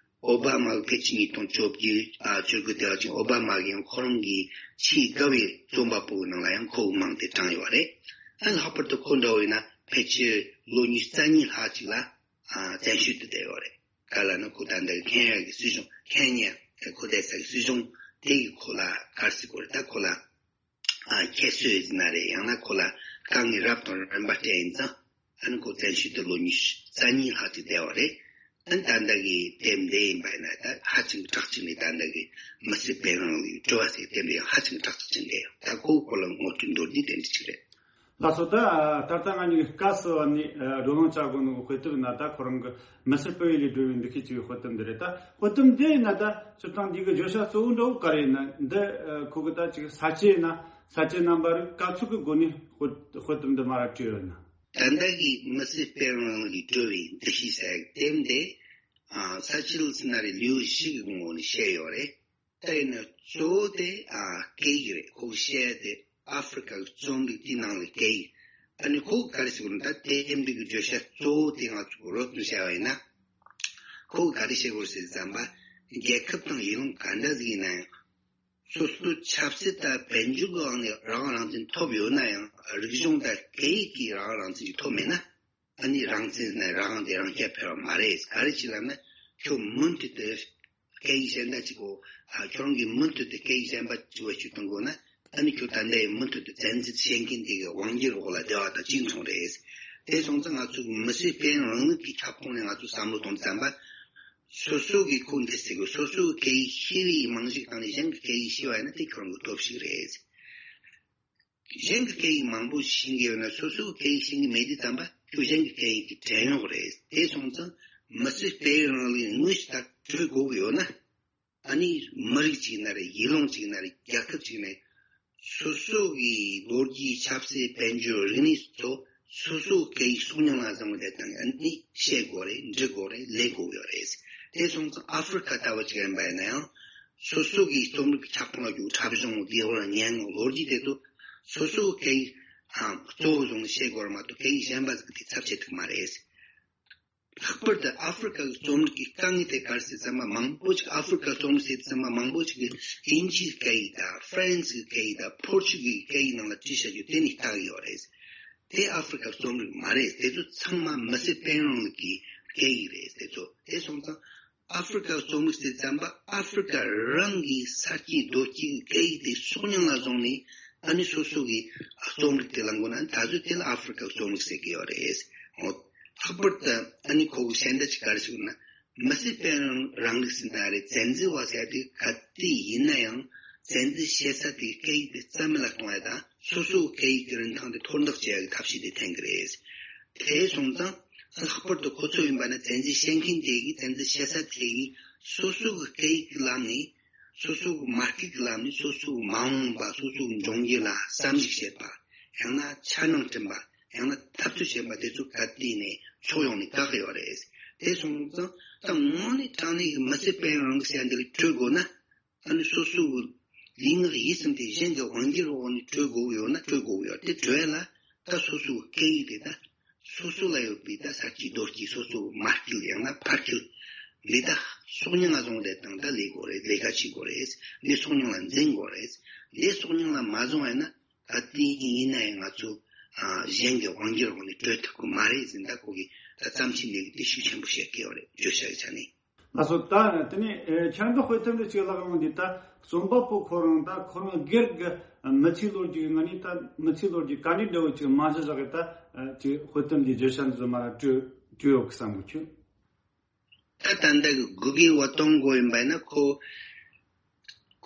ཨོ་བྷ་མ་གི་ཕལ་ཆེར་ཉིས་སྟོང་བཅོ་བརྒྱད་ཨ་བཅུ་དགུ་དེ་བ་ཅིག་ཨོ་བྷ་མ་གི་ཡང་ཁོ་རང་གི་ཆེས་དགའ་བའི་རྩོམ་པ་པོའི་ནང་ལ་ཡང་ཁོ་མིང་དེ་བགྲངས་ཡོད་རེད། ཨ་ལྷག་པར་དུ་ཁོ་འདྲ་བོ་ཡིན་ན་ཕལ་ཆེར་ལོ་ཉི་ཤུ་རྩ་གཉིས་ལྷག་ཅིག་ལ་ཨ་བཙན་བྱོལ་དུ་བསྡད་ཡོད་རེད། ག་ལ་ནི་ཁོ་ད་ལྟ་ཁེན་ཡ་གི་སྲིད་གཞུང་ཁེན་ཡ་ཁོ་བསྡད་ས་གི་སྲིད་གཞུང་དེ་གི་ཁོ་ལ་ག་རེ་ཟེར་དགོས་རེད། ད་ཁོ་ལ་ཨ་ཁྱད་གསོད་ཡིན་ན་རེད། ཡང་ན་ཁོ་ལ་དཀའ་ངལ་རབ་དང་རིམ་པ་སྤྲད་ཡིན་ཙང་ཨ་ནི་ཁོ་བཙན་བྱོལ་དུ་ལོ་ཉི་ཤུ་རྩ་གཉིས་ལྷག་ཅིག་བསྡད་པ་རེད། ཨ་ནི་ད་ལྟ་གི་དེབ་འདི་ཡིན་པ་ཡིན་ན་ད་ཧ་ཅང་གྲགས་ཆེན་རེད། ད་ལྟ་གི་མི་ཚེ་དཔལ་རང་ལུགས་སྤྲོ་བ་ཟེར་དེབ་འདི་ཡང་ཧ་ཅང་གྲགས་ཆེན་རེད། ད་ཁོ་ཁོ་ལ་ངོ་སྤྲོད་མདོར་བསྡུས་དེ་འདྲ་ཅིག་རེད། ལགས་སོ། ད་ད་ལྟ་ང་གཉིས་ཀྱིས་སྐབས་སུ་བབས་ནས་ཨ་བགྲོ་གླེང་བྱ་དགོས་ནོ་གི་དཔེ་དེབ་ཡིན་ན་ད་ཁོ་རང་གི་མི་སེར་སྤེལ་བའི་ལས་སྒྲུབ་པའི་འདུ་ཤེས་ཅེས་པའི་དཔེ་དེབ་འདི་རེད། ད་དཔེ་དེབ་འདི་ཡིན་ན་ད་སྤྱིར་བཏང་འདི་གི་བརྗོད་བྱ་གཙོ་བོ་འདྲ་བོ་ག་རེ་ཡིན་ན། འདི་ཨ་ཁོ་གི་ད་ཅིག་ས་བཅད་ཡིན་ན་ས་བཅད་རྣམ་པ་རིགས་ག་ཚོད་ཀྱི་སྒོ་ནས་དཔེ་དཔེ་དེབ་འདི་མར་བྲིས་ཡོད་ན། ད་ལྟ་གི་མི་སེར་སྤེལ་རང་ལུགས་སྤྲོ་བའི་འདུ་ཤེས་ཟེར་དེབ་འདི་ཨ་ས་བཅད་ཟེར་ན་རེད། ལེའུ་བཞི་གི་ངོས་ནས་བཤད་ཡོད་རེད། དེ་ནི་གཙོ་བོ་དེ་ཨ་སྐད་ཡིག་རེད། ཁོ་བཤད་དེ་ཨ་ཧྥེ་རི་ཁ་གི་རྩོམ་རིག་དེའི་ནང་ལ་སྐད་ཡིག་ཨ་ནི་ཁོ་ག་རེ་ཟེར་དགོས་ན། ད་དེབ་འདི་གི་བརྗོད་བྱ་གཙོ་བོ་དེ་ང་ཚོ་རོབ་ཙམ་བཤད་པ་ཡིན་ན། ཁོ་ག་རེ་བཤད་དགོས་ཟེར་བསམ་པ། རྒྱལ་ཁབ་དང་ཡུལ་ལུང་ག་འདྲ་ཟིག་ཡིན་ན་ཡང་། སོ་སོའི་ཆབ་སྲིད་དང་དཔལ་འབྱོར་གྱི་དབང་ནས་རང་དབང་རང་བཙན་ཐོབ་ཡོད་ན་ཡང་། རིག་གཞུང་དང་སྐད་ཡིག་གི་རང་དབང་རང་བཙན་ཞིག་ཐོབ་མེད་ན། ཨ་ནི་རང་བཙན་ཟེར་ན་རང་དབང་དེ་རང་རྐྱ་འཕེར་བ་མ་རེད། ག་རེ་བྱས་ལབ་ན། ཁྱོད་མུ་མཐུད་དུ་སྐད་ཡིག་གཞན་དག་ཅིག་གོ་ཨ་ཁྱོད་རང་གིས་མུ་མཐུད་དུ་སྐད་ཡིག་གཞན་པ་ཅིག་བེད་སྤྱོད་གཏོང་དགོས་ན། ཨ་ནི་ཁྱོད་ད་ལྟ་ཡང་མུ་མཐུད་དུ་བཙན་འཛུལ་བྱེད་མཁན་དེ་གི་དབང་སྒྱུར་འོག་ལ་བསྡད་པ་དང་གཅིག་མཚུངས་རེད། དེ་སོང་ཙང་ང་ཚོ་མི་སེར་སྤེལ་རང་ལུགས་ཀྱི་ཁྱབ་ཁོངས་ནས་ང་ཚོ་བསམ་བློ་གཏོང་བསམ་པ། སོ་སོ་གི་ཁོ་འདི་ཟེར་གི་སོ་སོའི་སྐད་ཡིག་ཤེས་པའི་རྨང་གཞིའི་སྟེང་ནས་གཞན་གྱི་སྐད་ཡིག་ཤེས་པ་ཡིན་ན་དེ་ཁྱོད་རང་གི་སྟོབས་ཤིག་རེད། གཞན་གྱི་སྐད་ཡིག་མང་པོ་ཤེས་ཀྱི་ཡོད་ན་སོ་སོའི་སྐད་ཡིག་ཤེས་ཀྱི་མེད་དུས་ཙམ་པ་ཁྱོད་གཞན་གྱི་སྐད་ཡིག་གི་བྲན་གཡོག་རེད། དེ་སོང་ཙང་མི་སེར་སྤེལ་རང་ལུགས་དངོས་སུ་ད་གྲོས་དགོས་ཀྱི་ཡོད་ན། ཨ་ནི་མི་རིགས་གཅིག་ན་རེད། ཡུལ་ལུང་གཅིག་ན་རེད། རྒྱལ་ཁབ་གཅིག་ནས་སོ་སོ་གི་ལོ་རྒྱུས་ཆབ་སྲིད་དཔལ་འབྱོར་རིག་གནས་སོགས་སོ་སོའི་སྐད་ཡིག་གསུང་མྱོང་ལ་བཟང་བའི་དེ་དང་ཨ་ནི་བཤད་དགོས་རེད། འབྲི་དགོས་རེད། ལས་དགོས་ཡོད་རེད། དེ་སོང་ཙང་ཨ་ཧྥེ་རི་ཁ་ལྟ་བུ་ཅིག་ཡིན་པ་ཡིན་ན་ཡང་སོ་སོ་གི་རྩོམ་རིག་ཁྱབ་ཁོངས་ལ་འཇུག་འཁྲབ་གཞུང་། ལྡེའུ་བ། སྙན་ངག་ལོ་རྒྱུས་དེ་ཚོ་སོ་སོའི་སྐད་ཡིག་གཙོ་བོ་བཟུང་ནས་བཤད་དགོས་རེད་མ་གཏོགས་སྐད་ཡིག་གཞན་པ་ཟིག་གི་དེ་ཚབ་བྱེད་ཐུབ་མ་རེད། ལྷག་པར་དུ་ཨ་ཧྥེ་རི་ཁ་གི་རྩོམ་རིག་གི་དཀའ་ངལ་དེ་ག་རེ་ཟེར་ཙམ་པ་མང་པོ་ཅིག་ཨ་ཧྥེ་རི་ཁ་རྩོམ་རིག་ཟེར་ཙམ་པ་མང་པོ་ཅིག་གིས་དབྱིན་ཇིའི་སྐད་ཡིག་དང་ཧྥ་རན་སིའི་སྐད་ཡིག་དང་པོར་ཅུ་གི་སྐད་ཡིག་ནང་ལ་བྲིས་བཞག་རྒྱུ་དེ་ནི་ལྟ་གི་ཡོད་རེད། དེ་ཨ་ཧྥེ་རི་ཁ་རྩོམ་རིག་མ་རེད། དེ་ཚོ་ཚང་མ་མི་སེར་སྤེལ་རང་ལུགས་ཀྱི་སྐད་ཡིག་རེད། དེ་ཚོ་དེ་སོང་ཙང་ ཨ་ཧྥེ་རི་ཀའི་རྩོམ་རིག་ཟེར་ཙམ་པ་ཨ་ཧྥེ་རི་ཀ་རང་གི་ས་སྐྱེས་རྡོ་སྐྱེས་ཀྱི་སྐད་ཡིག་དེ་སྲོག་སྙིང་ལ་བཟུང་ནས། ཨ་ནི་སོ་སོ་གི་རྩོམ་རིག་དེ་ལ་མགོ་ན་ད་གཟོད་དེ་ལ་ཨ་ཧྥེ་རི་ཀའི་རྩོམ་རིག་ཟེར་གྱི་ཡོད་རེད། འོ། ལྷག་པར་དུ་ཨ་ནི་ཁོ་གི་ཤན་ད་ཅིག་ག་རེ་ཟེར་ན། མི་སེར་དཔལ་རང་རང་ལུགས་ཟེར་ན་རེད། བཙན་འཛུལ་བ་ཟེར་དུས་ག་དུས་ཡིན་ན་ཡང་བཙན་འཛུལ་བྱེད་ས་དེའི་སྐད་ཡིག་དེ་རྩ་མེད་ལ་གཏོང་ཡ་དང་སོ་སོའི་སྐད་ཡིག་གི་རིན་ཐང་དེ་མཐོར་འདེགས་བྱེད་ཡ་གི་ཐབས་ཤེས་དེ་འཐེན་གི་རེད། དེ་སོང་ཙང་ལྷག་པར་དུ་ཁོ་ཚོ་ཡིན་པ་ན་བཙན་འཛུལ་བྱེད་མཁན་དེ་གིས་བཙན་འཛུལ་བྱེད་ས་དེ་གིས་སོ་སོ་གི་སྐད་ཡིག་གི་ལམ་ནས་སོ་སོ་གི་མ་སྐད་ཀྱི་ལམ་ནས་སོ་སོ་གི་མ་འོངས་པ་སོ་སོ་གི་འབྱུང་འགྱུར་ལ་བསམ་གཞིག་བྱེད་པ། ཡང་ན་འཆར་སྣང་བསྐྲུན་པ། ཡང་ན་འཐབ་རྩོད་བྱེད་པ་དེ་ཚོ་ག་དུས་ནས་ཕྱོགས་ཡོངས་ནས་བཀག་གི་ཡོད་རེད། དེ་སོང་ཙང་ད་དངོས་གནས་དྲང་གནས་ཀྱི་མི་སེར་དཔལ་ཡོན་རིང་ལུགས་ཟེར་ཡ་འདི་ལ་བྲོས་དགོས་ན། ཨ་ནི་སོ་སོ་གི་ལུས་ངག་ཡིད་གསུམ་དེ་གཞན་གྱི་དབང་སྒྱུར་འོག་ནས་བྲོས་དགོས་ཀྱི་ཡོད་ན་བྲོས་དགོས་ཀྱི་ཡོད་རེད། དེ་བྲོས་ཡ་ལ་ད་སོ་སོ་གི་སྐད་ཡིག་དེ་ད་སོ་སོ་ལ་ཡོད་པའི་ད་ས་སྐྱེས་རྡོ་སྐྱེས་སོ་སོ་གི་མ་སྐྱེས་ཡང་ན་ཕར་སྐྱེས་འདི་ད་སྲོག་སྙིང་ལ་བཟུང་རེད་དང་ད་ལས་དགོས་རེད། ལས་ཀ་བྱེད་དགོས་རེད། འདི་སྲོག་སྙིང་ལ་འཛིན་དགོས་རེད། འདི་སྲོག་སྙིང་ལ་མ་བཟུང་བ་ཡིན་ན། ད་དེ་ཡིན་ན་ཡང་ང་ཚོ་ཨ་གཞན་གྱི་དབང་སྒྱུར་འོག་ནས་བྲོས་ཐུབ་ཀྱི་མ་རེད་ཟེར། ད་ཁོ་གིས་ད་བརྩམས་ཆོས་འདི་གི་དེ་ཤུགས་ཆེན་པོ་བཤད་ཀྱི་ཡོད་རེད། བརྗོད་བྱ་གི་ཆ་ནས། ལགས་སོ། ད་དེ་ནས་ཨེ་ཁྱེད་རང་གི་དཔེ་དེབ་འདི་གཅིག་ལ་ཡོང་དུས་ད་རྩོམ་པ་པོ་ཁོ་རང་ད་ཁོ་རང་སྒེར་གྱི་མི་ཚེའི་ལོ་རྒྱུས་ང་ནི་ད་མི་ཚེའི་ལོ་རྒྱུས་ག་འདྲའི་འདྲ་བོ་ཅིག་རྨང་གཞི་བཞག་གི་ད་ཨ་ཅིག་དཔེ་དེབ་འདི་བརྗོད་བྱ་འདི་ཚོ་མར་བྲིས་བྲིས་ཡོད་གི་བསམ་གི་ཁྱོད། ད་ད་ལྟ་གི་དགུ་གི་བ་གཏོང་དགོས་ཡིན་པ་ཡིན་ན་ཁོ་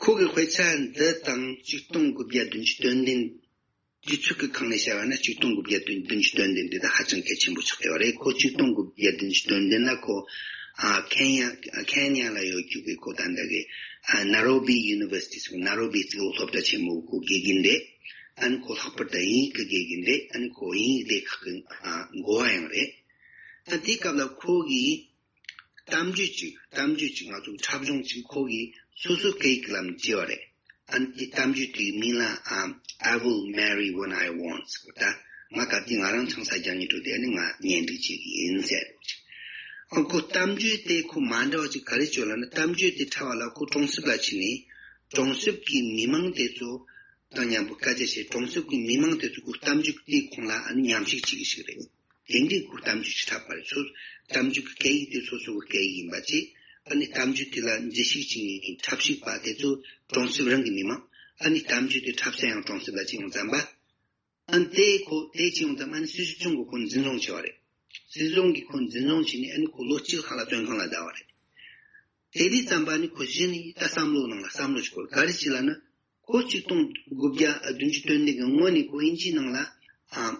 ཁོ་གི་དཔེ་ཆ་འདི་དང་ཆིག་སྟོང་དགུ་བརྒྱ་བདུན་ཅུ་དོན་བདུན། དུས་ཚོད་ཀྱི་སྒང་ནས་བཤད་པ་ན་ཆིག་སྟོང་དགུ་བརྒྱ་བདུན་བདུན་ཅུ་དོན་བདུན་འདི་ད་ཧ་ཅང་གལ་ཆེན་པོ་ཆགས་ཡོད་རེད། ཁོ་ཆིག་སྟོང་དགུ་བརྒྱ་བདུན་ཅུ་དོན་བདུན་ལ་ཁོ་ཨ་ཁེན་ཡ་ཁེན་ཡ་ལ་ཡོད་རྒྱུ་གི་ཁོ་ད་ལྟ་གི་ཨ་ནཱ་རོ་བི་ཡུ་ནི་ཝར་སི་ཊི་ཟེར་ནཱ་རོ་བི་གཙུག་ལག་སློབ་གྲྭ་ཆེན་མོ་གི་ཁོ་དགེ་རྒན་རེད། ཨ་ནི་ཁོ་ལྷག་པར་དུ་དབྱིན་ཡིག་གི་དགེ་རྒན་རེད། ཨ་ནི་ཁོ་དབྱིན་ཡིག་སྡེ་ཁག་གི་ཨ་འགོ་བ་ཡང་རེད། ཨ་དེའི་སྐབས་ལ་ཁོ་གིས་གཏམ་རྒྱུད་ཅིག་གཏམ་རྒྱུད་ཅིག་ང་ཚོ་འཁྲབ་གཞུང་ཅིག་ཁོ་གིས་སོ་སོའི་སྐད་ཡིག་གི་ལམ་བྲིས་པ་རེད། ཨ་ནི་དེ་གཏམ་རྒྱུད་དེའི་མིང་ལ་ཨ་I will marry when I want ཟེར་བ། ད་ང་ད་ལྟའི་ང་རང་ཆང་ས་རྒྱག་སྙིང་བྲོ་དེ་ནི་ང་གཉེན་སྒྲིག་བྱེད་ཀྱི་ཡིན་ཟེར་ཅིག་ཨ་ཁོ་གཏམ་རྒྱུད་དེ་ཁོ་མ་འདྲ་བ་ཅིག་ག་རེ་བྱོས་ལབ་ན་གཏམ་རྒྱུད་དེ་འཁྲབ་པ་ལ་ཁོ་གྲོང་གསེབ་ལ་ཕྱིན་ནས་གྲོང་གསེབ་ཀྱི་མི་མང་དེ་ཚོ་དང་མཉམ་པོ་སྐད་ཆ་བཤད། གྲོང་གསེབ་ཀྱི་མི་མང་དེ་ཚོ་ཁོ་གཏམ་རྒྱུད་དེའི་ཁོངས་ལ་ཨ་ནི་མཉམ་ཞུགས་བྱེད་ཀྱི་ཞིག་རེད། དེ་འདྲའི་ཁོ་གཏམ་རྒྱུད་ཅིག་འཁྲབ་པ་རེད། སོ་གཏམ་རྒྱུད་ཀྱི་སྐད་ཡིག་དེ་སོ་སོ་གི་སྐད་ཡིག་ཡིན་པ་བྱས། ཨ་ནི་གཏམ་རྒྱུད་དེ་ལ་མཛུབ་ཞུགས་བྱེད་མཁན་འཁྲབ་ཞུགས་པ་དེ་ཚོ་གྲོང་གསེབ་རང་གི་མི་མང་། ཨ་ནི་གཏམ་རྒྱུད་དེ་འཁྲབ་ས་ཡང་གྲོང་གསེབ་ལ་ཕྱིན་ཡོང་ཙམ་པ། ཨ་ནི་དེ་ཁོ་དེ་ཕྱིན་ཡོང་ཙམ་ཨ་ནི་སྲིད་གཞུང་གིས་ཁོ་འཛིན་བཟུང་བྱས་པ་རེད། སྲིད་གཞུང་གིས་ཁོ་འཛིན་བཟུང་བྱས་ནས་ཨ་ནི་ཁོ་ལོ་གཅིག་ལྷག་ལ་བཙོན་ཁང་ལ་བསྡད་པ་རེད། དེ་དུས་ཙམ་པ་ཨ་ནི་ཁོ་གཞི་ནས་ད་བསམ་བློ་ནང་ལ་བསམ་བློ་ཞིག་འཁོར། ག་རེ་བྱས་ལབ་ན། ཁོ་ཆིག་སྟོང་དགུ་བརྒྱ་བདུན་ཅུ་དོན་བདུན་གྱི་སྔོན་ནས་ཁོ་དབྱིན་ཇིའི་ནང་ལ་ཨ།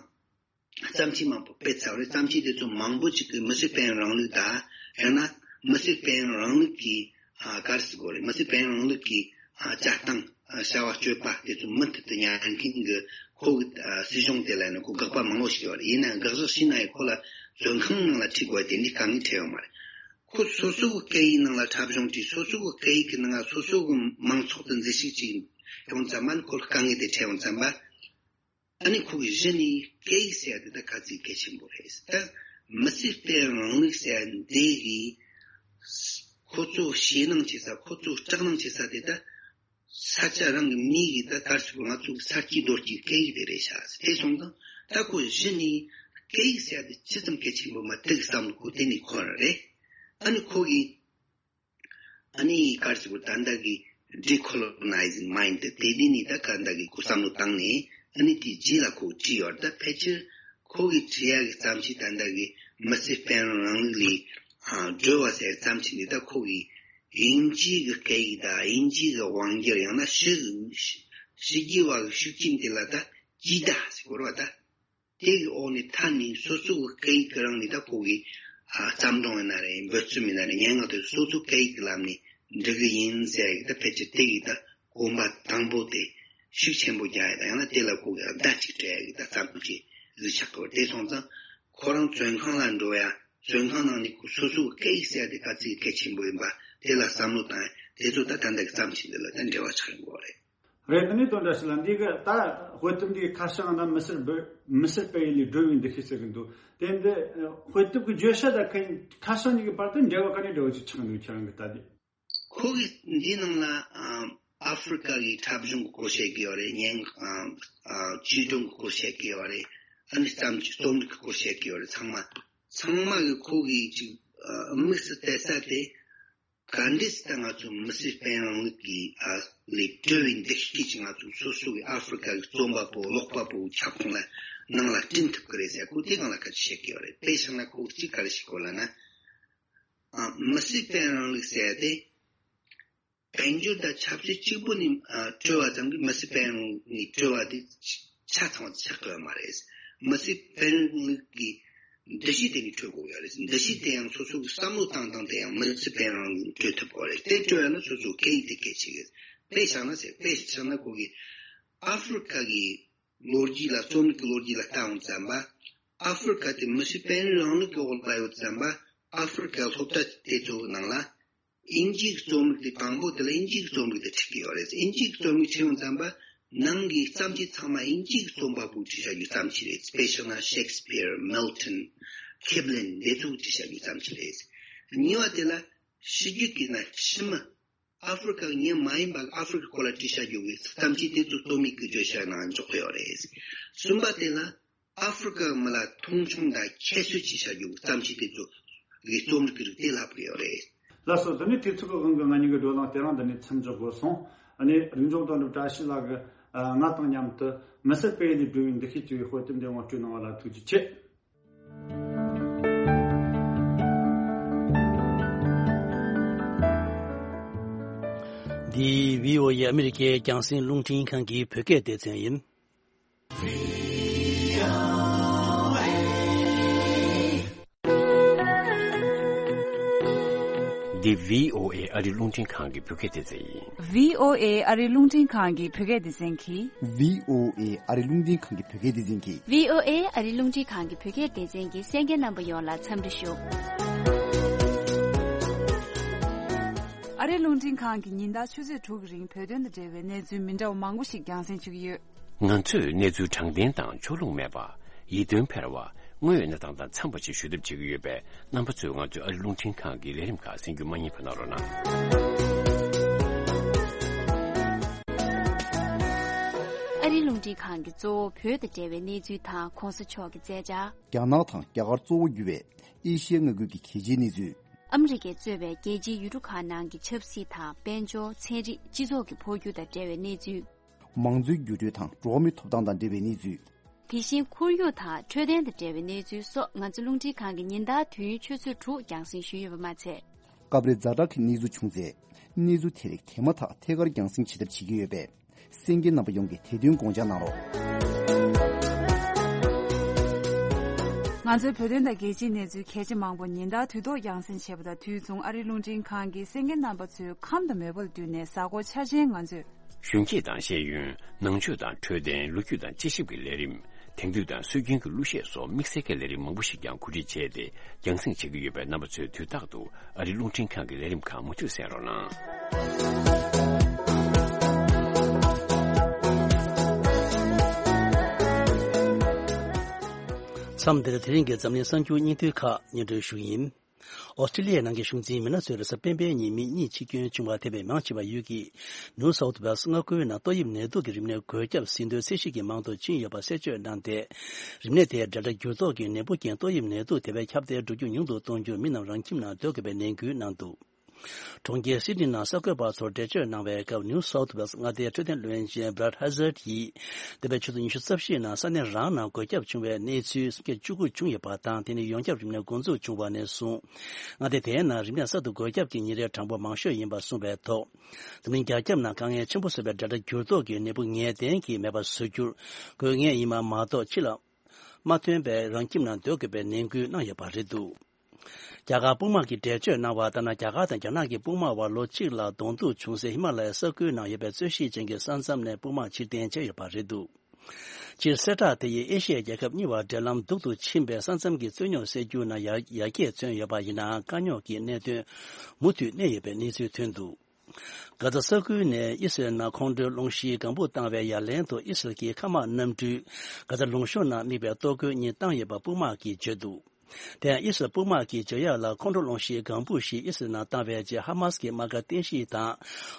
བརྩམས་ཆོས་མང་པོ་སྤེལ་ཚར་བ་རེད། བརྩམས་ཆོས་དེ་ཚོ་མང་པོ་ཅིག་གིས་མི་སེར་དཔལ་ཡོན་རིང་ལུགས་དང་། ཡང་ན་མི་སེར་དཔལ་ཡོན་རིང་ལུགས་ཀྱི་ཨ་ག་རེ་ཟེར་དགོས་རེད། མི་སེར་དཔལ་ཡོན་རིང་ལུགས་ཀྱི་ཨ་བྱ་སྟངས་ཨ་བྱ་བ་སྤྱོད་པ་དེ་ཚོ་མུ་མཐུད་དུ་ཉར་མཁན་གྱི་ཁོ་གི་ཨ་སྲིད་གཞུང་དེ་ལ་ནི་ཁོ་དགག་པ་མང་པོ་ཞིག་ཡོད་རེད། ཡིན་ནའང་དགག་བཞག་བྱས་ན་ཡང་ཁོ་ལ་བཙོན་ཁང་ནང་ལ་ཁྲིད་དགོས་དེ་འདྲའི་དཀའ་ངལ་འཕྲད་ཡོད་མ་རེད། ཁོ་སོ་སོ་གི་སྐད་ཡིག་ནང་ལ་འཁྲབ་གཞུང་བྲིས། སོ་སོ་གི་སྐད་ཡིག་གི་ནང་ལ་སོ་སོ་གི་མང་ཚོགས་དང་མཛད་ཞུགས་བྱས་ཡོང་ཙམ་པ་ནི་ཁོ་ལ་དཀའ་ངལ་དེ་འཕྲད་ཡོང་ཙམ་པ། ཨ་ནི་ཁོ་གི་གཞི་ནས་སྐད་ཡིག་ཟེར་ཡ་དེ་ད་ག་ཚོད་གལ་ཆེན་པོ་རེད། ད་མི་སེར་དཔལ་ཡོན་རིང་ལུགས་ཟེར་ཡ་འདི་གི་ཁོ་ཚོ་ཞེད་སྣང་བྱེད་ས། ཁོ་ཚོ་སྐྲག་སྣང་བྱེད་ས་དེ་ད་ས་ཆ་རང་གི་མི་གི་ད་གར་ཞིག་ང་ཚོ་གི་ས་སྐྱེས་རྡོ་སྐྱེས་སྐད་ཡིག་དེ་རེད་ཤག་དེ་སོང་ཙང་ད་ཁོ་གཞི་ནས་སྐད་ཡིག་ཟེར་ཡ་དེ་ཅི་ཙམ་གལ་ཆེན་པོ་མ་དེ་གི་བསམ་བློ་ཁོ་དེ་ནས་འཁོར་རེད། ཨ་ནི་ཁོ་གི་ཨ་ནི་ག་རེ་ཟེར་དགོས། ད་ལྟ་གི་Decolonizing Mind དེ་དེ་ནི་ད་ག་ད་གི་ཁོ་བསམ་བློ་བཏང་ནས་ཨ་ནི་དེ་རྗེས་ལ་ཁོ་བྲིས་ཡོད་རེད། ད་ཕལ་ཆེར་ཁོ་གི་བྲིས་ཡག་གི་བརྩམས་ཆོས་ད་ལྟ་གི་མི་སེར་དཔལ་ཡོན་རིང་ལུགས་ལས་ཨ་སྒྲོལ་བ་ཟེར་བརྩམས་ཆོས་འདི་ད་ཁོ་གི་དབྱིན་ཇིའི་གི་སྐད་ཡིག་དང་དབྱིན་ཇིའི་གི་དབང་སྒྱུར། ཡང་ན་ཕྱི་གི་ཕྱི་རྒྱལ་བ་གི་ཤུགས་རྐྱེན་དེ་ལ་ད་རྒྱུས་བརྡ་ཟེར་དགོས་རེད་བ་ད། དེ་གི་འོག་ནས་ཐར་ནས་སོ་སོ་གི་སྐད་ཡིག་གི་རང་ནས་ད་ཁོ་གི་ཨ་བརྩམས་སྒྲུང་ཡིན་ན་རེད། འབོད་རྩོམ་ཡིན་ན་རེད། སྙན་ངག་དེ་སོ་སོ་སྐད་ཡིག་གི་ལམ་ནས་འབྲི་གི་ཡིན་ཟེར་ཡག་གི་ད་ཕལ་ཆེར་དེ་གི་ད་གོམ་པ་དང་པོ་དེ་ཤུགས་ཆེན་པོ་རྒྱག་ཡག་དང་ཡང་ན་དེ་ལ་ཁོ་གི་བརྡ་ཅིག་སྤྲད་ཡག་གི་ད་བརྩམས་ཆོས་ཟིག་ཆགས་ཀྱི་ཡོད་རེད། དེ་སོང་ཙང་ཁོ་རང་བཙོན་ཁང་ལ་འགྲོ་ཡ། བཙོན་ཁང་ནང་ནས་ཁོ་སོ་སོ་གི་སྐད་ཡིག་ཟེར་ཡ་དེ་ག་ཚོད་གལ་ཆེན་པོ་ཡིན་པ་དེ་ལ་བསམ་བློ་བཏང་ཡ་དེ་ཚོ་ད་ད་ལྟ་གི་བརྩམས་ཆོས་འདི་ལ་ད་འབྲེལ་བ་ཆགས་ཡོང་གི་ཡོད་རེད། རེད། དེ་ནས་དོན་དག་ཞིག་ལ་འདི་གི་ད་དཔེ་དེབ་འདིའི་ཁ་བྱང་ན་མི་སེར་སྦི་མི་སེར་སྤེལ་ཡུལ་ལས་སྒྲོལ་བའི་འདུ་ཤེས་ཟེར་གི་འདུག་དེ་འདི་དཔེ་དེབ་ཀྱི་བརྗོད་བྱ་དང་ཁ་ཁ་བྱང་གཉིས་ཀྱི་བར་དུ་འབྲེལ་བ་ག་ནས་འབྲེལ་བ་ཅིག་ཆགས་འདུག་ཁྱེད་རང་གི་ལྟ་དུས། ཁོ་གིས་འདིའི་ནང་ལ་ཨ་ཨ་ཧྥེ་རི་ཀ་གི་འཁྲབ་གཞུང་གི་སྐོར་བཤད་ཀྱི་ཡོད་རེད། སྙན་ཨ་ཨ་བརྒྱུད་སྒྲོམ་གི་སྐོར་བཤད་ཀྱི་ཡོད་རེད། ཨ་ནི་བརྩམས་ཆོས་རྩོམ་རིག་གི་སྐོར་བཤད་ཀྱི་ཡོད་རེད། ཚང་མ་ཚང་མ་གི་ཁོ་གིས་ཅིག་ཨ་དམིགས་སུ་གཏད་ས་དེ། ག་འདྲས་ད་ང་ཚོ་མི་སེར་སྤེལ་རིང་ལུགས་ཀྱི་ཨ་ལས་གྲོལ་བའི་འདུ་ཤེས་ཀྱིས་ང་ཚོ་སོ་སོ་གི་ཨ་ཧྥེ་རི་ཁ་གི་རྩོམ་པ་པོ་ཀློག་པ་པོ་ཁྱབ་ཁོངས་ལ་ནང་ལ་བསྐྲུན་ཐུབ་ཀྱི་རེད་ཟེར་གོ། དེ་སྒང་ལ་སྐད་ཆ་བཤད་ཀྱི་ཡོད་རེད། དཔེ་བཞག་ན་ཁོ་གཅིག་ག་རེ་ཞིག་གོ་ལབ་ན། ཨ་མི་སེར་སྤེལ་རིང་ལུགས་ཟེར་ཏེ། དཔལ་འབྱོར་དང་ཆབ་སྲིད་གཅིག་པུ་ནས་ཨ་གྲོལ་བ་ཙམ་གྱིས་མི་སེར་སྤེལ་རིང་ལུགས་ནས་གྲོལ་བ་དེ་ཆ་ཚང་བ་ཆགས་ཀྱི་ཡོད་མ་རེད། མི་སེར་སྤེལ་རིང་ལུགས་ཀྱི་འདུ་ཤེས་དེ་ནས་གྲོལ་དགོས་ཡོད་རེད། འདུ་ཤེས་དེ་ཡང་སོ་སོ་གི་བསམ་བློ་བཏང་སྟངས་དེ་ཡང་མི་སེར་སྤེལ་རིང་ལུགས་གྲོལ་ཐུབ་དགོས་རེད། དེ་གྲོལ་ཡ་ན་སོ་སོ་སྐད་ཡིག་དེ་གལ་ཆེ་གི་རེད། དཔེ་བཞག་ན་ཟེར། དཔེ་བཞག་ན་ཁོ་གི་ཨ་ཧྥེ་རི་ཁ་གི་ལོ་རྒྱུས་ལ་རྩོམ་རིག་གི་ལོ་རྒྱུས་ལ་ལྟ་འོང་ཙམ་པ། ཨ་ཧྥེ་རི་ཁ་དེ་མི་སེར་སྤེལ་རིང་ལུགས་ཀྱི་འོག་ལ་ཡོད་ཙམ་པ། ཨ་ཧྥེ་རི་ཁ་སློབ་གྲྭ་དེ་ཚོའི་ནང་ལ་དབྱིན་ཇིའི་རྩོམ་རིག་དེ་དང་པོ་དེ་ལ་དབྱིན་ཇིའི་རྩོམ་རིག་དེ་ཁྲིད་ཀྱི་ཡོད་རེད། དབྱིན་ཇིའི་རྩོམ་རིག་ཁྲིད་འོང་ཙམ་པ་ནང་གི་བརྩམས་ཆོས་ཚང་མ་དབྱིན་ཇིའི་རྩོམ་པ་པོས་བྲིས་བཞག་རྒྱུ་བརྩམས་ཆོས་རེད། དཔེ་བཞག་ན་ཤེག་སི་པིར། མིལ་ཊོན། ཁིབ་ལིན་དེ་ཚོས་བྲིས་བཞག་རྒྱུ་བརྩམས་ཆོས་རེད། གཉིས་པ་དེ་ལ་ཕྱི་རྒྱལ་གྱི་ན་ཕྱི་མི་ཨ་ཧྥེ་རི་ཁ་མི་མ་ཡིན་པ་ཨ་ཧྥེ་རི་ཁ་སྐོར་ལ་བྲིས་བཞག་རྒྱུ་གི་བརྩམས་ཆོས་དེ་ཚོ་རྩོམ་རིག་གི་བརྗོད་བྱ་ནང་འཇོག་གི་ཡོད་རེད། གསུམ་པ་དེ་ལ་ཨ་ཧྥེ་རི་ཁ་མི་ལ་མཐོང་ཆུང་དང་ཁྱད་གསོད་བྱེད་བྱ་རྒྱུ་བརྩམས་ཆོས་དེ་ཚོ་གི་རྩོམ་རིག་གི་རིགས་དེ་ལྷག་གི་ཡོད་རེད། ལགས་སོ། དེ་ནས་དུས་ཚོད་ཀྱི་དབང་གིས་ང་གཉིས་ཀྱི་བགྲོ་གླེང་དེ་རིང་འདི་ནས་མཚམས་འཇོག་དགོས་སོང་། ཨ་ནི་རིག་མཛོད་དོན་གྲུབ་བཀྲ་ཤིས་ལགས་ཀྱིས་ང་དང་མཉམ་དུ་མི་སེར་སྤེལ་ཡུལ་ལས་སྒྲོལ་བའི་འདུ་ཤེས་ཅེས་པའི་དཔེ་དེབ་འདི་ངོ་སྤྲོད་གནང་བ་ལ་ཐུགས་རྗེ་ཆེ། འདི་བྷི་ཨོ་ཨེ་ཨ་མི་རི་ཀའི་རྒྱང་སྲིང་རླུང་འཕྲིན་ཁང་གི་བོད་སྐད་སྡེ་ཚན་ཡིན། འདི་བྷི་ཨོ་ཨེ་ཨ་རི་རླུང་འཕྲིན་ཁང་གི་བོད་སྐད་སྡེ་ཚན་ཡིན། བྷི་ཨོ་ཨེ་ཨ་རི་རླུང་འཕྲིན་ཁང་གི་བོད་སྐད་སྡེ་ཚན་གྱིས། བྷི་ཨོ་ཨེ་ཨ་རི་རླུང་འཕྲིན་ཁང་གི་བོད་སྐད་སྡེ་ཚན་གྱིས། བྷི་ཨོ་ཨེ་ཨ་རི་རླུང་འཕྲིན་ཁང་གི་བོད་སྐད་སྡེ་ཚན་གྱི་གསན་མཁན་རྣམ་པ་ཡོངས་ལ་འཚམས་འདྲི་ཞུ། ཨ་རི་རླུང་འཕྲིན་ཁང་གིས་ཉིན་ལྟར་ཆུ་ཚོད་དྲུག་གི་རིང་བོད་དོན་དང་འབྲེལ་བའི་གནས་ཚུལ་མི་འདྲ་བ་མང་པོ་ཞིག་རྒྱང་སྲིང་ཞུ་གི་ཡོད། ང་ཚོས་གནས་ཚུལ་དྲང་བདེན་དང་ཕྱོགས་ལྷུང་མེད་པ། ཡིད་རྟོན་འཕེར་བ། དངོས་ཡོད་གནས་སྟངས་དང་འཚམས་པ་ཞིག་ཞུ་ཐབས་བྱེད་ཀྱི་ཡོད་པས། རྣམ་པ་ཚོས་ང་ཚོའི་ཨ་རི་རླུང་འཕྲིན་ཁང་གི་ལས་རིམ་ཁག་གསན་རྒྱུ་མ་བསྙེལ་བ་གནང་རོགས་གནང་། ཨ་རིའི་རླུང་འཕྲིན་ཁང་གིས་གཙོ་བོ་བོད་དང་འབྲེལ་བའི་གནས་ཚུལ་དང་གོང་ས་མཆོག་གི་མཛད་འཆར། རྒྱ་ནག་དང་རྒྱ་གར་གཙོ་བོ་གྱུར་བའི་ཨེ་ཤི་ཡའི་མངའ་ཁུལ་གྱི་གལ་ཆེའི་གནས་ཚུལ། ཨ་མི་རི་ཀས་གཙོས་པའི་རྒྱལ་སྤྱིའི་ཡུལ་གྲུ་ཁག་ནང་གི་ཆབ་སྲིད་དང་དཔལ་འབྱོར། ཚན་རིག་སྤྱི་ཚོགས་ཀྱི་འཕོ་འགྱུར་དང་འབྲེལ་བའི་གནས་ཚུལ། མང་གཙོའི་འགྱུར་འགྲོས་དང་འགྲོ་བ་མིའི་ཐོབ་ཐང་དང་འབྲེལ་བའི་གནས་ཚུལ། དེ་བཞིན་ཁོར་ཡུག་དང་འཕྲོད་བསྟེན་དང་འབྲེལ་བའི་གནས་ཚུལ་སོགས་ང་ཚོ་རླུང་འཕྲིན་ཁང་གིས་ཉིན་ལྟར་དུས་ཡུན་ཆུ་ཚོད་དྲུག་རྒྱང་སྲིང་ཞུས་ཡོད་པ་མ་ཚད། སྐབས་རེ་ཛ་དྲག་གི་གནས་ཚུལ་བྱུང་ཚེ། གནས་ཚུལ་དེ་རིགས་དེ་མ་ཐག་ཐད་ཀར་རྒྱང་སྲིང་བྱེད་ཐབས་བྱེད་ཀྱི་ཡོད་པས། གསན་མཁན་རྣམ་པ་ཡོངས་ཀྱིས་དེ་དོན་དགོངས་འཇགས་གནང་རོགས། ང་ཚོའི་བོད་དོན་དང་རྒྱལ་སྤྱིའི་གནས་ཚུལ་གལ་ཆེ་མང་པོ་ཉིན་ལྟར་དུས་ཐོག་རྒྱང་སྲིང་བྱེད་པ་དང་། དུས་མཚུངས་ཨ་རིའི་རླུང་འཕྲིན་ཁང་གིས་གསན་མཁན་རྣམ་པ་ཚོའི་ཁམས་དང་མོས་པ་ལ་བསྟུན་ནས་གཟའ་འཁོར་འཆར་ཅན་ང་ཚོས། གཞོན་སྐྱེས་དང་ཤེས་ཡོན། ནང་ཆོས་དང་འཕྲོད་བསྟེན། ལོ་རྒྱུས་དང་དཔྱད་ཞིབ་ཀྱི་ལས་རིམ། དེང་དུས་དང་སྲོལ་རྒྱུན་གྱི་གླུ་གཞས་སོགས་དམིགས་བསལ་གྱི་ལས་རིམ་མང་པོ་ཞིག་ཀྱང་གོ་སྒྲིག་བྱས་ཏེ་རྒྱང་སྲིང་བྱེད་ཀྱི་ཡོད་པས། རྣམ་པ་ཚོས་དུས་རྟག་ཏུ་ཨ་རིའི་རླུང་འཕྲིན་ཁང་གི་ལས་རིམ་ཁག་མུ་མཐུད་གསན་རོགས་གནང་། མཚམས་འདིར་དེ་རིང་གི་འཛམ་གླིང་གསར་འགྱུར་སྙིང་བསྡུས་ཁག་སྙན་སྒྲོན་ཞུ་ཡིན། ཨོ་སི་ཀྲི་ལི་ཡའི་ནང་གི་གཞུང་འཛིན་མི་སྣ་ཚོས་རེས་གཟའ་སྤེན་པའི་ཉིན་མི་གཉིས་འཆི་སྐྱོན་བྱུང་བ་དེ་བས་མང་ཆེ་བ་ཡུལ་གྱི་ནིའུ་སའུཐ་ཝེལ་སི་མངའ་ཁུལ་ནང་ཏོག་དབྱིབས་ནད་དུག་གི་རིམས་ནད་འགོས་ཁྱབ་ཟིན་ཐོའི་ཚད་གཞི་གྱི་མང་དུ་ཕྱིན་ཡོད་པ་གསལ་བརྗོད་གནང་སྟེ། རིམས་ནད་དེ་ཌེལ་ཊ་འགྱུར་ལྡོག་གི་ནད་འབུ་རྐྱེན་ཏོག་དབྱིབས་ནད་དུག་དེ་བས་ཁྱབ་གདལ་འགྲོ་རྒྱུ་ཉུང་དུ་གཏོང་རྒྱུར་མི་རྣམས་རང་ཁྱིམ་ནང་སྡོད་དགོས་པའི་ནན་སྐུལ་གནང་འདུག། གྲོང་ཁྱེར་སིད་ནི་ནང་གསར་འགོད་པ་ཚོར་འགྲེལ་བརྗོད་གནང་བའི་སྐབས། ནིའུ་སའུཐ་ཝེལ་སི་མངའ་སྡེའི་འཕྲོད་བསྟེན་བློན་ཆེན་Brad Hazzard ཡིས། འདས་པའི་ཆུ་ཚོད་ཉི་ཤུ་རྩ་བཞིའི་ནང་ས་གནས་རང་ནང་འགོས་ཁྱབ་བྱུང་བའི་གནས་ཚུལ་སུམ་བརྒྱ་བཅུ་དགུ་བྱུང་ཡོད་པ་དང་། དེ་ནི་ཡོངས་ཁྱབ་རིམས་ནད་འགོ་འཛུགས་བྱུང་བ་ནས་བཟུང་། མངའ་སྡེ་དེའི་ནང་རིམས་ནད་གསར་དུ་འགོས་ཁྱབ་ཀྱི་ཉིན་རེའི་གྲངས་འབོར་མང་ཤོས་ཡིན་པ་གསུངས་པའི་ཐོག། འཛམ་གླིང་རྒྱ་ཁྱབ་ནང་དཀའ་ངལ་ཆེན་པོ་བཟོ་བའི་ཌེལ་ཊ་འགྱུར་ལྡོག་གི་ནད་འབུ་ངེས་གཏན་གྱིས་མེད་པ་བཟོ་རྒྱུར། དགོས་ངེས་ཡིན་པ་མ་གཏོགས་ཕྱི་ལ་མ་ཐོན་པའི་རང་ཁྱིམ་ནང་སྡོད་དགོས་པའི་ནན་སྐུལ་གནང་ཡོད་པ་རེད་འདུག། རྒྱ་གར་དཔུང་དམག་གིས་འགྲེལ་བརྗོད་གནང་བ་ལྟར་ན། རྒྱ་གར་དང་རྒྱ་ནག་གི་དཔུང་དམག་དབར་ལོ་གཅིག་ལ་གདོང་ཐུག་བྱུང་སའི་ཧི་མ་ལ་ཡའི་ས་ཁུལ་ནང་ཡོད་པའི་རྩོད་གཞི་ཅན་གྱི་ས་མཚམས་ནས་དཔུང་དམག་ཕྱིར་འཐེན་བྱས་ཡོད་པ་རེད་འདུག། སྤྱིར་གསལ་བསྒྲགས་དེ་ཡིས་ཨེ་ཤི་ཡའི་རྒྱལ་ཁབ་གཉིས་བར་འབྲེལ་ལམ་སྡུག་ཏུ་ཕྱིན་པའི་ས་མཚམས་ཀྱི་རྩོད་རྙོག་སེལ་རྒྱུ་ནང་ཡར་ཡར་རྒྱས་མཚོན་ཡོད་པ་ཡིན་ནའང་། དཀའ་རྙོག་གི་གནད་དོན་མུ་མཐུད་གནས་ཡོད་པའི་གནས་ཚུལ་ཐོན་འདུག། གྷ་ཛ་ས་ཁུལ་ནས་ཨི་སི་རལ་ནང་ཁོང་ཁྲོའི་སློང་གཞིའི་ལྒང་བུ་བཏང་བའི་ཡ་ལན་དུ། ཨི་སི་རལ་གྱི་མཁའ་དམག་གནམ་གྲུས་གྷ་ཛ་ལུང་གཤོང་ནང་དམིགས་པའི་གཏོར་རྒོལ་གཉིས་བཏང་ཡོད་པ་དཔུང་དམག་གིས་བརྗོད་འདུག། དེ་ཡང་ཨི་སི་རལ་དཔུང་དམག་གིས་བརྗོད་ཡག་ལ། ཁོང་ཁྲོ་སློང་གཞིའི་ལྒང་བུ་ཞིག་ཨི་སི་རལ་ནང་བཏང་བའི་རྗེས། ཧ་མཱ་སི་ཀྱི་དམག་སྒར་རྟེན་གཞི་དང་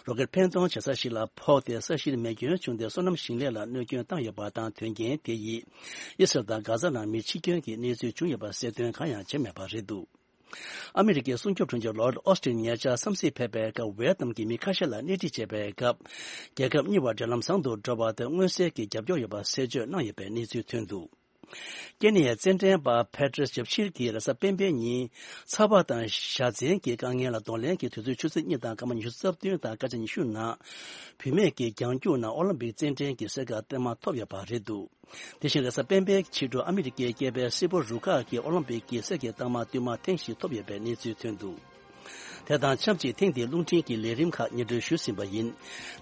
རོ་ཀེད་འཕེན་གཏོང་བྱེད་ས་ཞིག་ལ་ཕོག་སྟེ། ས་གཞིར་མེ་སྐྱོན་བྱུང་སྟེ། སོ་ནམ་ཞིང་ལས་ལ་གནོད་སྐྱོན་བཏང་ཡོད་པ་དང་། དོན་རྐྱེན་དེ་ཡིས་ཨི་སི་རལ་དང་གྷ་ཛ་ནང་མི་འཆི་སྐྱོན་གྱི་གནས་ཚུལ་བྱུང་ཡོད་པ་གསལ་སྟོན་གང་ཡང་བྱས་མེད་པ་རེད་འདུག། ཨ་མི་རི་ཀའི་སྲུང་སྐྱོབ་དྲུང་ཆེ་ལོར་ཨོ་སི་ཊིན་ཉེ་ཆར་འཚམས་གཟིགས་ཕེབས་པའི་སྐབས་ཝེ་ཏམ་གྱི་མི་ཁ་ཤས་ལ་སྣེ་ཁྲིད་བྱས་པའི་སྐབས། རྒྱལ་ཁབ་གཉིས་བར་འབྲེལ་ལམ་བཟང་དུ་འགྲོ་བ་དེ་མངོན་གསལ་གྱི་རྒྱབ་སྐྱོར་ཡོད་པ་གསལ་བརྗོད་གནང་ཡོད་པའི་གནས་ཚུལ་ཐོན་འདུག་ཀེ་ནི་ཡའི་རྩེད་འགྲན་པ་ཕེ་ཏྲེས་ཇབ་ཤིར་གྱིས་རེས་གཟའ་སྤེན་པའི་ཉིན་ཚ་བ་དང་ཞ་ཚན་གྱི་དཀའ་ངལ་ལ་གདོང་ལེན་གྱི་དུས་ཚོད་ཆུ་ཚོད་གཉིས་དང་སྐར་མ་ཉི་ཤུ་རྩ་བདུན་དང་སྐར་ཆ་ཉི་ཤུ་ནང་བུད་མེད་ཀྱི་རྒྱང་རྒྱུག་ནང་ཨོ་ལིམ་པིག་རྩེད་འགྲན་གྱི་གསེར་ཁ་རྟགས་མ་ཐོབ་ཡོད་པ་རེད་འདུག་དེ་བཞིན་རེས་གཟའ་སྤེན་པའི་ཕྱི་དྲོ་ཨ་མི་རི་ཀའི་སྐྱེས་པའི་སིལ་བུ་རུ་ཁག་གིས་ཨོ་ལིམ་པིག་གི་གསེར་གྱི་རྟགས་མ་བསྟུད་མར་ཐེངས་ཤིག་ཐོབ་ཡོད་པའི་གནས་ཚུལ་ཐོན་འདུག་དེ་དང་ཆབས་ཅིག་ཐེངས་འདིའི་རླུང་འཕྲིན་གྱི་ལས་རིམ་ཁག་སྙན་སྒྲོན་ཞུས་ཟིན་པ་ཡིན།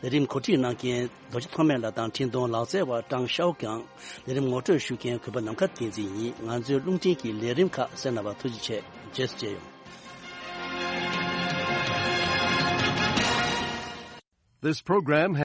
ལས་རིམ་གོ་སྒྲིག་གནང་མཁན་རྡོ་རྗེ་ཐོགས་མེད་ལགས་དང་འཕྲིན་གཏོང་ལག་རྩལ་བ་ཀྲང་ཤའོ་ཀང་། ལས་རིམ་ངོ་སྤྲོད་ཞུ་མཁན་གུས་པ་ནམ་མཁའ་བསྟན་འཛིན་ཡིན། ང་ཚོའི་རླུང་འཕྲིན་གྱི་ལས་རིམ་ཁག་གསན་གནང་བར་ཐུགས་རྗེ་ཆེ། རྗེས་སུ་མཇལ་ཡོང་། This program